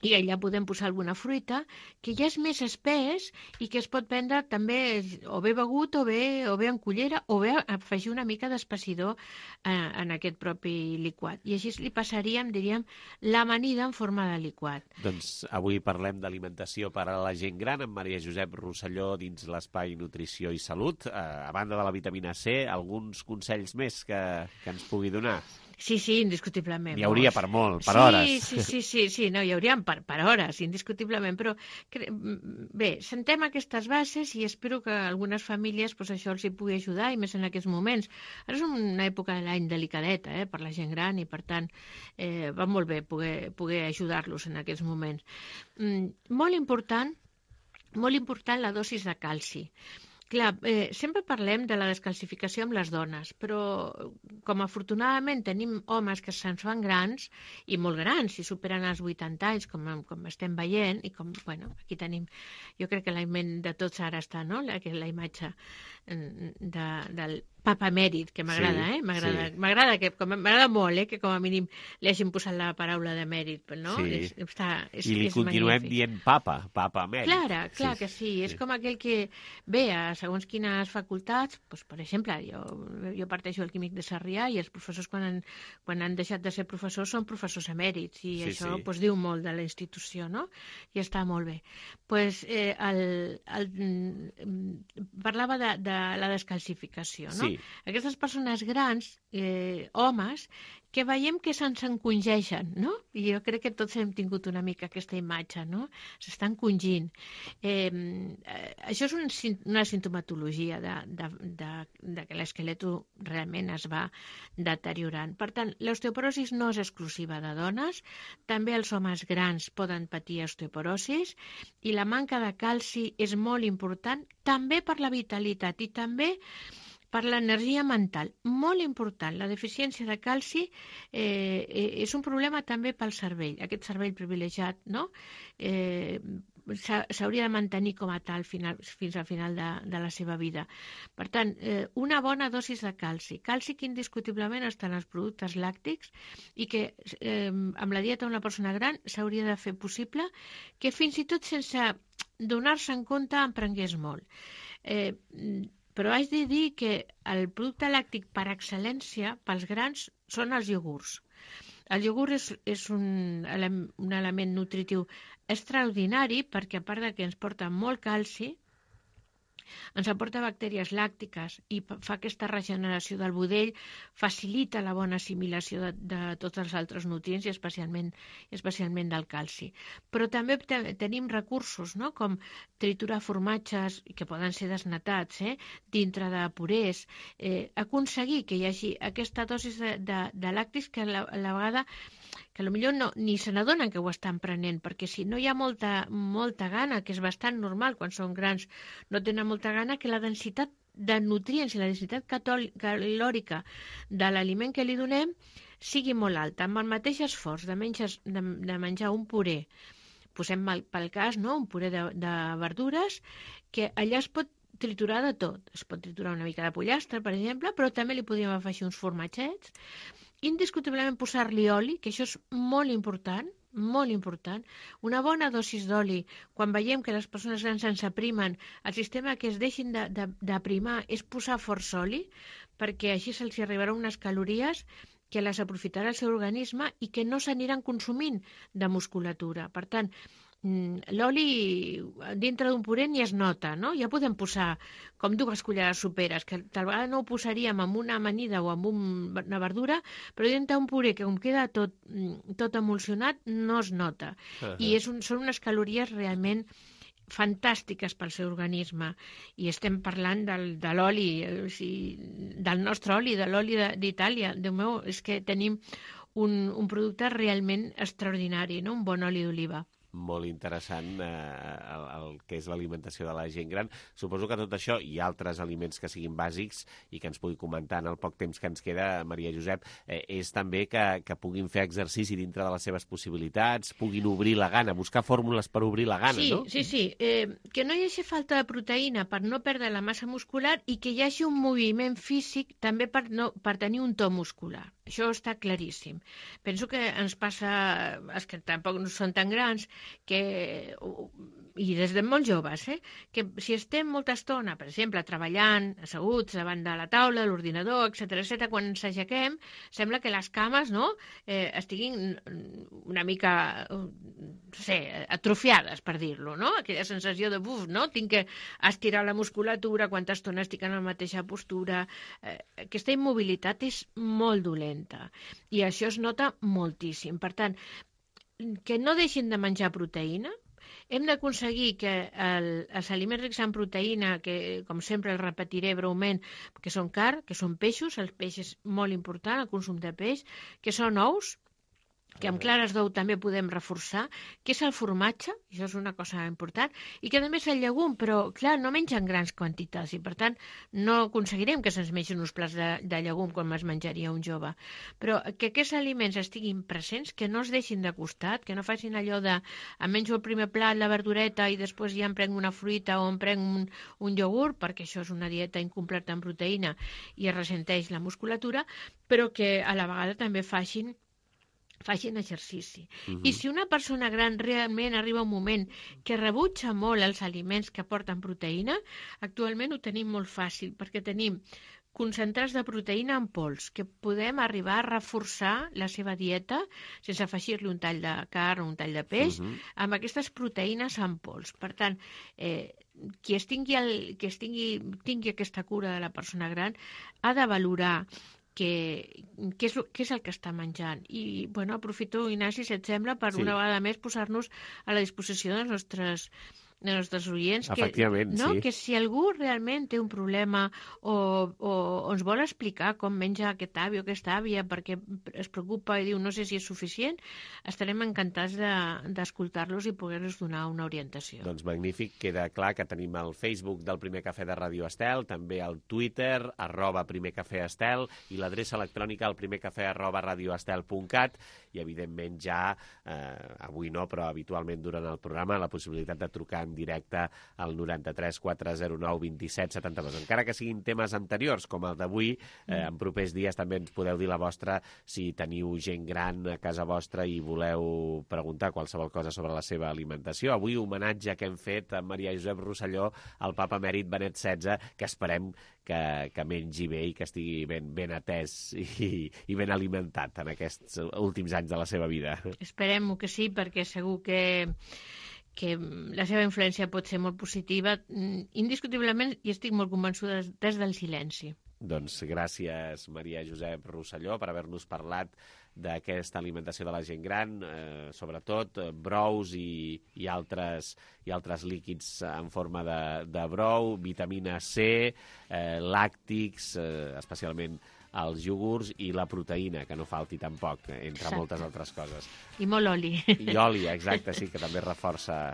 [SPEAKER 3] i allà podem posar alguna fruita, que ja és més espès i que es pot prendre també o bé begut o bé en cullera, o bé afegir una mica d'espessidor en aquest propi liquat. I així li passaríem, diríem, l'amanida en forma de liquat.
[SPEAKER 2] Doncs avui parlem d'alimentació per a la gent gran amb Maria Josep Rosselló dins l'espai Nutrició i Salut. A banda de la vitamina C, alguns consells més que ens pugui donar?
[SPEAKER 3] Sí, indiscutiblement.
[SPEAKER 2] N'hi hauria per molt, per hores.
[SPEAKER 3] Sí, no, hi hauríem per hores, indiscutiblement, però bé, sentem aquestes bases i espero que algunes famílies això els hi pugui ajudar, i més en aquests moments. Ara és una època de l'any delicadeta per la gent gran i, per tant, va molt bé poder ajudar-los en aquests moments. Molt important la dosis de calci. Clar, sempre parlem de la descalcificació amb les dones, però com afortunadament tenim homes que se'ns fan grans, i molt grans, si superen els 80 anys, com estem veient, i com, bueno, aquí tenim, jo crec que la ment de tots ara està, no?, la imatge del papa emèrit, que m'agrada, m'agrada molt, que com a mínim li hagin posat la paraula d'emèrit, no?
[SPEAKER 2] Sí. I li continuem dient papa emèrit.
[SPEAKER 3] Clar que sí. És com aquell que ve a segons quines facultats, per exemple, jo parteixo del Químic de Sarrià i els professors quan han deixat de ser professors són professors emèrits, i això diu molt de la institució, no? I està molt bé. Parlava de la descalcificació, no? Aquestes persones grans, homes, que veiem que se'ns encongeixen, no? I jo crec que tots hem tingut una mica aquesta imatge, no? S'estan encongint. Això és una sintomatologia de que l'esquelet realment es va deteriorant. Per tant, l'osteoporosi no és exclusiva de dones, també els homes grans poden patir osteoporosi, i la manca de calci és molt important, també per la vitalitat, i també per l'energia mental. Molt important. La deficiència de calci és un problema també pel cervell, aquest cervell privilegiat, no? S'hauria de mantenir com a tal fins al final de la seva vida. Per tant, una bona dosis de calci. Calci que indiscutiblement està en els productes làctics i que amb la dieta d'una persona gran s'hauria de fer possible que fins i tot sense donar-se en compte en prengués molt. Però haig de dir que el producte làctic per excel·lència pels grans són els iogurts. El iogurt és un element nutritiu extraordinari perquè, a part de que ens porta molt calci, ens aporta bactèries làctiques i fa aquesta regeneració del budell, facilita la bona assimilació de tots els altres nutrients i especialment del calci. Però també tenim recursos, no?, com triturar formatges, que poden ser desnatats, dintre de purés, aconseguir que hi hagi aquesta dosis de làctics que a la vegada que potser ni se n'adonen que ho estan prenent, perquè si no hi ha molta gana, que és bastant normal quan són grans, no tenen molta gana, que la densitat de nutrients i la densitat calòrica de l'aliment que li donem sigui molt alta. Amb el mateix esforç de menjar un puré, posem pel cas, no?, un puré de verdures, que allà es pot triturar de tot. Es pot triturar una mica de pollastre, per exemple, però també li podríem afegir uns formatgets. Indiscutiblement posar-li oli, que això és molt important, una bona dosis d'oli. Quan veiem que les persones grans ens aprimen, el sistema que es deixin d'aprimar és posar força oli, perquè així se'ls arribarà unes calories que les aprofitarà el seu organisme i que no s'aniran consumint de musculatura. Per tant, l'oli dintre d'un puré ni es nota, no? Ja podem posar com 2 cullerades soperes, que tal vegada no ho posaríem amb una amanida o amb una verdura, però dintre d'un puré que com queda tot emulsionat no es nota. I són unes calories realment fantàstiques pel seu organisme. I estem parlant de l'oli, del nostre oli, de l'oli d'Itàlia. Déu meu, és que tenim un producte realment extraordinari, no?, un bon oli d'oliva.
[SPEAKER 2] Molt interessant el que és l'alimentació de la gent gran. Suposo que tot això i altres aliments que siguin bàsics i que ens pugui comentar en el poc temps que ens queda, Maria Josep, és també que puguin fer exercici dintre de les seves possibilitats, puguin obrir la gana, buscar fórmules per obrir la gana, no?
[SPEAKER 3] Sí. Que no hi hagi falta de proteïna per no perdre la massa muscular i que hi hagi un moviment físic també per tenir un to muscular. Això està claríssim. Penso que ens passa, els que tampoc no són tan grans, i des de molt joves, que si estem molta estona, per exemple, treballant, asseguts davant de la taula, l'ordinador, etc., quan ens aixequem, sembla que les cames estiguin una mica, atrofiades, per dir-lo, no? Aquella sensació de, tinc que estirar la musculatura, quanta estona estic en la mateixa postura. Aquesta immobilitat és molt dolenta i això es nota moltíssim. Per tant, que no deixin de menjar proteïna. Hem d'aconseguir que els aliments rics en proteïna, que com sempre el repetiré breument, que són carn, que són peixos, el peix és molt important, el consum de peix, que són ous, que amb clares d'ou també podem reforçar, que és el formatge, això és una cosa important, i que també és el llegum, però clar, no mengen grans quantitats i per tant no aconseguirem que se'ns mengen uns plats de llegum com es menjaria un jove. Però que aquests aliments estiguin presents, que no es deixin de costat, que no facin allò de em menjo el primer plat, la verdureta, i després ja em prenc una fruita o em prenc un iogurt, perquè això és una dieta incompleta en proteïna i es ressenteix la musculatura, però que a la vegada també facin exercici. I si una persona gran realment arriba un moment que rebutja molt els aliments que aporten proteïna, actualment ho tenim molt fàcil, perquè tenim concentrats de proteïna en pols, que podem arribar a reforçar la seva dieta sense afegir-li un tall de carn o un tall de peix, amb aquestes proteïnes en pols. Per tant, qui tingui aquesta cura de la persona gran ha de valorar què és el que està menjant. I, aprofito, Ignasi, si et sembla, per una vegada més posar-nos a la disposició dels nostres nostres oients,
[SPEAKER 2] Efectivament, sí.
[SPEAKER 3] Que si algú realment té un problema o ens vol explicar com menja aquest avi o aquesta àvia perquè es preocupa i diu no sé si és suficient, estarem encantats d'escoltar-los i poder-los donar una orientació.
[SPEAKER 2] Doncs magnífic, queda clar que tenim el Facebook del Primer Cafè de Ràdio Estel, també el Twitter, @primercafèestel, i l'adreça electrònica al primercafè@radioestel.cat, i evidentment ja, avui no, però habitualment durant el programa, la possibilitat de trucar en directe al 93 409 27 72. Encara que siguin temes anteriors, com el d'avui, en propers dies també ens podeu dir la vostra si teniu gent gran a casa vostra i voleu preguntar qualsevol cosa sobre la seva alimentació. Avui, homenatge que hem fet a Maria Josep Rosselló, al papa emèrit Benet XVI, que esperem que mengi bé i que estigui ben atès i ben alimentat en aquests últims anys de la seva vida.
[SPEAKER 3] Esperem-ho que sí, perquè segur que la seva influència pot ser molt positiva, indiscutiblement, i estic molt convençuda des del silenci.
[SPEAKER 2] Doncs gràcies, Maria Josep Rosselló, per haver-nos parlat d'aquesta alimentació de la gent gran, sobretot brous i altres líquids en forma de brou, vitamina C, làctics, especialment els iogurts, i la proteïna, que no falti tampoc, entre moltes altres coses.
[SPEAKER 3] I molt oli.
[SPEAKER 2] I oli, exacte, sí, que també reforça,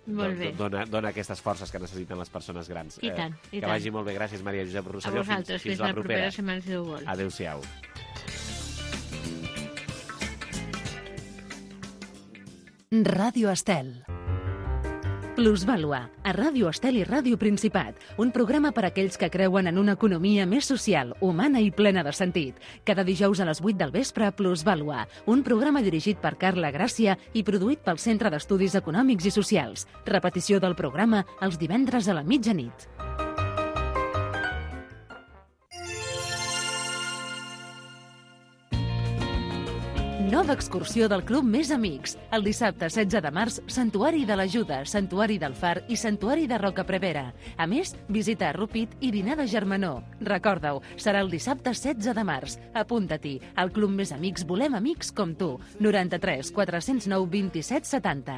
[SPEAKER 2] dona aquestes forces que necessiten les persones grans.
[SPEAKER 3] I tant, i tant.
[SPEAKER 2] Que vagi molt bé. Gràcies, Maria Josep Rosselló.
[SPEAKER 3] A vosaltres, fins la propera setmana, si Déu vol.
[SPEAKER 2] Adéu-siau.
[SPEAKER 1] Ràdio Estel. Plusvàlua, a Ràdio Estel i Ràdio Principat, un programa per a aquells que creuen en una economia més social, humana i plena de sentit. Cada dijous a les 8 del vespre, Plusvàlua, un programa dirigit per Carla Gràcia i produït pel Centre d'Estudis Econòmics i Socials. Repetició del programa els divendres a la mitjanit. Nova excursió del Club Més Amics. El dissabte 16 de març, Santuari de l'Ajuda, Santuari del Far i Santuari de Rocaprevera. A més, visita a Rupit i dinar de germanor. Recorda-ho, serà el dissabte 16 de març. Apunta-t'hi. Al Club Més Amics volem amics com tu. 93 409 27 70.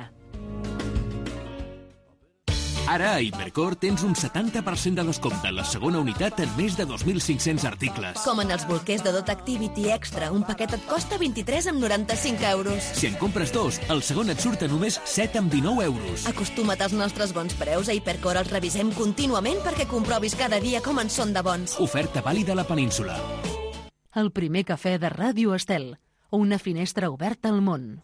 [SPEAKER 9] Ara a Hipercor tens un 70% de descompte en la segona unitat en més de 2.500 articles.
[SPEAKER 10] Com en els bolquers de Dot Activity Extra, un paquet et costa 23,95 euros.
[SPEAKER 9] Si en compres dos, el segon et surt a només 7,19 euros.
[SPEAKER 10] Acostuma't als nostres bons preus. A Hipercor els revisem contínuament perquè comprovis cada dia com en són de bons.
[SPEAKER 9] Oferta vàlida a la península.
[SPEAKER 1] El primer cafè de Ràdio Estel. Una finestra oberta al món.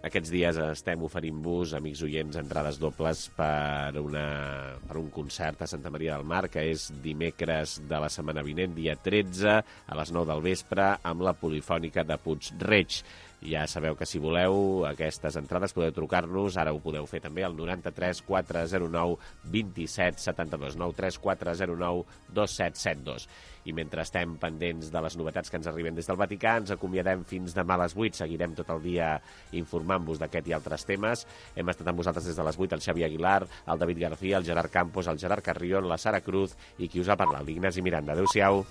[SPEAKER 2] Aquests dies estem oferint-vos, amics oients, entrades dobles per un concert a Santa Maria del Mar, que és dimecres de la setmana vinent, dia 13, a les 9 del vespre, amb la Polifònica de Puig-reig. Ja sabeu que si voleu aquestes entrades podeu trucar-nos, ara ho podeu fer també al 93 409 27 72, 93 409 2772. I mentre estem pendents de les novetats que ens arriben des del Vaticà, ens acomiadem fins demà a les 8. Seguirem tot el dia informant-vos d'aquest i altres temes. Hem estat amb vosaltres des de les 8 el Xavi Aguilar, el David García, el Gerard Campos, el Gerard Carrión, la Sara Cruz i qui us ha parlat, l'Ignasi Miranda. Adéu-siau.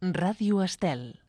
[SPEAKER 1] Ràdio Estel.